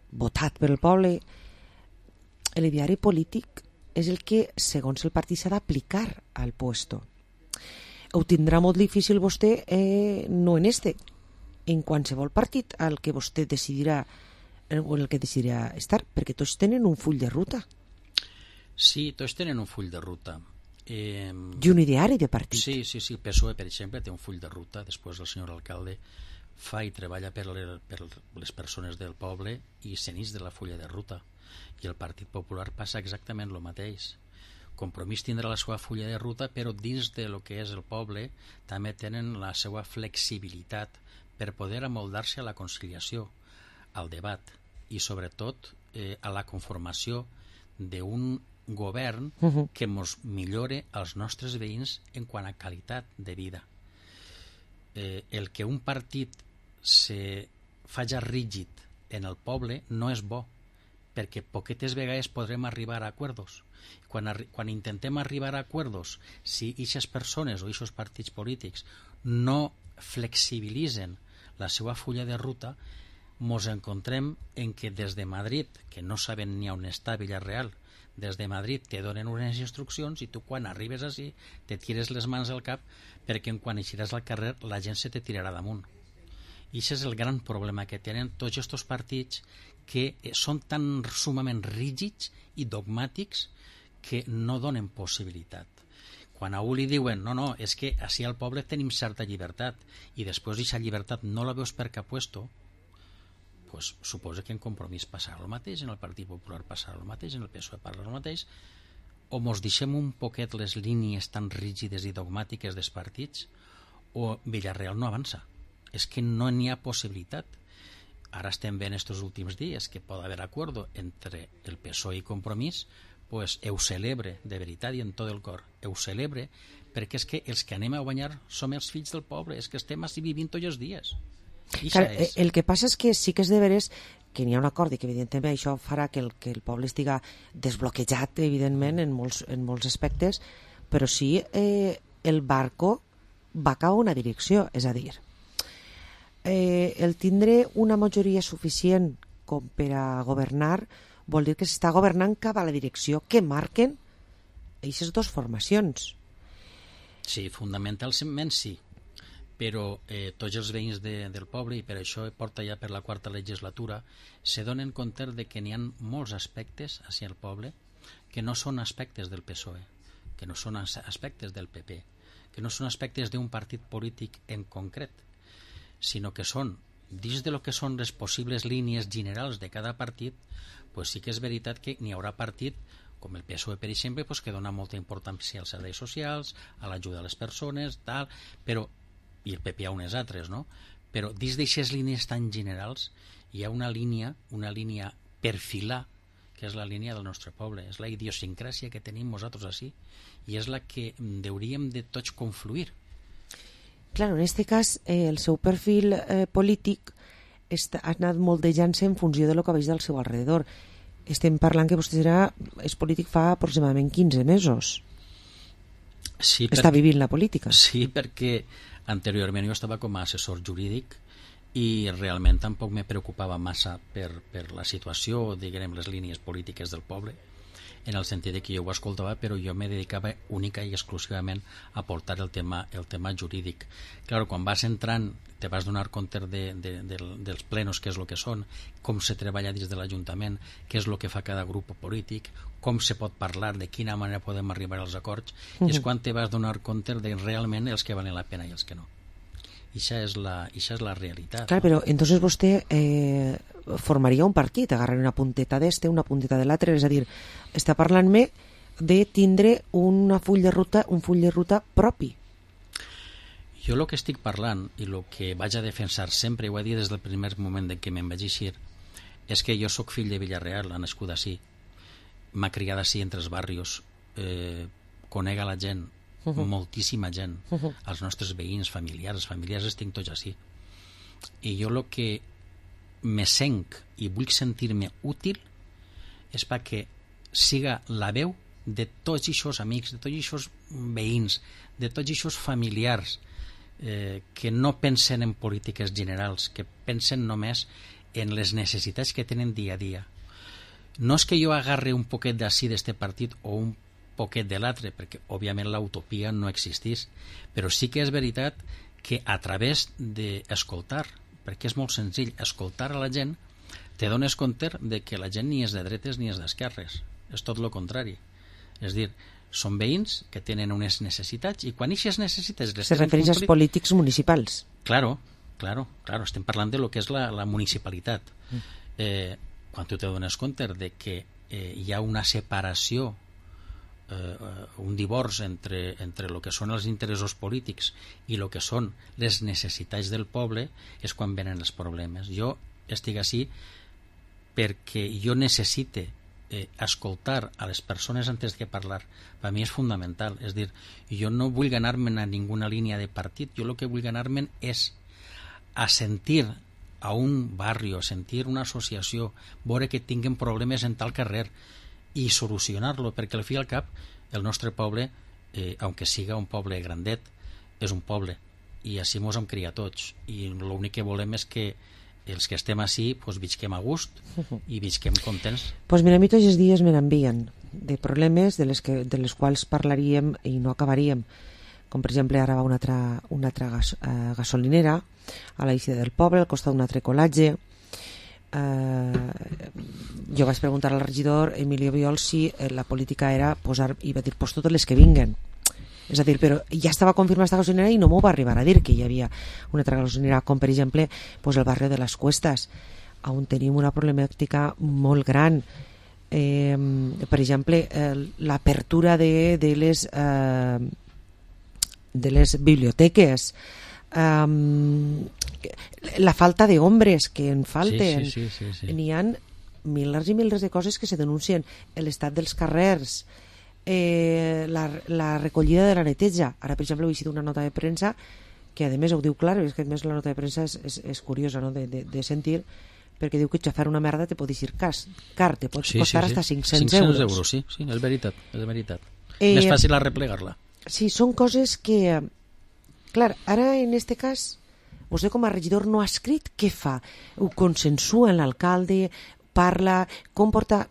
votat per el poble, l'ideari polític és el que, segons el partit, s'ha d'aplicar al puesto. Ho tindrà molt difícil vostè, no en en qualsevol partit al que vostè decidirà o en el que decidirà estar, perquè tots tenen un full de ruta. Sí, tots tenen un full de ruta. I un ideari de partit. Sí, el PSOE, per exemple, té un full de ruta, després el senyor alcalde fa i treballa per les persones del poble i s'enix de la fulla de ruta. I el Partit Popular passa exactament el mateix. Compromís tindrà la seva fulla de ruta, però dins de lo que és el poble també tenen la seva flexibilitat per poder amoldar-se a la conciliació, al debat i sobretot a la conformació d'un govern que ens millore als nostres veïns en quant a qualitat de vida. El que un partit se faci rígid en el poble no és bo, perquè poquetes vegades podrem arribar a acords. Quan intentem arribar a acords, si aquestes persones o aquests partits polítics no flexibilitzen la seva fulla de ruta, ens encontrem en que des de Madrid, que no saben ni on està Villarreal, des de Madrid te donen unes instruccions i tu quan arribes així te tires les mans al cap perquè quan eixiràs al carrer la gent se te tirarà damunt. I aquest és el gran problema que tenen tots aquests partits, que són tan sumament rígids i dogmàtics que no donen possibilitat. Quan a un li diuen no, és que així al poble tenim certa llibertat i després aquesta llibertat no la veus per cap puesto, pues suposa que en Compromís passarà el mateix, en el Partit Popular passarà el mateix, en el PSOE passarà el mateix, o mos deixem un poquet les línies tan rígides i dogmàtiques dels partits, o Villarreal no avança. És que no n'hi ha possibilitat. ara estem veient estos últims dies que pot haver acuerdo entre el PSOE i Compromís, pues ho celebre, de veritat i en tot el cor, ho celebre, perquè és que els que anem a guanyar som els fills del poble, és que estem així vivint tots els dies. Clar, el que passa és que sí que és de veres que n'hi ha un acord i que evidentment això farà que el poble estiga desbloquejat evidentment en molts aspectes, però sí el barco va cap a una direcció, és a dir, el tindre una majoria suficient com per a governar vol dir que s'està governant cap a la direcció que marquen aquestes dues formacions. Sí, fundamentalment sí, però tots els veïns del poble, i per això porta ja per la 4ª legislatura, se donen compte de que n'hi ha molts aspectes hacia el poble que no són aspectes del PSOE, que no són aspectes del PP, que no són aspectes d'un partit polític en concret, sinó que són, dins de lo que són les possibles línies generals de cada partit, pues sí que és veritat que n'hi haurà partit, com el PSOE, per exemple, pues que dona molta importància als serveis socials, a l'ajuda a les persones, tal, però, i el PP a unes altres, no? Però dins d'aixes línies tan generals hi ha una línia per filar, que és la línia del nostre poble, és la idiosincràsia que tenim nosaltres així, i és la que hauríem de tots confluir. Claro, en este cas, el seu perfil polític ha anat moldejant-se en funció de lo que veig del seu alrededor. Estem parlant que vostè és polític fa aproximadament 15 mesos. Sí, està vivint la política. Sí, perquè anteriorment jo estava com a assessor jurídic i realment tampoc me preocupava massa per la situació, diguem, les línies polítiques del poble, en el sentit que jo ho escoltava, però jo me dedicava única i exclusivament a portar el tema jurídic. Claro, quan vas entrant te vas donar compte dels plenos, què és el que són, com se treballa dins de l'Ajuntament, què és el que fa cada grup polític, com se pot parlar, de quina manera podem arribar als acords, i és quan te vas donar compte de realment els que valen la pena i els que no. I això és la realitat. Clar, però entonces vostè formaria un partit, agarraria una punteta d'este, una punteta de l'altre, és a dir, està parlant-me de tindre un full de ruta propi. Jo el que estic parlant i el que vaig a defensar sempre, i ho he dit des del primer moment en què me'n vaig eixir, és que jo sóc fill de Villarreal, ha nascut així, m'ha criat així entre els barrios, conec a la gent, moltíssima gent, els nostres veïns, familiars els tinc tots així. I jo el que me senc i vull sentir-me útil és perquè siga la veu de tots aquests amics, de tots aquests veïns, de tots aquests familiars que no pensen en polítiques generals, que pensen només en les necessitats que tenen dia a dia. No és que jo agarre un poquet d'ací d'este partit o un poquet de l'altre, perquè òbviament l'utopia no existís, però sí que és veritat que a través d'escoltar, perquè és molt senzill, escoltar a la gent, te dones compte de que la gent ni és de dretes ni és d'esquerres, és tot el contrari. És dir, són veïns que tenen unes necessitats i quan aquestes necessitats... Se refereix als polítics municipals. Claro, estem parlant de lo que és la municipalitat. Quan tu te dones compte de que hi ha una separació, un divorci entre el que són els interessos polítics i el que són les necessitats del poble, és quan venen els problemes. Jo estic així perquè jo necessite escoltar a les persones antes que parlar. Per mi és fundamental. És dir, jo no vull anar-me'n a ninguna línia de partit, jo el que vull anar-me'n és a sentir a un barri, a sentir una associació, veure que tinguen problemes en tal carrer i solucionar-lo, perquè al fi i al cap el nostre poble, aunque siga un poble grandet, és un poble i així mos hem criat tots i l'únic que volem és que els que estem així pues, visquem a gust i visquem contents. Pues mira, a mi tots els dies me n'envien de problemes de les quals parlaríem i no acabaríem, com per exemple ara va una altra gasolinera a la eixida del poble, al costat d'un altre colatge. Jo vaig preguntar al regidor Emilio Biol si la política era posar, i va dir, pues totes les que vinguen. És a dir, però ja estava confirmada aquesta gasolinera i no m'ho va arribar a dir que hi havia una altra gasolinera, com per exemple pues el barri de les Cuestas, on tenim una problemàtica molt gran. Per exemple, l'apertura de les biblioteques, la falta de hombres que en falten. Sí. N'hi ha milers i milers de coses que se denuncien. L'estat dels carrers, la recollida de la neteja. Ara, per exemple, he llegit una nota de premsa que a més ho diu clar, és que a més la nota de premsa és curiosa, no?, de sentir, perquè diu que xafar una merda te pot dir car, te pot costar hasta 500 euros. Sí, és veritat. Més fàcil arreplegar-la. Sí, són coses que... Clar, ara en este cas, vostè com a regidor no ha escrit, què fa? Ho consensua amb l'alcalde, parla, com porta...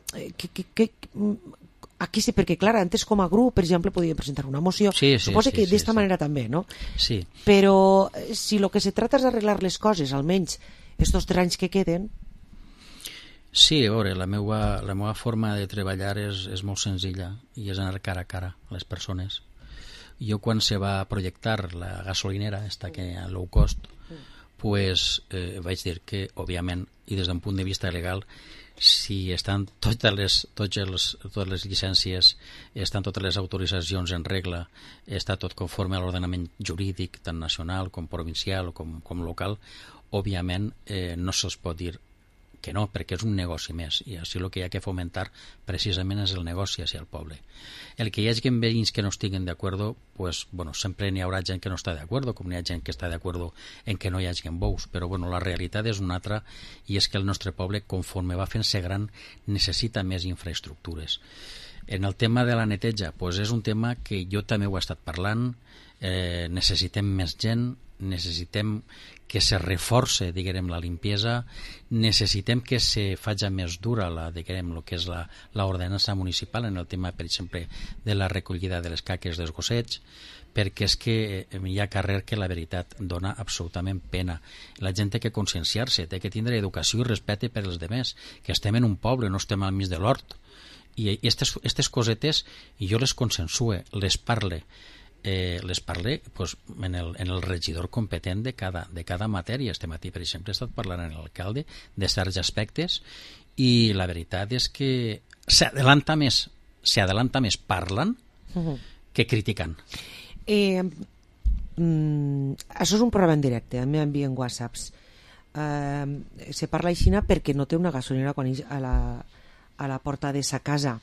Aquí sí, perquè clar, antes com a grup, per exemple, podíem presentar una moció. Suposo que d'esta manera també, no? Sí. Però si el que se trata és arreglar les coses, almenys estos 3 anys que queden... Sí, a veure, la meva forma de treballar és molt senzilla i és anar cara a cara a les persones. Jo quan se va projectar la gasolinera, esta que a low cost, pues vaig dir que, òbviament, i des d'un punt de vista legal, si estan totes les llicències, estan totes les autoritzacions en regla, està tot conforme a l'ordenament jurídic, tant nacional com provincial o com local, òbviament no se'ls pot dir que no, perquè és un negoci més, i així el que hi ha que fomentar precisament és el negoci hacia el poble. El que hi hagi veïns que no estiguen d'acord, pues, bueno, sempre n'hi haurà gent que no està d'acord, com n'hi ha gent que està d'acord en que no hi hagi bous, però bueno, la realitat és una altra, i és que el nostre poble, conforme va fent-se gran, necessita més infraestructures. En el tema de la neteja, pues és un tema que jo també ho he estat parlant, necessitem més gent, necessitem que se reforce, diguem, la limpiesa, necessitem que se faci més dura diguem, el que és l'ordenança municipal en el tema, per exemple, de la recollida de les caques dels gossets, perquè és que hi ha carrer que la veritat dona absolutament pena. La gent té que conscienciar-se, té que tindre educació i respecte per als demés, que estem en un poble, no estem al mig de l'hort. I aquestes cosetes jo les consensue, les parle pues, en el regidor competent de cada matèria. Este matí, per exemple, he estat parlant amb l'alcalde de certs aspectes i la veritat és que s'adalanta més parlant que criticant. Això és un programa en directe, a mi m'envien whatsapps. Se parla així perquè no té una gasolinera quan a la porta de sa casa,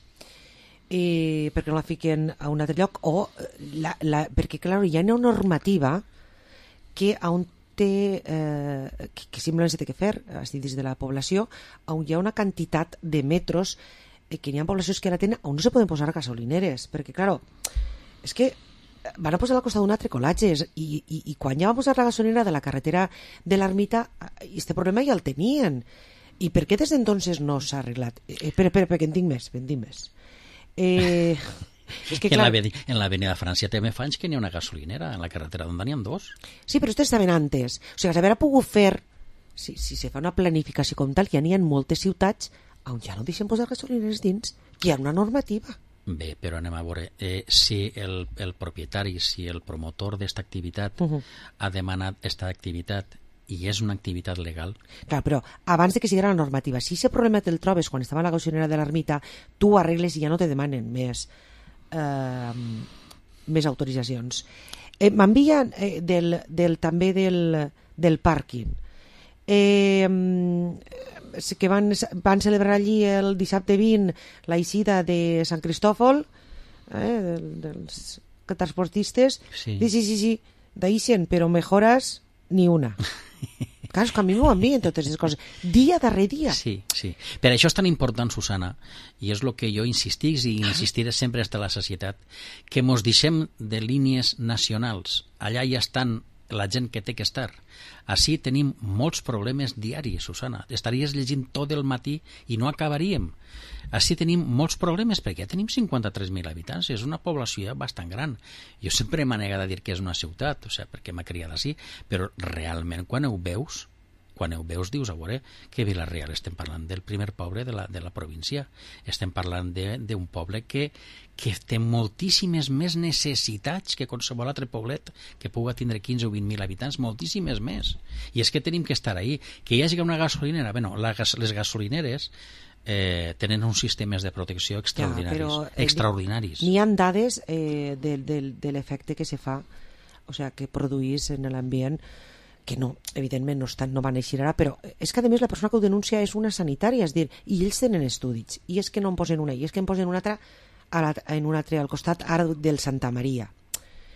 perquè no la fiquen a un altre lloc, o perquè clar, hi ha una normativa que on té que simplement s'ha de fer des de la població, on hi ha una quantitat de metros que n'hi ha poblacions que la tenen on no se poden posar gasolineres, perquè clar, és que van a posar al costat d'un altre colatges i quan ja van posar la gasolinera de la carretera de l'Ermita, aquest problema ja el tenien. I per què des d'entonces no s'ha arreglat? Perquè en tinc més. És que clar, en l'avenida França també fa anys que n'hi ha una gasolinera en la carretera on n'hi ha 2. Sí, però estes estaven antes. O sigui, s'haver pogut fer, si se fa una planificació com tal, ja n'hi ha moltes ciutats on ja no deixen posar gasolineres dins, hi ha una normativa. Bé, però anem a veure, si el propietari, si el promotor d'esta activitat ha demanat aquesta activitat i és una activitat legal... Clar, però abans de que sigui la normativa, si aquest problema te'l trobes quan estava a la gasolinera de l'Ermita, tu ho arregles i ja no te demanen més autoritzacions. M'envien també del pàrquing. Que van celebrar allí el dissabte 20 la eixida de Sant Cristòfol, dels transportistes. Sí, deixen, però mejoras ni una. Clar, que a mi m'ho envien totes les coses, dia darrere dia. Sí. Per això és tan important, Susana, i és el que jo insistiré sempre hasta la societat, que mos deixem de línies nacionals. Allà ja estan la gent que té que estar. Així tenim molts problemes diaris, Susana. Estaries llegint tot el matí i no acabaríem. Així tenim molts problemes perquè ja tenim 53.000 habitants, és una població bastant gran. Jo sempre m'he negat a dir que és una ciutat, perquè m'ha criat així, però realment quan ho veus dius, a veure, que Vila-real estem parlant del primer poble de la província, estem parlant d'un poble que té moltíssimes més necessitats que qualsevol altre poblet que pugui tindre 15 o 20.000 habitants, moltíssimes més. I és que tenim que estar ahí. Que hi hagi una gasolinera, les gasolineres tenen uns sistemes de protecció extraordinaris. N'hi ha dades de l'efecte que se fa, o sigui, que produís en l'ambient, que no, evidentment no van eixir ara, però és que a més la persona que ho denuncia és una sanitària, és dir, i ells tenen estudis, i és que no en posen una, i és que en posen una altra en un altre al costat ara del Santa Maria.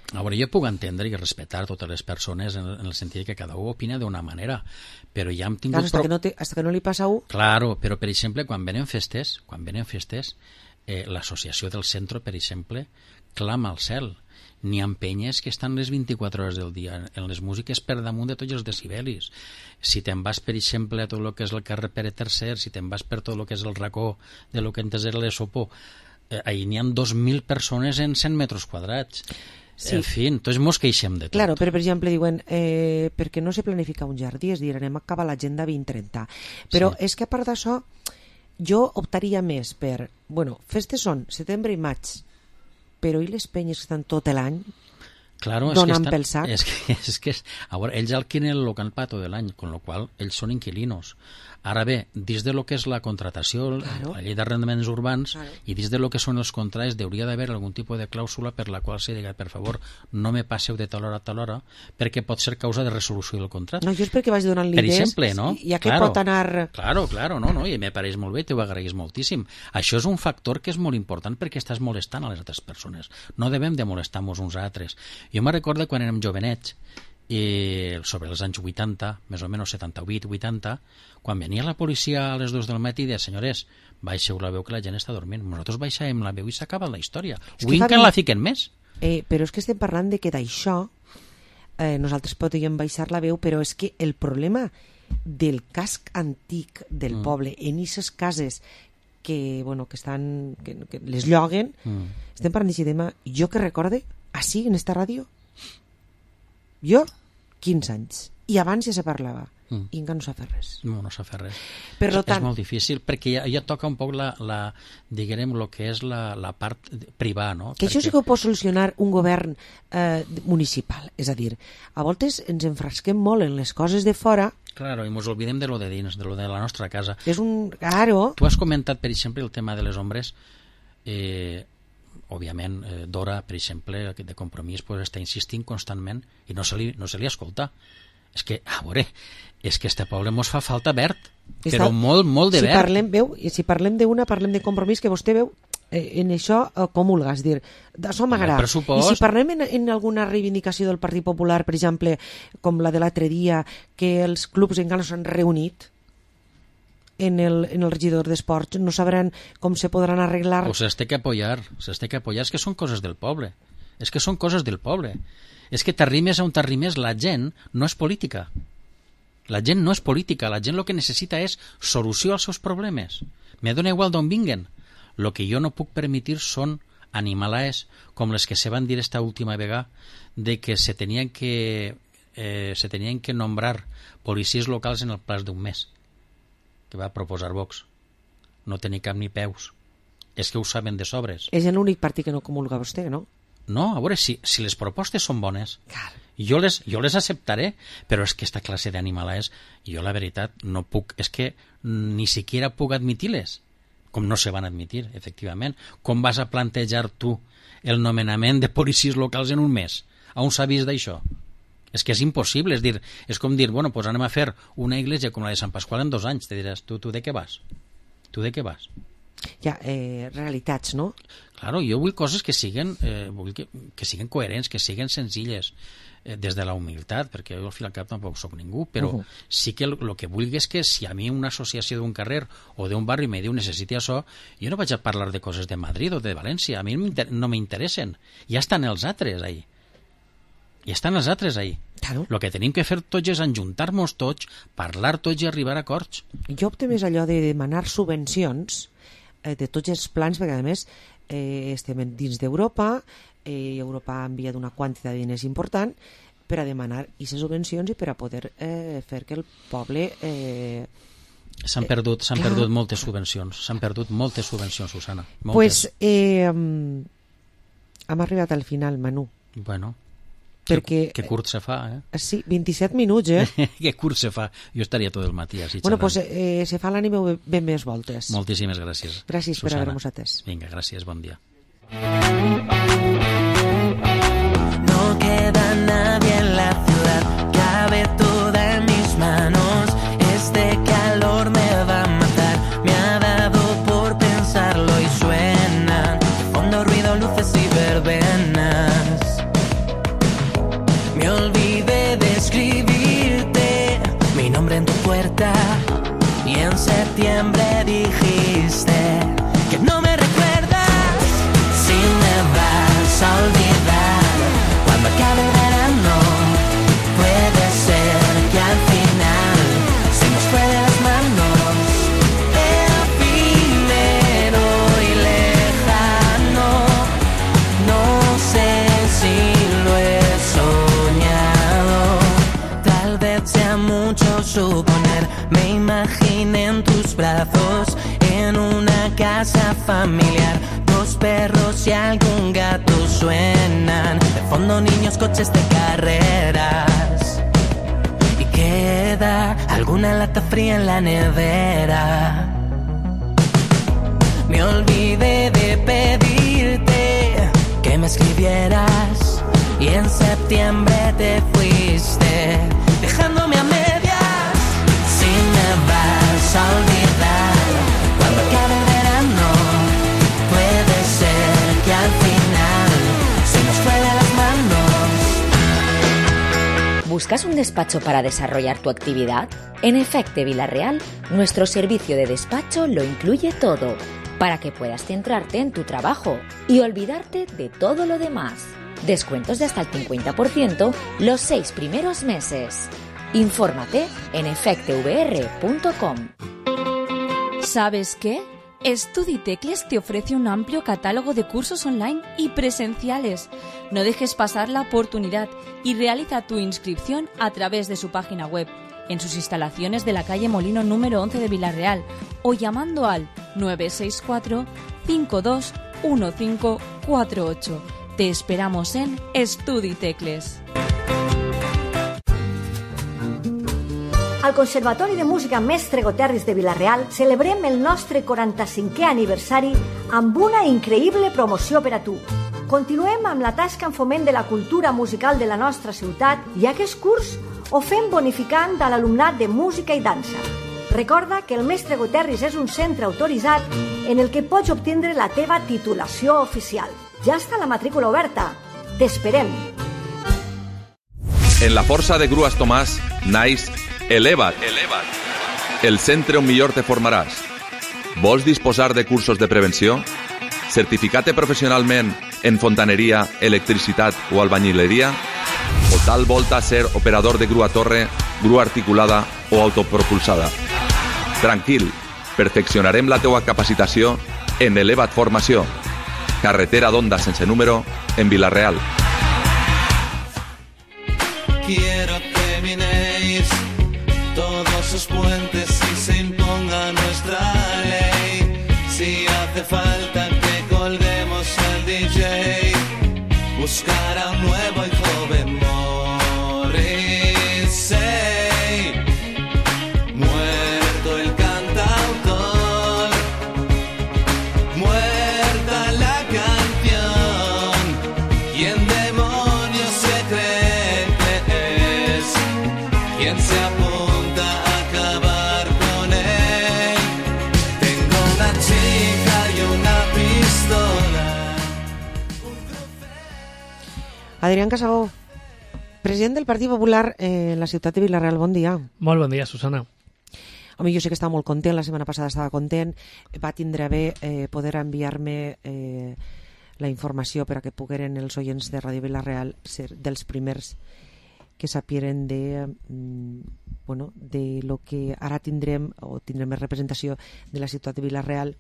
A veure, jo puc entendre i respectar totes les persones en el sentit que cada un opina d'una manera, però ja hem tingut... Claro, hasta que no li passa a un... Claro, però per exemple, quan venen festes, l'associació del centre, per exemple, clama al cel. N'hi ha penyes que estan les 24 hores del dia en les músiques per damunt de tots els decibelis. Si te'n vas, per exemple, a tot el que és el carrer Pere III, si te'n vas per tot el que és el racó de lo que antes era l'Esopó, ahí n'hi ha 2.000 persones en 100 metres quadrats. Sí. En fi, entonces mos queixem de tot. Claro, però per exemple diuen perquè no se planifica un jardí, és dir, anem a acabar l'agenda 2030. Però és que a part d'això jo optaria més per, bueno, festes són setembre i maig, però i les penyes que estan tot l'any donant pel sac? És que a veure, ells alquilen el local per tot l'any, con lo qual ells són inquilinos. Ara bé, dins de lo que és la contratació, la llei d'arrendaments urbans, i dins de lo que són els contrats, hauria d'haver algun tipus de clàusula per la qual se diga, per favor, no me passeu de tal hora a tal hora, perquè pot ser causa de resolució del contracte. No, jo és perquè vaig donant per idees, exemple, no? Ja que pot anar... Claro, no, i me pareix molt bé, t'ho agraïs moltíssim. Això és un factor que és molt important perquè estàs molestant a les altres persones. No devem de molestar-nos uns a altres. Jo me recordo quan érem jovenets, sobre els anys 80, més o menys 78-80, quan venia la policia a les 2 del matí i deia, senyores, baixeu la veu que la gent està dormint. Nosaltres baixàvem la veu i s'acaba la història. Avui encara la fiquen més. Però és que estem parlant de que d'això nosaltres podríem baixar la veu, però és que el problema del casc antic del poble en aquestes cases que les lloguen, estem parlant d'aquest tema. Jo que recorde, així, en esta ràdio, jo, 15 anys. I abans ja se parlava. I encara no s'ha fet res. No s'ha fet res. És molt difícil, perquè ja toca un poc diguem, el que és la part privada, no? Que això sí que ho pot solucionar un govern municipal. És a dir, a voltes ens enfrasquem molt en les coses de fora. Claro, i ens oblidem de lo de dins, de lo de la nostra casa. És un... Claro. Tu has comentat, per exemple, el tema de les ombres. Òbviament, Dora, per exemple, de Compromís, està insistint constantment i no se li escolta. És que, a veure, és que este poble mos fa falta verd, però molt de verd. Si parlem d'una, parlem de Compromís, que vostè veu en això comulga, és dir, d'això m'agrada. I si parlem en alguna reivindicació del Partit Popular, per exemple, com la de l'altre dia, que els clubs encara no s'han reunit en el regidor d'Esports, no sabran com se podran arreglar. Pues s'ha de apoyar, és que són coses del poble. És que t'arrimes a on t'arrimes, la gent no és política. La gent no és política, la gent el que necessita és solució als seus problemes. Me dona igual d'on vinguen. Lo que jo no puc permetre són animalaes com les que se van dir esta última vegada de que se tenien que nombrar policies locals en el plaç d'un mes, que va proposar Vox. No tenir cap ni peus. És que ho saben de sobres. És l'únic partit que no comulga vostè, no? No, a veure, si les propostes són bones, jo les acceptaré, però és que aquesta classe d'animalaes, jo la veritat no puc, és que ni siquiera puc admitir-les, com no se van admitir, efectivament. Com vas a plantejar tu el nomenament de policies locals en un mes? On s'ha vist d'això? És que és impossible, és com dir, bueno, pues anem a fer una església com la de Sant Pasqual en 2 anys, te diràs, tu de què vas? Ja, realitats, no? Claro, jo vull coses que siguin coherents, que siguin senzilles, des de la humilitat, perquè jo al fi al cap tampoc soc ningú, però sí que el que vull és que si a mi una associació d'un carrer o d'un barri me diu necessiti això, jo no vaig a parlar de coses de Madrid o de València, a mi no m'interessen, ja estan els altres ahí. Claro. El que tenim que fer tots és enjuntar-nos tots, parlar tots i arribar a acords. Jo opto més allò de demanar subvencions de tots els plans, perquè a més estem dins d'Europa, Europa ha enviat una quantitat de diners important per a demanar aquestes subvencions i per a poder fer que el poble... S'han perdut moltes subvencions, Susana. Pues hem arribat al final, Manu. Bueno, perquè... que curt se fa, Sí, 27 minuts, Que curt se fa. Jo estaria tot el matí així xerrant. Bueno, pues se fa l'ànima ben més voltes. Moltíssimes gràcies. Gràcies Susana. per haver-nos atès. Vinga, gràcies, bon dia. No queda nadie en la ciudad, cabe todo. nombre en tu puerta y en septiembre dijiste que no me recuerdas. Si me vas a olvidar cuando acabe el verano, puede ser que al final se nos fue de las manos. Efímero y lejano, no sé si lo he soñado. Tal vez sea mucho suponer, me imaginé en tus brazos en una casa familiar. Dos perros y algún gato suenan, de fondo niños, coches de carreras. Y queda alguna lata fría en la nevera. Me olvidé de pedirte que me escribieras y en septiembre te fuiste, dejándome a medias. Si me vas a olvidar cuando acabe el verano, puede ser que al final se nos fue de las manos. ¿Buscas un despacho para desarrollar tu actividad? En Efecte Vila-real, nuestro servicio de despacho lo incluye todo, para que puedas centrarte en tu trabajo y olvidarte de todo lo demás. Descuentos de hasta el 50% los 6 primeros meses. Infórmate en efectevr.com. ¿Sabes qué? StudiTecles te ofrece un amplio catálogo de cursos online y presenciales. No dejes pasar la oportunidad y realiza tu inscripción a través de su página web, en sus instalaciones de la calle Molino número 11 de Vila-real o llamando al 964 521548. Te esperamos en StudiTecles. Al Conservatori de Música Mestre Goterris de Vila-real celebrem el nostre 45è aniversari amb una increïble promoció per a tu. Continuem amb la tasca en foment de la cultura musical de la nostra ciutat i aquest curs ho fem bonificant a l'alumnat de música i dansa. Recorda que el Mestre Goterris és un centre autoritzat en el que pots obtindre la teva titulació oficial. Ja està la matrícula oberta. T'esperem. En la Força de Grues Tomàs naix Eleva't, el centre on millor te formaràs. Vols disposar de cursos de prevenció? Certificar-te professionalment en fontaneria, electricitat o albañileria? O tal volta ser operador de grua torre, grua articulada o autopropulsada? Tranquil, perfeccionarem la teua capacitació en Eleva't Formació. Carretera d'Onda sense número en Vila-real. Quiero que minéis todos sus puentes y se imponga nuestra ley. Si hace falta que colguemos al DJ, buscar a un nuevo y joven Morrissey. Muerto el cantautor, muerta la canción. ¿Quién demonios se cree que es? ¿Quién se apunta a acabar con él? Tengo una chica y una pistola. Adrián Casabó, president del Partit Popular en la ciutat de Vila-real, bon dia. Molt bon dia, Susana. Home, jo sé que estava molt content, la setmana passada estava content, va tindre bé poder enviar-me la informació per a que pogueren els oients de Ràdio Vila-real ser dels primers que sapieren de lo que ara tindrem més representació de la ciutat de Vila-real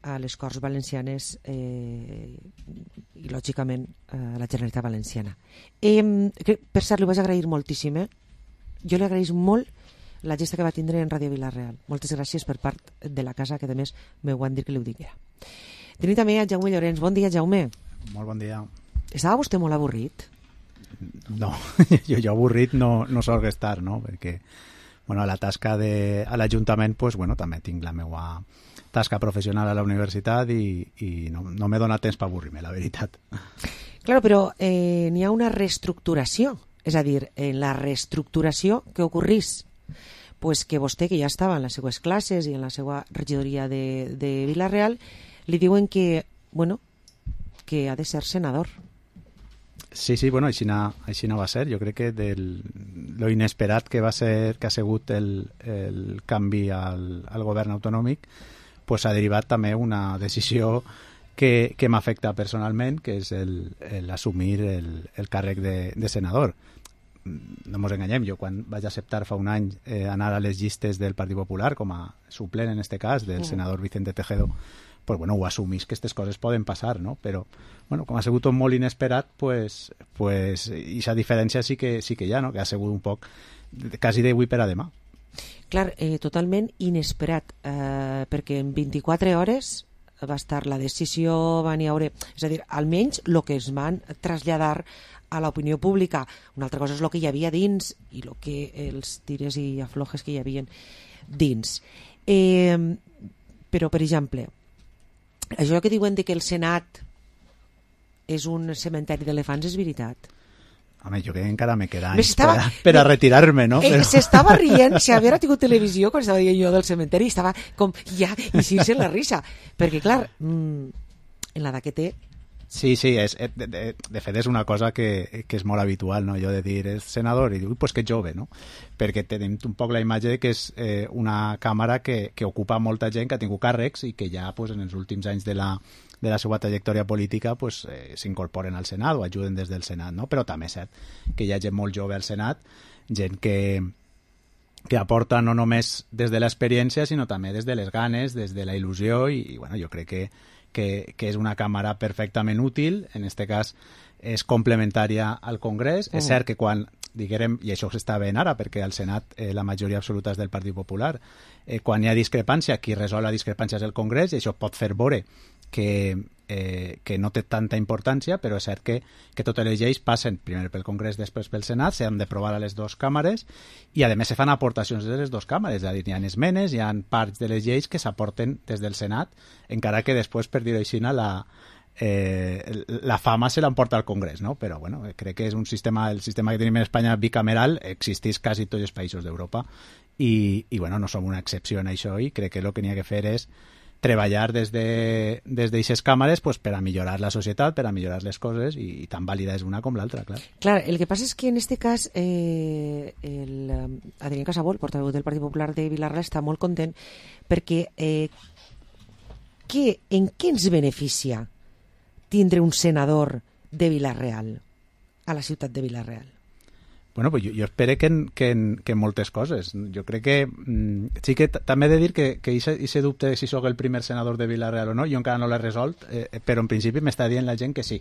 a les Corts Valencianes i lògicament a la Generalitat Valenciana. Per cert, li vaig agrair moltíssim, jo li agraïs molt la gesta que va tindre en Ràdio Vila-real. Moltes gràcies per part de la casa, que a més m'ho van dir que li ho diguera. Tenim també a Jaume Llorenç. Bon dia, Jaume. Molt bon dia. Estava vostè molt avorrit? No, jo avorrit no solc estar, no? Perquè a la tasca a l'Ajuntament també tinc la meva tasca professional a la universitat i no m'he donat temps per avorrir-me, la veritat. Claro, però n'hi ha una reestructuració, és a dir, en la reestructuració que ocorrís, pues que vostè, que ja estava en les seues classes i en la seva regidoria de Vila-real, li diuen que ha de ser senador. Sí, bueno, així no va ser. Jo crec que lo inesperat que ha sigut el canvi al govern autonòmic pues ha derivat també una decisió que m'afecta personalment, que és l'assumir el càrrec de senador. No ens enganyem, jo quan vaig acceptar fa un any anar a les llistes del Partit Popular com a suplent, en este cas, del senador Vicente Tejedo, pues bueno, ho assumís que aquestes coses poden passar, no? Però, bueno, com ha sigut tot molt inesperat, pues aquesta diferència sí que hi ha, no? Que ha sigut un poc quasi d'avui per a demà. Clar, totalment inesperat, perquè en 24 hores va estar la decisió, van haure, és a dir, almenys el que es van traslladar a l'opinió pública. Una altra cosa és el que hi havia dins i els tires i aflojes que hi havia dins. Però, per exemple, això que diuen que el Senat és un cementeri d'elefants és veritat. Home, jo crec que encara me queda anys per a retirar-me, no? S'estava rient, si haguera tingut televisió quan estava dient jo del cementeri, estava com ja eixir-se la risa, perquè clar, en l'edat que té... Sí, de fet és una cosa que és molt habitual, no? Jo de dir, és senador, i diu, pues que jove, no? Perquè tenim un poc la imatge que és una càmera que ocupa molta gent, que ha tingut càrrecs i que ja pues, en els últims anys de la seva trajectòria política pues, s'incorporen al Senat o ajuden des del Senat, no? Però també és cert que hi ha gent molt jove al Senat, gent que aporta no només des de l'experiència, sinó també des de les ganes, des de la il·lusió, i bueno, jo crec que és una càmera perfectament útil, en aquest cas és complementària al Congrés. És cert que quan, diguem, i això s'està veient ara, perquè al Senat la majoria absoluta és del Partit Popular, quan hi ha discrepància, qui resol la discrepància és el Congrés, i això pot fer veure que no té tanta importància, però és cert que totes les lleis passen primer pel Congrés, després pel Senat, s'han d'aprovar a les dues càmeres, i a més se fan aportacions de les dues càmeres, és a dir, hi ha esmenes, hi ha parts de les lleis que s'aporten des del Senat, encara que després, per dir-ho així, la fama se l'emporta al Congrés, no? Però bueno, crec que és el sistema que tenim en Espanya bicameral, existeix quasi tots els països d'Europa, i bueno, no som una excepció en això, i crec que el que n'hi ha que fer és treballar des d'aquestes càmeres pues, per a millorar la societat, per a millorar les coses, i tan vàlida és una com l'altra, clar. Clar, el que passa és que en este cas Adrián Casabó, el portaveu del Partit Popular de Vilarreal, està molt content perquè en què ens beneficia tindre un senador de Vilarreal a la ciutat de Vilarreal? Bueno, pues jo espero que moltes coses. Jo crec que sí que també he de dir que ese dubte de si sóc el primer senador de Vilarreal o no, jo encara no l'he resolt, però en principi m'està dient la gent que sí.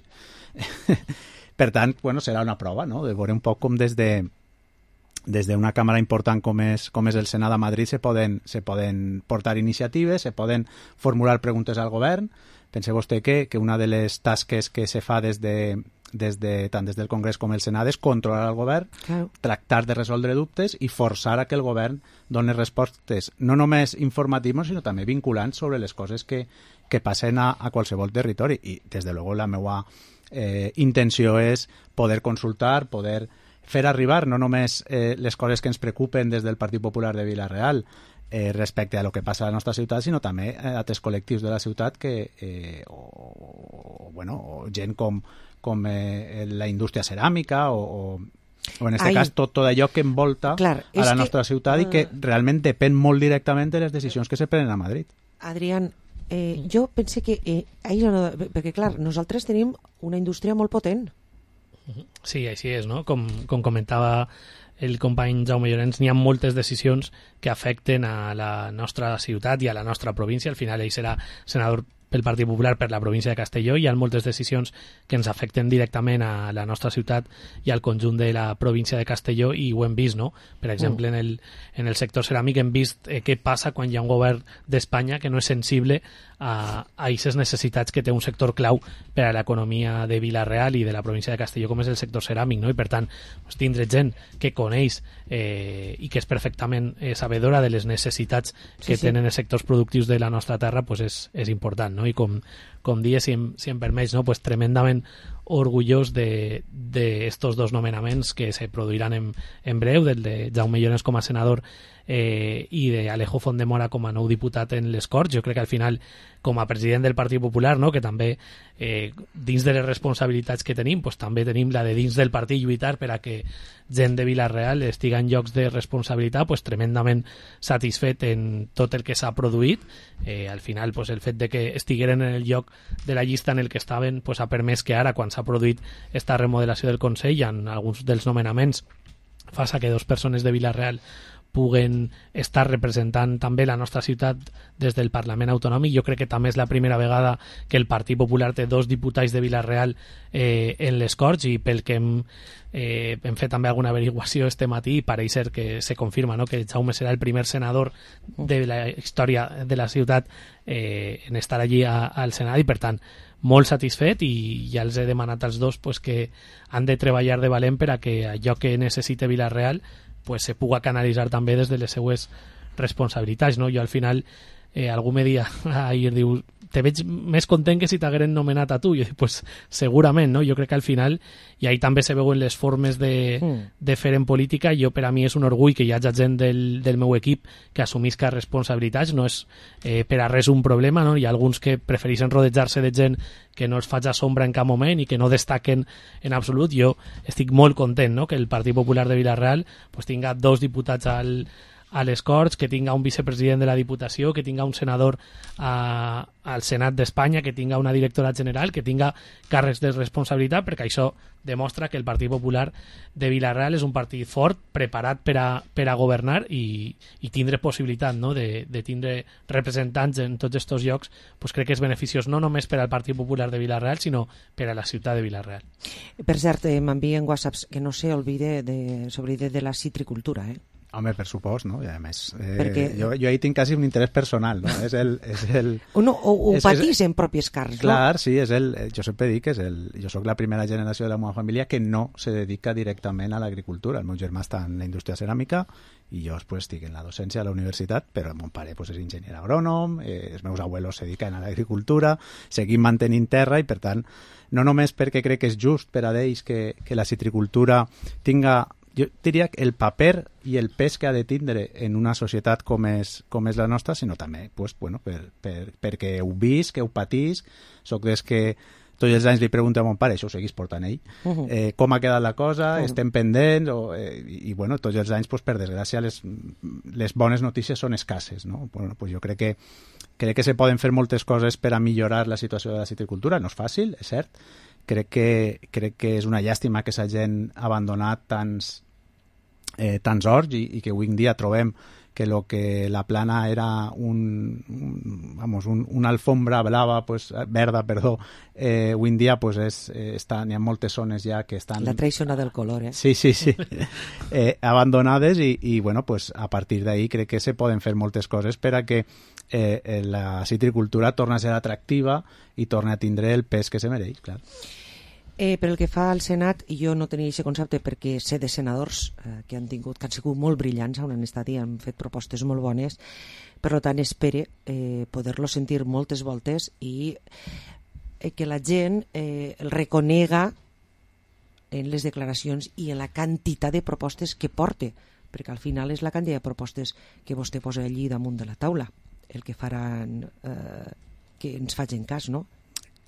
Per tant, bueno, serà una prova, no?, de veure un poc com des d'una càmera important com és el Senat a Madrid se poden portar iniciatives, se poden formular preguntes al govern. Pense vostè que una de les tasques que se fa tant des del Congrés com el Senat és controlar el govern, tractar de resoldre dubtes i forçar a que el govern doni respostes no només informatives sinó també vinculants sobre les coses que passen a qualsevol territori. I des de luego la meva intenció és poder consultar, poder fer arribar no només les coses que ens preocupen des del Partit Popular de Vilarreal respecte a lo que passa a la nostra ciutat, sinó també a altres col·lectius de la ciutat o gent com la indústria ceràmica o en aquest cas tot allò que envolta a la nostra ciutat i que realment depèn molt directament de les decisions que se prenen a Madrid. Adrián, jo pense que perquè clar, nosaltres tenim una indústria molt potent. Sí, així és, no? Com comentava el company Jaume Llorenç, n'hi ha moltes decisions que afecten a la nostra ciutat i a la nostra província. Al final ell serà senador pel Partit Popular per la província de Castelló, i hi ha moltes decisions que ens afecten directament a la nostra ciutat i al conjunt de la província de Castelló, i ho hem vist, no? Per exemple, en el sector ceràmic hem vist què passa quan hi ha un govern d'Espanya que no és sensible a aquestes necessitats que té un sector clau per a l'economia de Vilarreal i de la província de Castelló, com és el sector ceràmic, no? I per tant, tindre gent que coneix i que és perfectament sabedora de les necessitats que tenen els sectors productius de la nostra terra és important, no? I com dies, si em permets, no? Tremendament orgullós d'estos dos nomenaments que se produiran en breu, del de Jaume Llorenç com a senador i d'Alejo Fondemora com a nou diputat en les Corts. Jo crec que al final, com a president del Partit Popular, no? Que també dins de les responsabilitats que tenim, pues, també tenim la de dins del partit lluitar per a que gent de Vila-real estiga en llocs de responsabilitat, pues, tremendament satisfet en tot el que s'ha produït. Al final, pues, el fet de que estigueren en el lloc de la llista en el que estaven, pues, ha permès que ara, quan s'ha produït esta remodelació del Consell, en alguns dels nomenaments fa que 2 persones de Vila-real puguen estar representant també la nostra ciutat des del Parlament Autonòmic. Jo crec que també és la primera vegada que el Partit Popular té 2 diputats de Vila-real en les Corts, i pel que hem fet també alguna averiguació este matí, i pareix ser que se confirma, no? Que Jaume serà el primer senador de la història de la ciutat en estar allí al Senat, i per tant molt satisfet, i ja els he demanat als 2 pues, que han de treballar de valent per a que allò que necessite Vila-real pues, se puga canalitzar també des de les seues responsabilitats, no? Jo al final algú me dia ahir, diu, te veig més content que si t'hagueren nomenat a tu. Jo dic, pues segurament, no? Jo crec que al final, i ahí també se veuen les formes de fer en política. Jo, per a mi és un orgull que hi hagi gent del meu equip que assumisca responsabilitats, no és per a res un problema, no? Hi ha alguns que prefereixen rodejar-se de gent que no els faci sombra en cap moment i que no destaquen en absolut. Jo estic molt content, no? Que el Partit Popular de Vila-real pues, tinga 2 diputats a les Corts, que tinga un vicepresident de la Diputació, que tinga un senador al Senat d'Espanya, que tinga una directora general, que tinga càrrecs de responsabilitat, perquè això demostra que el Partit Popular de Vila-real és un partit fort, preparat per a governar i tindre possibilitat, no? de tindre representants en tots aquests llocs. Pues crec que és beneficiós no només per al Partit Popular de Vila-real, sinó per a la ciutat de Vila-real. Per cert, m'envien whatsapps que no s'oblide de la citricultura, Home, per supost, no? I a més, jo ahí tinc quasi un interès personal, no? És el... Ho patís en pròpies carns, no? Clar, sí, jo sempre dic que jo soc la primera generació de la meva família que no se dedica directament a l'agricultura. El meu germà està en la indústria ceràmica i jo pues, estic en la docència a la universitat, però el meu pare pues, és enginyer agrònom, els meus abuelos se dediquen a l'agricultura, seguim mantenint terra i, per tant, no només perquè crec que és just per a ells que la citricultura tinga, jo diria, el paper i el pes que ha de tindre en una societat com és la nostra, sinó també pues, bueno, perquè ho visc, que ho patís. Soc des que tots els anys li pregunto a mon pare, això ho seguís portant ell, com ha quedat la cosa, estem pendents, i bueno, tots els anys, pues, per desgràcia, les bones notícies són escasses, no? Bueno, pues jo crec que se poden fer moltes coses per a millorar la situació de la citricultura. No és fàcil, és cert. Crec que és una llàstima que s'hagin abandonat tants horts i que avui en dia trobem que lo que la plana era una alfombra blava, pues, verda, perdó, avui en dia pues, n'hi ha moltes zones ja que estan... La traïciona del color, Sí, abandonades i bueno, pues, a partir d'ahí crec que se poden fer moltes coses per a que la citricultura torni a ser atractiva i torni a tindre el pes que se mereix, clar. Per el que fa al Senat, jo no tenia aquest concepte perquè sé de senadors que han sigut molt brillants on han estat i han fet propostes molt bones, per tant espere poder-lo sentir moltes voltes i que la gent el reconega en les declaracions i en la quantitat de propostes que porte, perquè al final és la quantitat de propostes que vostè posa allí damunt de la taula el que faran que ens facin cas, no?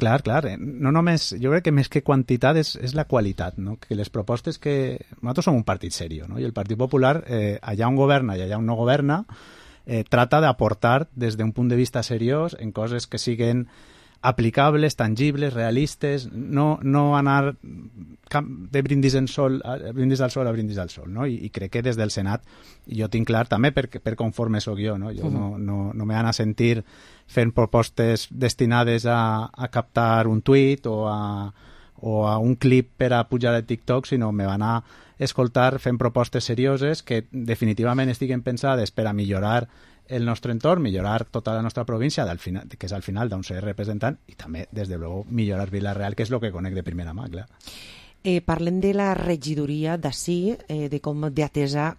Clar. No només, jo crec que més que quantitat és la qualitat, no? Que les propostes que... Nosaltres som un partit serio, no? I el Partit Popular, allà on governa i allà on no governa, trata d'aportar des d'un punt de vista seriós en coses que siguen aplicables, tangibles, realistes, no anar de brindis al sol a brindis al sol, no? I crec que des del Senat jo tinc clar també per conforme soc jo, no? Jo no me van a sentir fent propostes destinades a captar un tuit o a un clip per a pujar a TikTok, sinó me van a escoltar fent propostes serioses que definitivament estiguen pensades per a millorar el nostre entorn, millorar tota la nostra província, que és al final d'on ser representant, i també, des de luego, millorar Vila-real, que és el que conec de primera mà, clar. Parlem de la regidoria d'ací, de com d'atesa,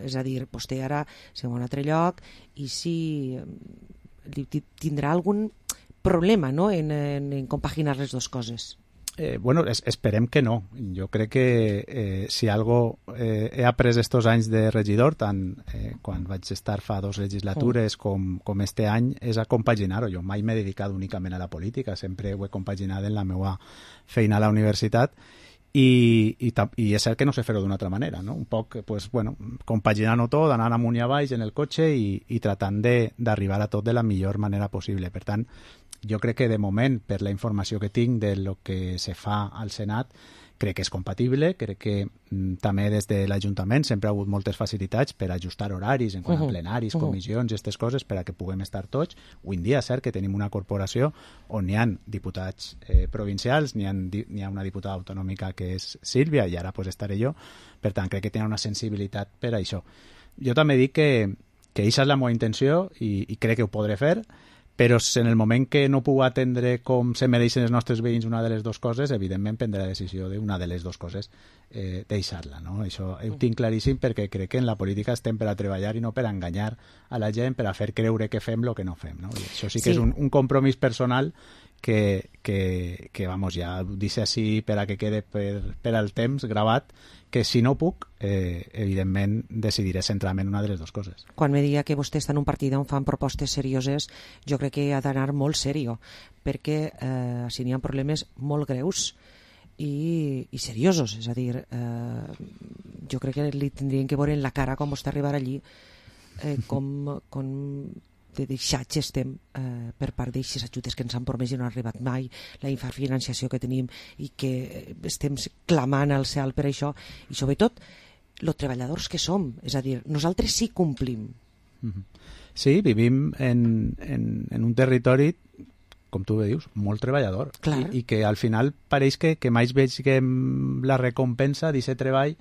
és a dir, vostè ara se va a un altre lloc, i si tindrà algun problema, no?, en compaginar les dues coses. Bueno, esperem que no. Jo crec que si algo he après estos anys de regidor, tant quan vaig estar fa 2 legislatures com este any, és a compaginar-ho. Jo mai m'he dedicat únicament a la política, sempre ho he compaginat en la meva feina a la universitat i és cert que no sé fer-ho d'una altra manera, no? Un poc, pues, bueno, compaginant-ho tot, anant amunt i avall en el cotxe i tratant d'arribar a tot de la millor manera possible. Per tant, jo crec que de moment, per la informació que tinc de lo que se fa al Senat, crec que és compatible, crec que també des de l'Ajuntament sempre ha hagut moltes facilitats per ajustar horaris en quant a plenaris, comissions i aquestes coses per a que puguem estar tots. Avui en dia és cert que tenim una corporació on hi ha diputats provincials, n'hi ha una diputada autonòmica que és Sílvia i ara pues, estaré jo, per tant crec que tenen una sensibilitat per a això. Jo també dic que aquesta és la meva intenció i crec que ho podré fer, però en el moment que no puc atendre com se mereixen els nostres veïns una de les dues coses, evidentment prendré la decisió d'una de les dues coses deixar-la, no? Això ho tinc claríssim perquè crec que en la política estem per a treballar i no per a enganyar a la gent, per a fer creure que fem el que no fem, no? I això sí que és un compromís personal que vamos, ja ho dic així per a que quede per al temps gravat, que si no puc, evidentment decidiré centrar-me en una de les dues coses. Quan me diga que vostè està en un partit on fan propostes serioses, jo crec que ha d'anar molt serio, perquè si n'hi ha problemes molt greus i seriosos, és a dir, jo crec que li tindrien que veure en la cara com vostè arribar allí, com de deixats estem per part d'aquestes ajudes que ens han promès i no han arribat mai, la infrafinanciació que tenim i que estem clamant al cel per això, i sobretot els treballadors que som, és a dir, nosaltres sí complim. Sí, vivim en un territori, com tu bé dius, molt treballador, i que al final pareix que mai veiem la recompensa d'aquest treball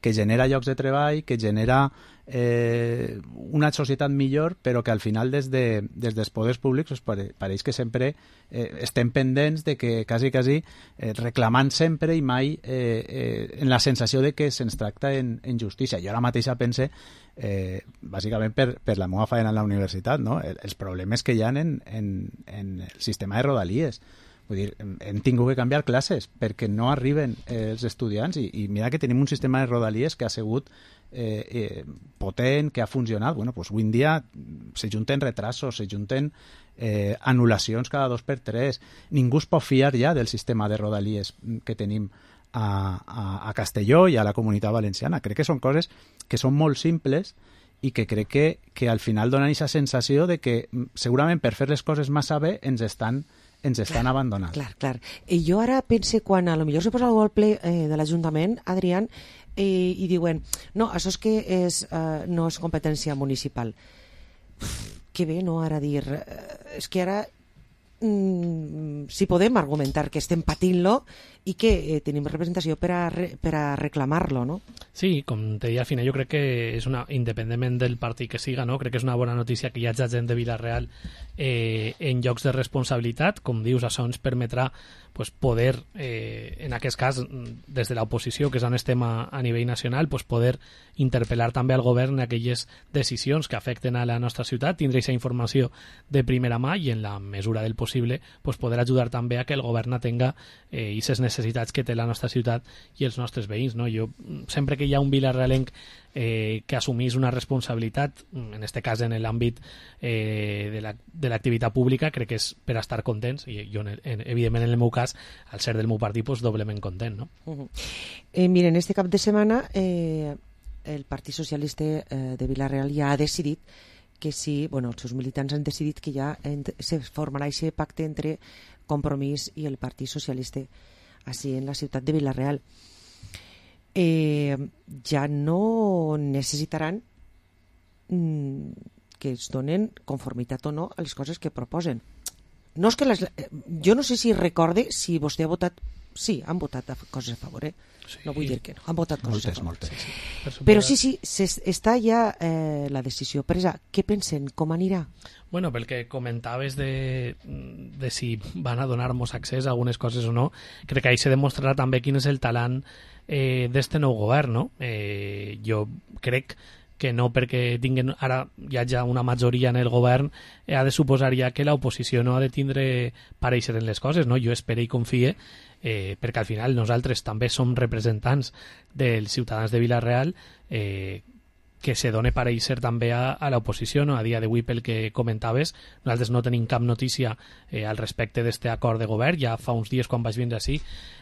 que genera llocs de treball, que genera una societat millor, però que al final des dels poders públics pareix que sempre estem pendents de que quasi reclamant sempre i mai en la sensació de que se'ns tracta en justícia. Jo ara mateixa pense, bàsicament per la meva feina en la universitat, no? Els problemes que hi ha en el sistema de rodalies. Vull dir, hem tingut que canviar classes perquè no arriben els estudiants i mira que tenim un sistema de rodalies que ha sigut potent, que ha funcionat. Bueno, pues avui en dia se junten retrasos, se junten anul·lacions cada 2x3. Ningú es pot fiar ja del sistema de rodalies que tenim a Castelló i a la Comunitat Valenciana. Crec que són coses que són molt simples i que crec que al final donen aquesta sensació de que segurament per fer les coses massa bé ens estan abandonant. Clar. I jo ara pense quan a lo millor se posa algú al ple de l'Ajuntament, Adrián, i diuen, no, això és que no és competència municipal. Que bé, no, ara dir... És que ara si podem argumentar que estem patint-lo i que tenim representació per a reclamar-lo, no? Sí, com te deia, al final jo crec que és independentment del partit que siga, no? Crec que és una bona notícia que hi hagi gent de Vila-real en llocs de responsabilitat. Com dius, això ens permetrà poder, en aquest cas, des de l'oposició, que és on estem a nivell nacional, poder interpel·lar també al govern en aquelles decisions que afecten a la nostra ciutat, tindre aquesta informació de primera mà i, en la mesura del possible, poder ajudar també a que el govern tenga aquestes necessitats que té la nostra ciutat i els nostres veïns, no? Jo, sempre que hi ha un vilarealenc que assumís una responsabilitat, en aquest cas en l'àmbit de l'activitat pública, crec que és per a estar contents, i jo, evidentment, en el meu cas, al ser del meu partit, doblement content, no? Miren, este cap de setmana el Partit Socialista de Vila-real ja ha decidit que sí, els seus militants han decidit que ja se formarà aquest pacte entre Compromís i el Partit Socialista així en la ciutat de Vila-real. Ja no necessitaran que es donen conformitat o no a les coses que proposen. No és que jo no sé si recorde si vostè ha votat. Sí, han votat coses a favor, Sí. No vull dir que no, han votat coses a favor. Moltes. Però sí, està ja la decisió presa. Què pensen? Com anirà? Bueno, pel que comentaves de si van a donar-nos accés a algunes coses o no, crec que ahí se demostrarà també quin és el talent d'este nou govern, no? Jo crec que no perquè tinguen ara hi hagi una majoria en el govern ha de suposar ja que l'oposició no ha de tindre pareixer en les coses, no? Jo espero i confie perquè al final nosaltres també som representants dels ciutadans de Vila-real que se done pareixer també a l'oposició, no? A dia d'avui, pel que comentaves, nosaltres no tenim cap notícia al respecte d'este acord de govern. Ja fa uns dies quan vaig vindre així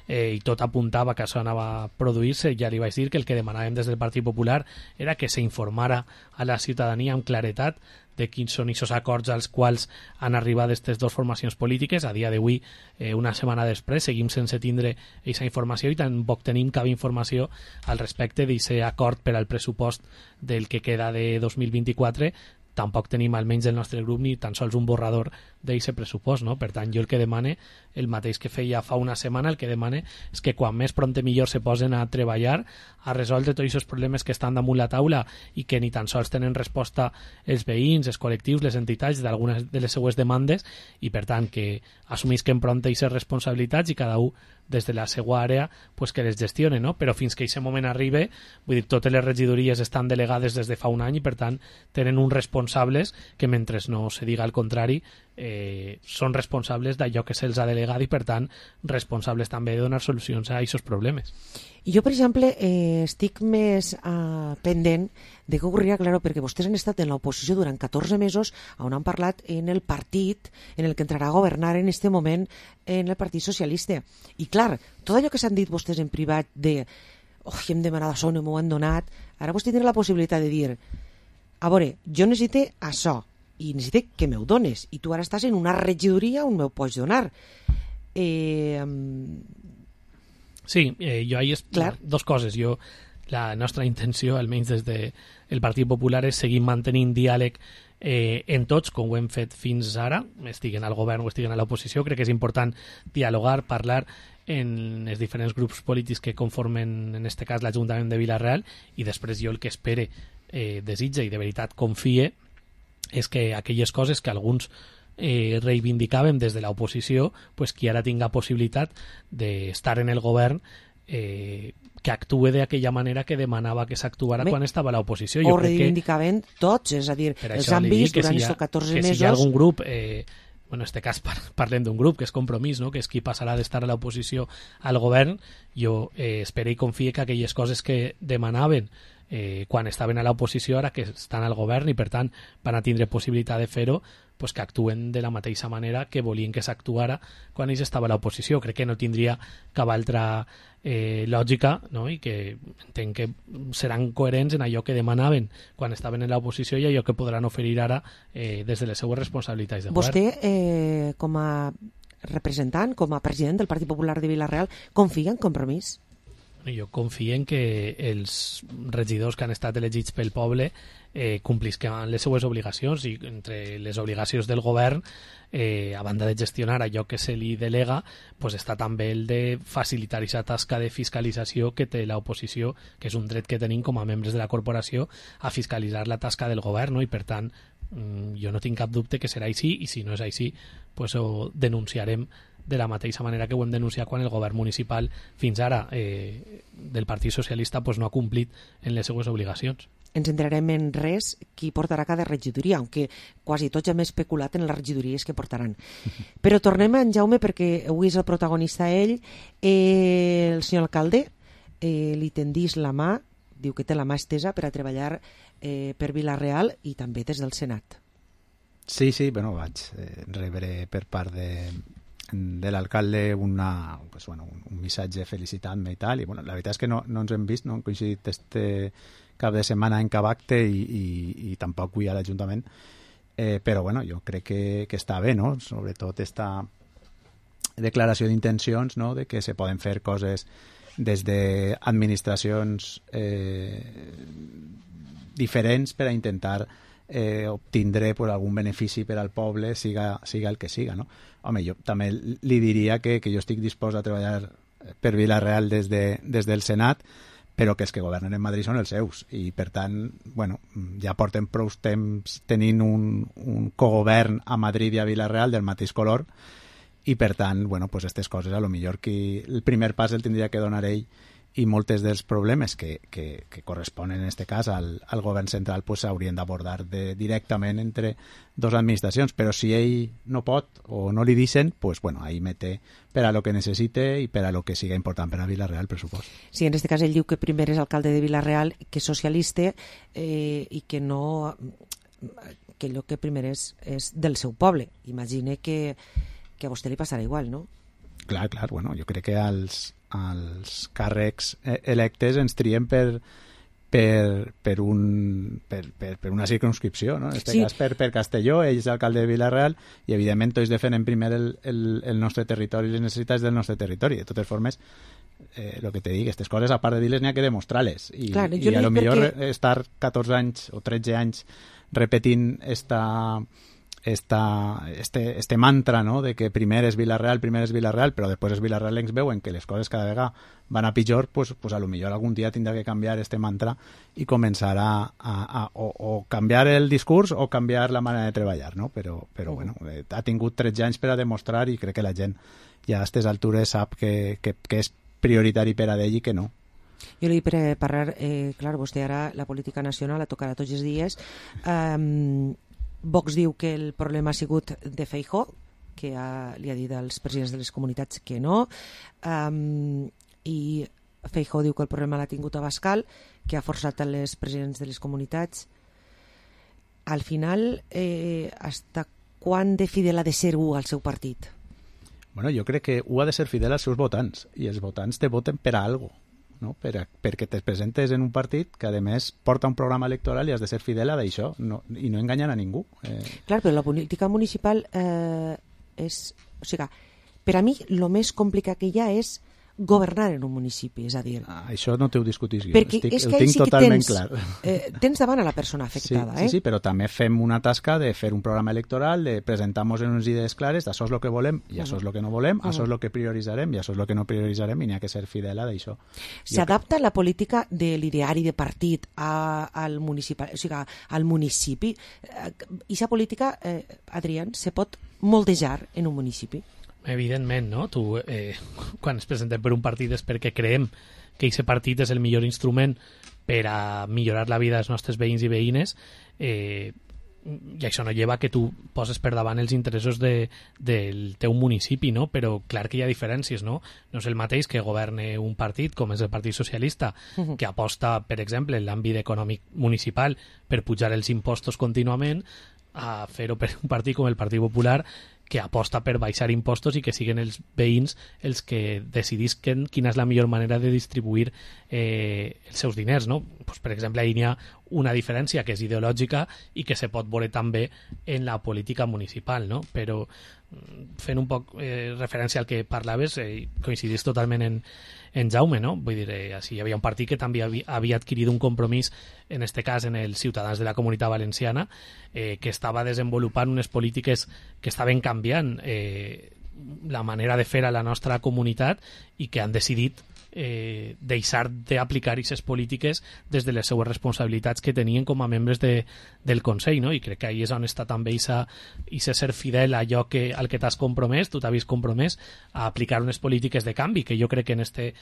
i tot apuntava que això anava a produir-se, ja li vaig dir que el que demanàvem des del Partit Popular era que s'informara a la ciutadania amb claretat de quins són aquests acords als quals han arribat aquestes dues formacions polítiques. A dia d'avui, una setmana després, seguim sense tindre aquesta informació i tampoc tenim cap informació al respecte d'aquest acord per al pressupost del que queda de 2024. Tampoc tenim, almenys del nostre grup, ni tan sols un borrador d'aquest pressupost, no? Per tant, jo el que demane, el mateix que feia fa una setmana, el que demane és que quan més prompte millor se posen a treballar, a resoldre tots aquests problemes que estan damunt la taula i que ni tan sols tenen resposta els veïns, els col·lectius, les entitats d'algunes de les seues demandes, i per tant que assumisquen prompte aquestes responsabilitats i cada un des de la seva àrea pues que les gestione, no? Però fins que aquest moment arribi, vull dir, totes les regidories estan delegades des de fa un any i per tant tenen uns responsables que mentre no se diga el contrari són responsables d'allò que se'ls ha delegat i per tant responsables també de donar solucions a aquests problemes. Jo, per exemple, estic més pendent de què ocorrirà, claro, perquè vostès han estat en l'oposició durant 14 mesos on han parlat en el partit en el que entrarà a governar en este moment en el Partit Socialista. I, clar, tot allò que s'han dit vostès en privat de hem demanat això, no m'ho han donat, ara vostè tindrà la possibilitat de dir a veure, jo necessito això i necessito que m'ho dones i tu ara estàs en una regidoria on m'ho pots donar. Sí, jo ahí dos coses. La nostra intenció, almenys des del Partit Popular, és seguir mantenint diàleg en tots, com ho hem fet fins ara, estiguen al govern o estiguen a l'oposició. Crec que és important dialogar, parlar en els diferents grups polítics que conformen, en este cas, l'Ajuntament de Vila-real, i després jo el que espere, desitge i de veritat confie és que aquelles coses que alguns reivindicàvem des de l'oposició, pues qui ara tinga possibilitat d'estar en el govern que actue d'aquella manera que demanava que s'actuara quan estava a l'oposició. Ho reivindicaven tots, és a dir, els han vist durant aquests 14 mesos... Que si hi ha algun grup, en este cas parlem d'un grup que és Compromís, no? Que és qui passarà d'estar a l'oposició al govern, jo espero i confie que aquelles coses que demanaven quan estaven a l'oposició ara que estan al govern i per tant van a tindre possibilitat de fer-ho, pues que actuen de la mateixa manera que volien que s'actuara quan ells estava a l'oposició. Crec que no tindria cap altra lògica, no? I que entenc que seran coherents en allò que demanaven quan estaven en l'oposició i allò que podran oferir ara des de les seues responsabilitats de govern. Vostè, com a representant, com a president del Partit Popular de Vila-real, confia en Compromís? Jo confio en que els regidors que han estat elegits pel poble complisquen les seues obligacions i entre les obligacions del govern a banda de gestionar allò que se li delega pues està també el de facilitar aquesta tasca de fiscalització que té l'oposició, que és un dret que tenim com a membres de la corporació a fiscalitzar la tasca del govern, no? I per tant jo no tinc cap dubte que serà així i si no és així pues ho denunciarem de la mateixa manera que ho hem denunciat quan el govern municipal fins ara del Partit Socialista pues, no ha complit en les seues obligacions. Ens entrarem en res qui portarà cada regidoria, aunque quasi tots ja hem especulat en les regidories que portaran. Però tornem a en Jaume perquè avui és el protagonista ell. El senyor alcalde li tendís la mà, diu que té la mà estesa per a treballar per Vila-real i també des del Senat. Sí, bueno, vaig rebre per part de l'alcalde un missatge felicitant-me i tal, i bueno, la veritat és que no ens hem vist, no hem coincidit este cap de setmana en cap acte i tampoc avui a l'Ajuntament, però bueno, jo crec que està bé, no? Sobretot esta declaració d'intencions, no? De que se poden fer coses des d'administracions diferents per a intentar obtindre pues, algun benefici per al poble, siga el que siga, no? Home, jo també li diria que jo estic dispost a treballar per Vila-real des del Senat, però que els que governen en Madrid són els seus i per tant, bueno, ja portem prou temps tenint un cogovern a Madrid i a Vila-real del mateix color i per tant, bueno, pues aquestes coses a lo millor que el primer pas el tindria que donar ell i moltes dels problemes que corresponen en aquest cas al govern central pues s'haurien d'abordar directament entre dos administracions, però si ell no pot o no li deixen, pues bueno, ahí mete per a lo que necessite i per a lo que siga important per a Vila-real, per supost. Sí, en aquest cas ell diu que primer és alcalde de Vila-real, que és socialista i que no... que el que primer és del seu poble. Imagine que a vostè li passarà igual, no? Clar, bueno, jo crec que els càrrecs electes ens trien per una circumscripció, no? En aquest cas per Castelló, ell és alcalde de Vila-real i evidentment tots defenen primer el nostre territori i les necessitats del nostre territori. De totes formes, el que te dic, aquestes coses a part de dir-les n'hi ha que demostrar-les i a lo millor estar 14 anys o 13 anys repetint este mantra, no?, de que primer és Vila-real, però després els vilarrealencs veuen que les coses cada vegada van a pitjor, pues a lo millor algun dia tindrà que canviar este mantra i començar o canviar el discurs o canviar la manera de treballar, no? Però bueno, ha tingut 13 anys per a demostrar i crec que la gent ja a aquestes altures sap que és prioritari per a d'ell i que no. Jo li per parlar, clar, vostè ara la política nacional la tocarà tots els dies. Vox diu que el problema ha sigut de Feijóo, que li ha dit als presidents de les comunitats que no, i Feijóo diu que el problema l'ha tingut Abascal, que ha forçat a les presidents de les comunitats. Al final, hasta quan de fidel ha de ser al seu partit? Bueno, jo crec que ha de ser fidel als seus votants, i els votants te voten per a algo, no? Perquè te presentes en un partit que a més porta un programa electoral i has de ser fidel a d'això i no enganyar a ningú. Clar, però la política municipal és... O sigui, per a mi el més complicat que hi ha és governar en un municipi, és a dir... Això no t'ho discutis jo, perquè el tinc totalment clar. Tens davant a la persona afectada, Sí, però també fem una tasca de fer un programa electoral, de presentar-nos en unes idees clares, això és el que volem i això és el que no volem, això és el que prioritzarem i això és el que no prioritzarem i n'hi ha que ser fidel a d'això. S'adapta la política de l'ideari de partit al municipi? I aquesta política, Adrián, se pot moldejar en un municipi? Evidentment, no? Quan ens presentem per un partit és perquè creiem que aquest partit és el millor instrument per a millorar la vida dels nostres veïns i veïnes, i això no lleva que tu poses per davant els interessos del teu municipi, no? Però clar que hi ha diferències, no? No és el mateix que governe un partit com és el Partit Socialista, que aposta, per exemple, en l'àmbit econòmic municipal per pujar els impostos contínuament, a fer-ho per un partit com el Partit Popular, que aposta per baixar impostos i que siguin els veïns els que decidisquen quina és la millor manera de distribuir els seus diners, no? Pues, per exemple, ahí n'hi ha una diferència que és ideològica i que se pot veure també en la política municipal, no? Però fent un poc referència al que parlaves, coincidís totalment en Jaume, no? Vull dir, hi havia un partit que també havia adquirit un compromís, en este cas en els ciutadans de la Comunitat Valenciana, que estava desenvolupant unes polítiques que estaven canviant la manera de fer a la nostra comunitat i que han decidit deixar d'aplicar aquestes polítiques des de les seues responsabilitats que tenien com a membres del Consell, no? I crec que ahí és on està també i ser fidel a allò al que t'has compromès, tu t'havies compromès a aplicar unes polítiques de canvi, que jo crec que en este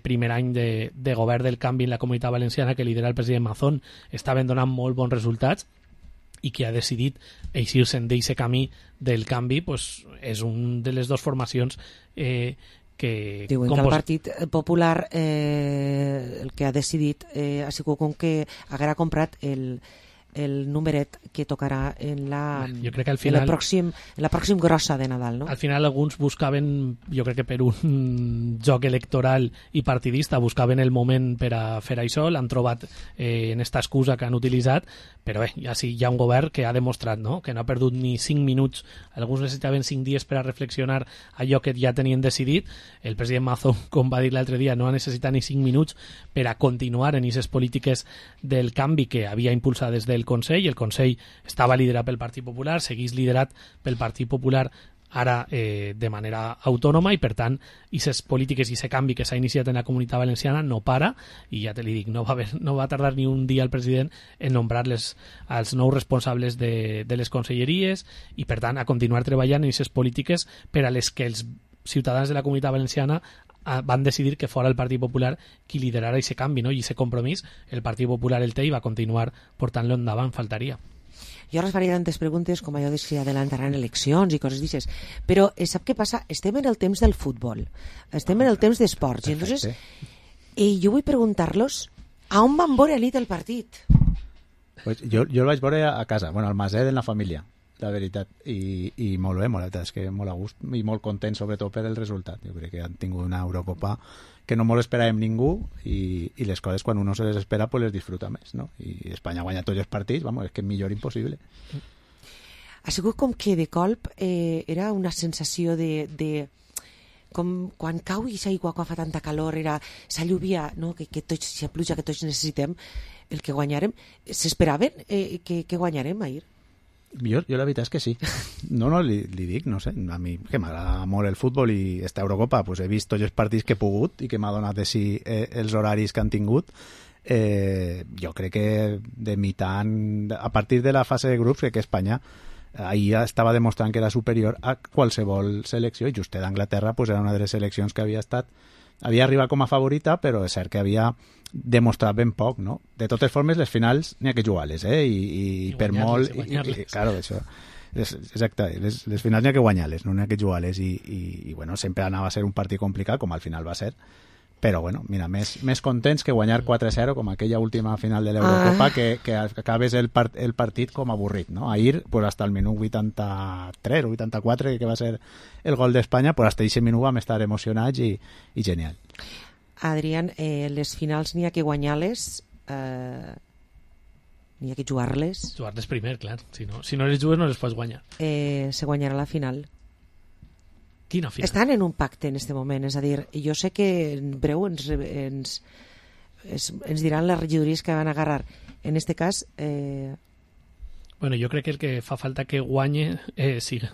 primer any de govern del canvi en la Comunitat Valenciana que lidera el president Mazón estaven donant molt bons resultats i que ha decidit eixir-se'n d'aquest camí del canvi, pues, és una de les dues formacions que... Diuen que el Partit Popular el que ha decidit ha sigut com que haguera comprat el numeret que tocarà en la pròxim grossa de Nadal, no? Al final alguns buscaven, jo crec que per un joc electoral i partidista, buscaven el moment per a fer això, l'han trobat en esta excusa que han utilitzat, però bé, ja sí, hi ha un govern que ha demostrat, no?, que no ha perdut ni 5 minuts, alguns necessitaven 5 dies per a reflexionar allò que ja tenien decidit. El president Mazón, com va dir l'altre dia, no ha necessitat ni 5 minuts per a continuar en aquestes polítiques del canvi que havia impulsat des del Consell. El Consell estava liderat pel Partit Popular, seguís liderat pel Partit Popular ara de manera autònoma i per tant aquestes polítiques i aquest canvi que s'ha iniciat en la Comunitat Valenciana no para i ja te li dic, no va tardar ni un dia el president en nombrar els nous responsables de les conselleries i per tant a continuar treballant en aquestes polítiques per a les que els ciutadans de la Comunitat Valenciana van decidir que fora el Partit Popular qui liderara aquest canvi, no? I aquest compromís el Partit Popular el té i va continuar portant-lo endavant, faltaria. Jo ara us faré tantes preguntes com allò de si adelantaran eleccions i coses d'aixes, però sap què passa? Estem en el temps del futbol, estem en el temps d'esports, i entonces jo vull preguntar-los a on van veure a nit el partit? Pues jo el vaig veure a casa, bueno, al Maset, en la família, la veritat, i molt bé, molt, és que molt a gust i molt content, sobretot per el resultat. Jo crec que han tingut una Eurocopa que no molt esperàvem ningú i les coses quan uno se les espera pues les disfruta més, no? I Espanya guanya tots els partits, vamos, és que millor impossible. Ha sigut com que de colp era una sensació de com quan cau i s'aigua quan fa tanta calor, era sa lluvia, no? que tots, sa pluja que tots necessitem, el que guanyarem. S'esperaven que guanyarem ahir? Jo la veritat és que sí. No, li dic, no sé, a mi que m'agrada molt el futbol i esta Eurocopa pues he vist tots els partits que he pogut i que m'ha donat de si els horaris que han tingut. Jo crec que de mitant, a partir de la fase de grups, crec que Espanya ahir estava demostrant que era superior a qualsevol selecció, i just d'Anglaterra pues era una de les seleccions que havia arribat com a favorita, però és cert que havia demostrat ben poc, no? De totes formes, les finals n'hi ha que jugar-les, i per molt... Claro, això... Exacte, les finals n'hi ha que guanyar-les, no n'hi ha que jugar-les, i bueno, sempre anava a ser un partit complicat, com al final va ser, però bueno, mira, més contents que guanyar 4-0 com aquella última final de l'Eurocopa, que acabes el partit com avorrit, no? Ahir, pues hasta el minut 83 o 84, que va ser el gol d'Espanya, pues hasta ese minut vam estar emocionats i genial. Adrián, les finals n'hi ha que guanyar-les, n'hi ha que jugar-les. Jugar-les primer, clar. Si no les jugues no les pots guanyar. Se guanyarà la final. Quina final? Estan en un pacte en este moment, és a dir, jo sé que en breu ens diran les regidories que van agarrar. En este cas... Bueno, jo crec que el que fa falta que guanye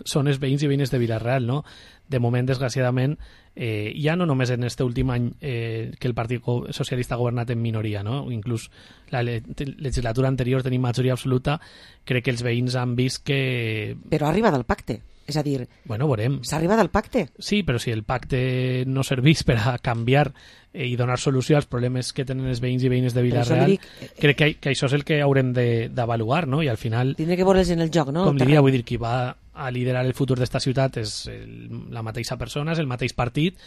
són els veïns i veïnes de Vila-real, no? De moment, desgraciadament, ja no només en este últim any que el Partit Socialista ha governat en minoria, no? Inclús la legislatura anterior tenim majoria absoluta, crec que els veïns han vist que... Però ha arribat al pacte. És a dir, bueno, veurem. S'ha arribat al pacte? Sí, però si el pacte no serveix per a canviar i donar solució als problemes que tenen els veïns i veïnes de Vila-real, crec que això és el que haurem d'avaluar, no? I al final... Tindré que veure'ls en el joc, no? Com diria, vull dir, qui va a liderar el futur d'esta ciutat és la mateixa persona, és el mateix partit,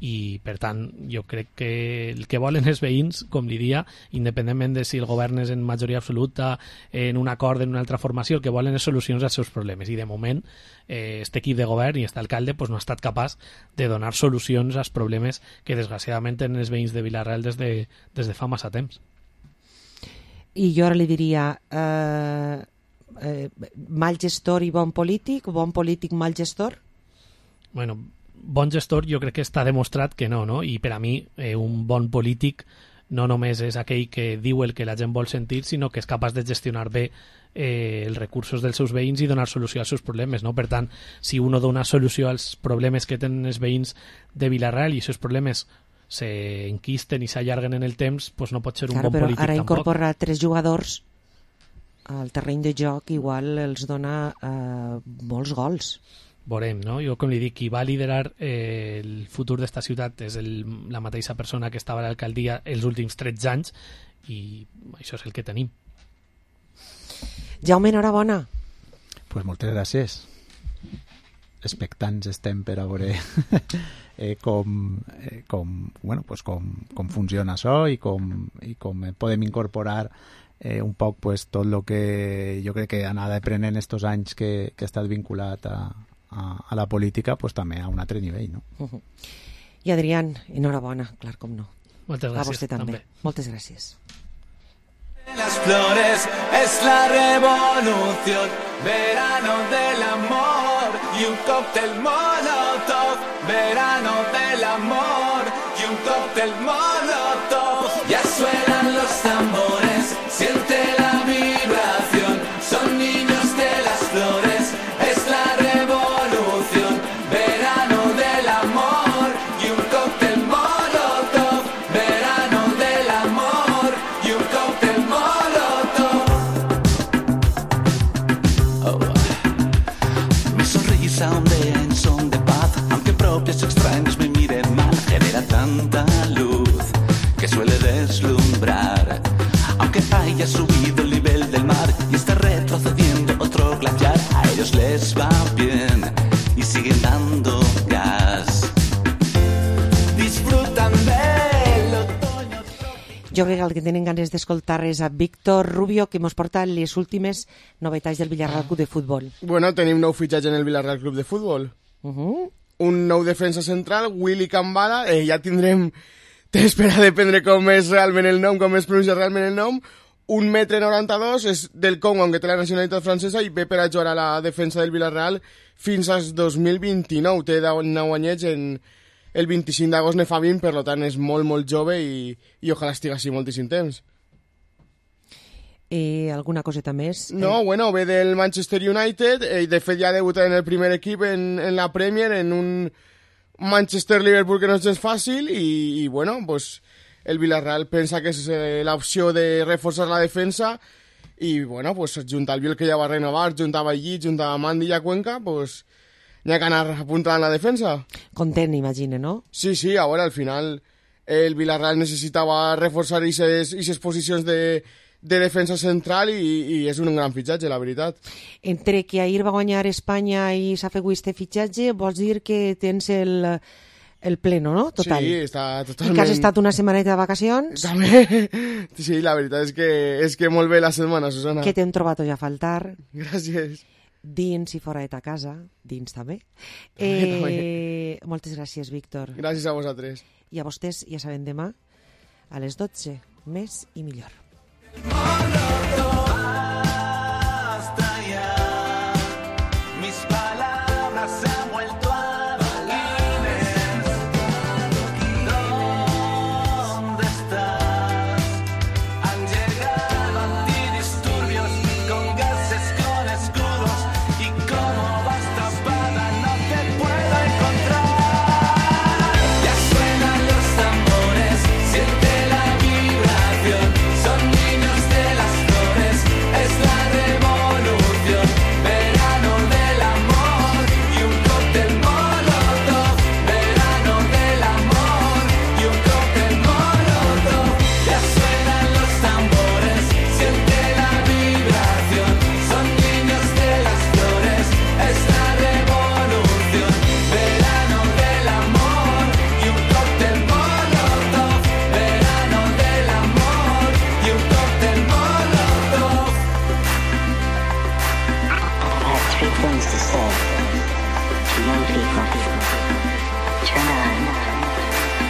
i per tant jo crec que el que volen els veïns, com li dia, independentment de si el govern és en majoria absoluta, en un acord, en una altra formació, el que volen és solucions als seus problemes, i de moment este equip de govern i este alcalde pues, no ha estat capaç de donar solucions als problemes que desgraciadament tenen els veïns de Vila-real des de fa massa temps. I jo ara li diria mal gestor i bon polític, mal gestor? Bueno, bon gestor jo crec que està demostrat que no? I per a mi un bon polític no només és aquell que diu el que la gent vol sentir, sinó que és capaç de gestionar bé els recursos dels seus veïns i donar solució als seus problemes, no? Per tant, si uno dona solució als problemes que tenen els veïns de Vila-real i els seus problemes s'enquisten i s'allarguen en el temps, pues no pot ser un bon polític tampoc. Ara incorporar 3 jugadors al terreny de joc igual els dona molts gols. Veurem, no? Jo, com li dic, qui va liderar el futur d'esta ciutat és la mateixa persona que estava a l'alcaldia els últims 13 anys i això és el que tenim. Jaume, enhorabona. Pues moltes gràcies. Expectants estem per a veure com funciona això i com podem incorporar un poc pues, tot el que jo crec que ha anat aprenent estos anys que ha estat vinculat a la política, pues, també a un altre nivell, no? I Adrián, enhorabona, clar com no. Moltes gràcies. A vostè també. Moltes gràcies. Las flores es la revolución, verano del amor y un cóctel molotov, verano del amor y un cóctel molotov. Ya suenan los tambores, siente la vibración, son niños de las flores, es la revolución, verano del amor y un cóctel molotov, verano del amor y un cóctel molotov. Mi sonrisa ondea en son de paz, aunque propios extraños me miren mal, genera el que tenen ganes d'escoltar és a Víctor Rubio, que mos porta les últimes novetats del Villarreal Club de Futbol. Bueno, tenim nou fitxatge en el Villarreal Club de Futbol. Un nou defensa central, Willy Cambada, ja tindrem temps per a dependre com és realment el nom, com es pronuncia realment el nom. 1,92 m, és del Congo, aunque té la nacionalitat francesa, i ve per a jugar a la defensa del Villarreal fins al 2029. Té 9 anyets, el 25 d'agost ne fa 20, per tant és molt, molt jove i ojalà estigui així moltíssim temps. Alguna coseta més? No, bueno, ve del Manchester United, de fet ja ha debutat en el primer equip en la Premier, en un Manchester-Liverpool que no és gens fàcil, i bueno, pues el Villarreal pensa que és l'opció de reforçar la defensa i, bueno, pues juntar el Biel que ja va renovar, juntar Vallit, juntar Mandi i a Cuenca, pues n'hi ha que anar apuntant la defensa. Content, imagine, no? Sí, a veure, al final el Villarreal necessitava reforçar aquestes posicions de defensa central i és un gran fitxatge, la veritat. Entre que ahir va guanyar Espanya i s'ha fet este fitxatge, vols dir que tens el pleno, no? Total. Sí, està totalment... I que has estat una setmaneta de vacacions? També. Sí, la veritat és que molt bé la setmana, Susana. Que t'hem trobat ja a faltar. Gràcies. Dins i fora de ta casa, dins també. Moltes gràcies, Víctor. Gràcies a vosaltres. I a vostès, ja saben, demà a les 12, més i millor.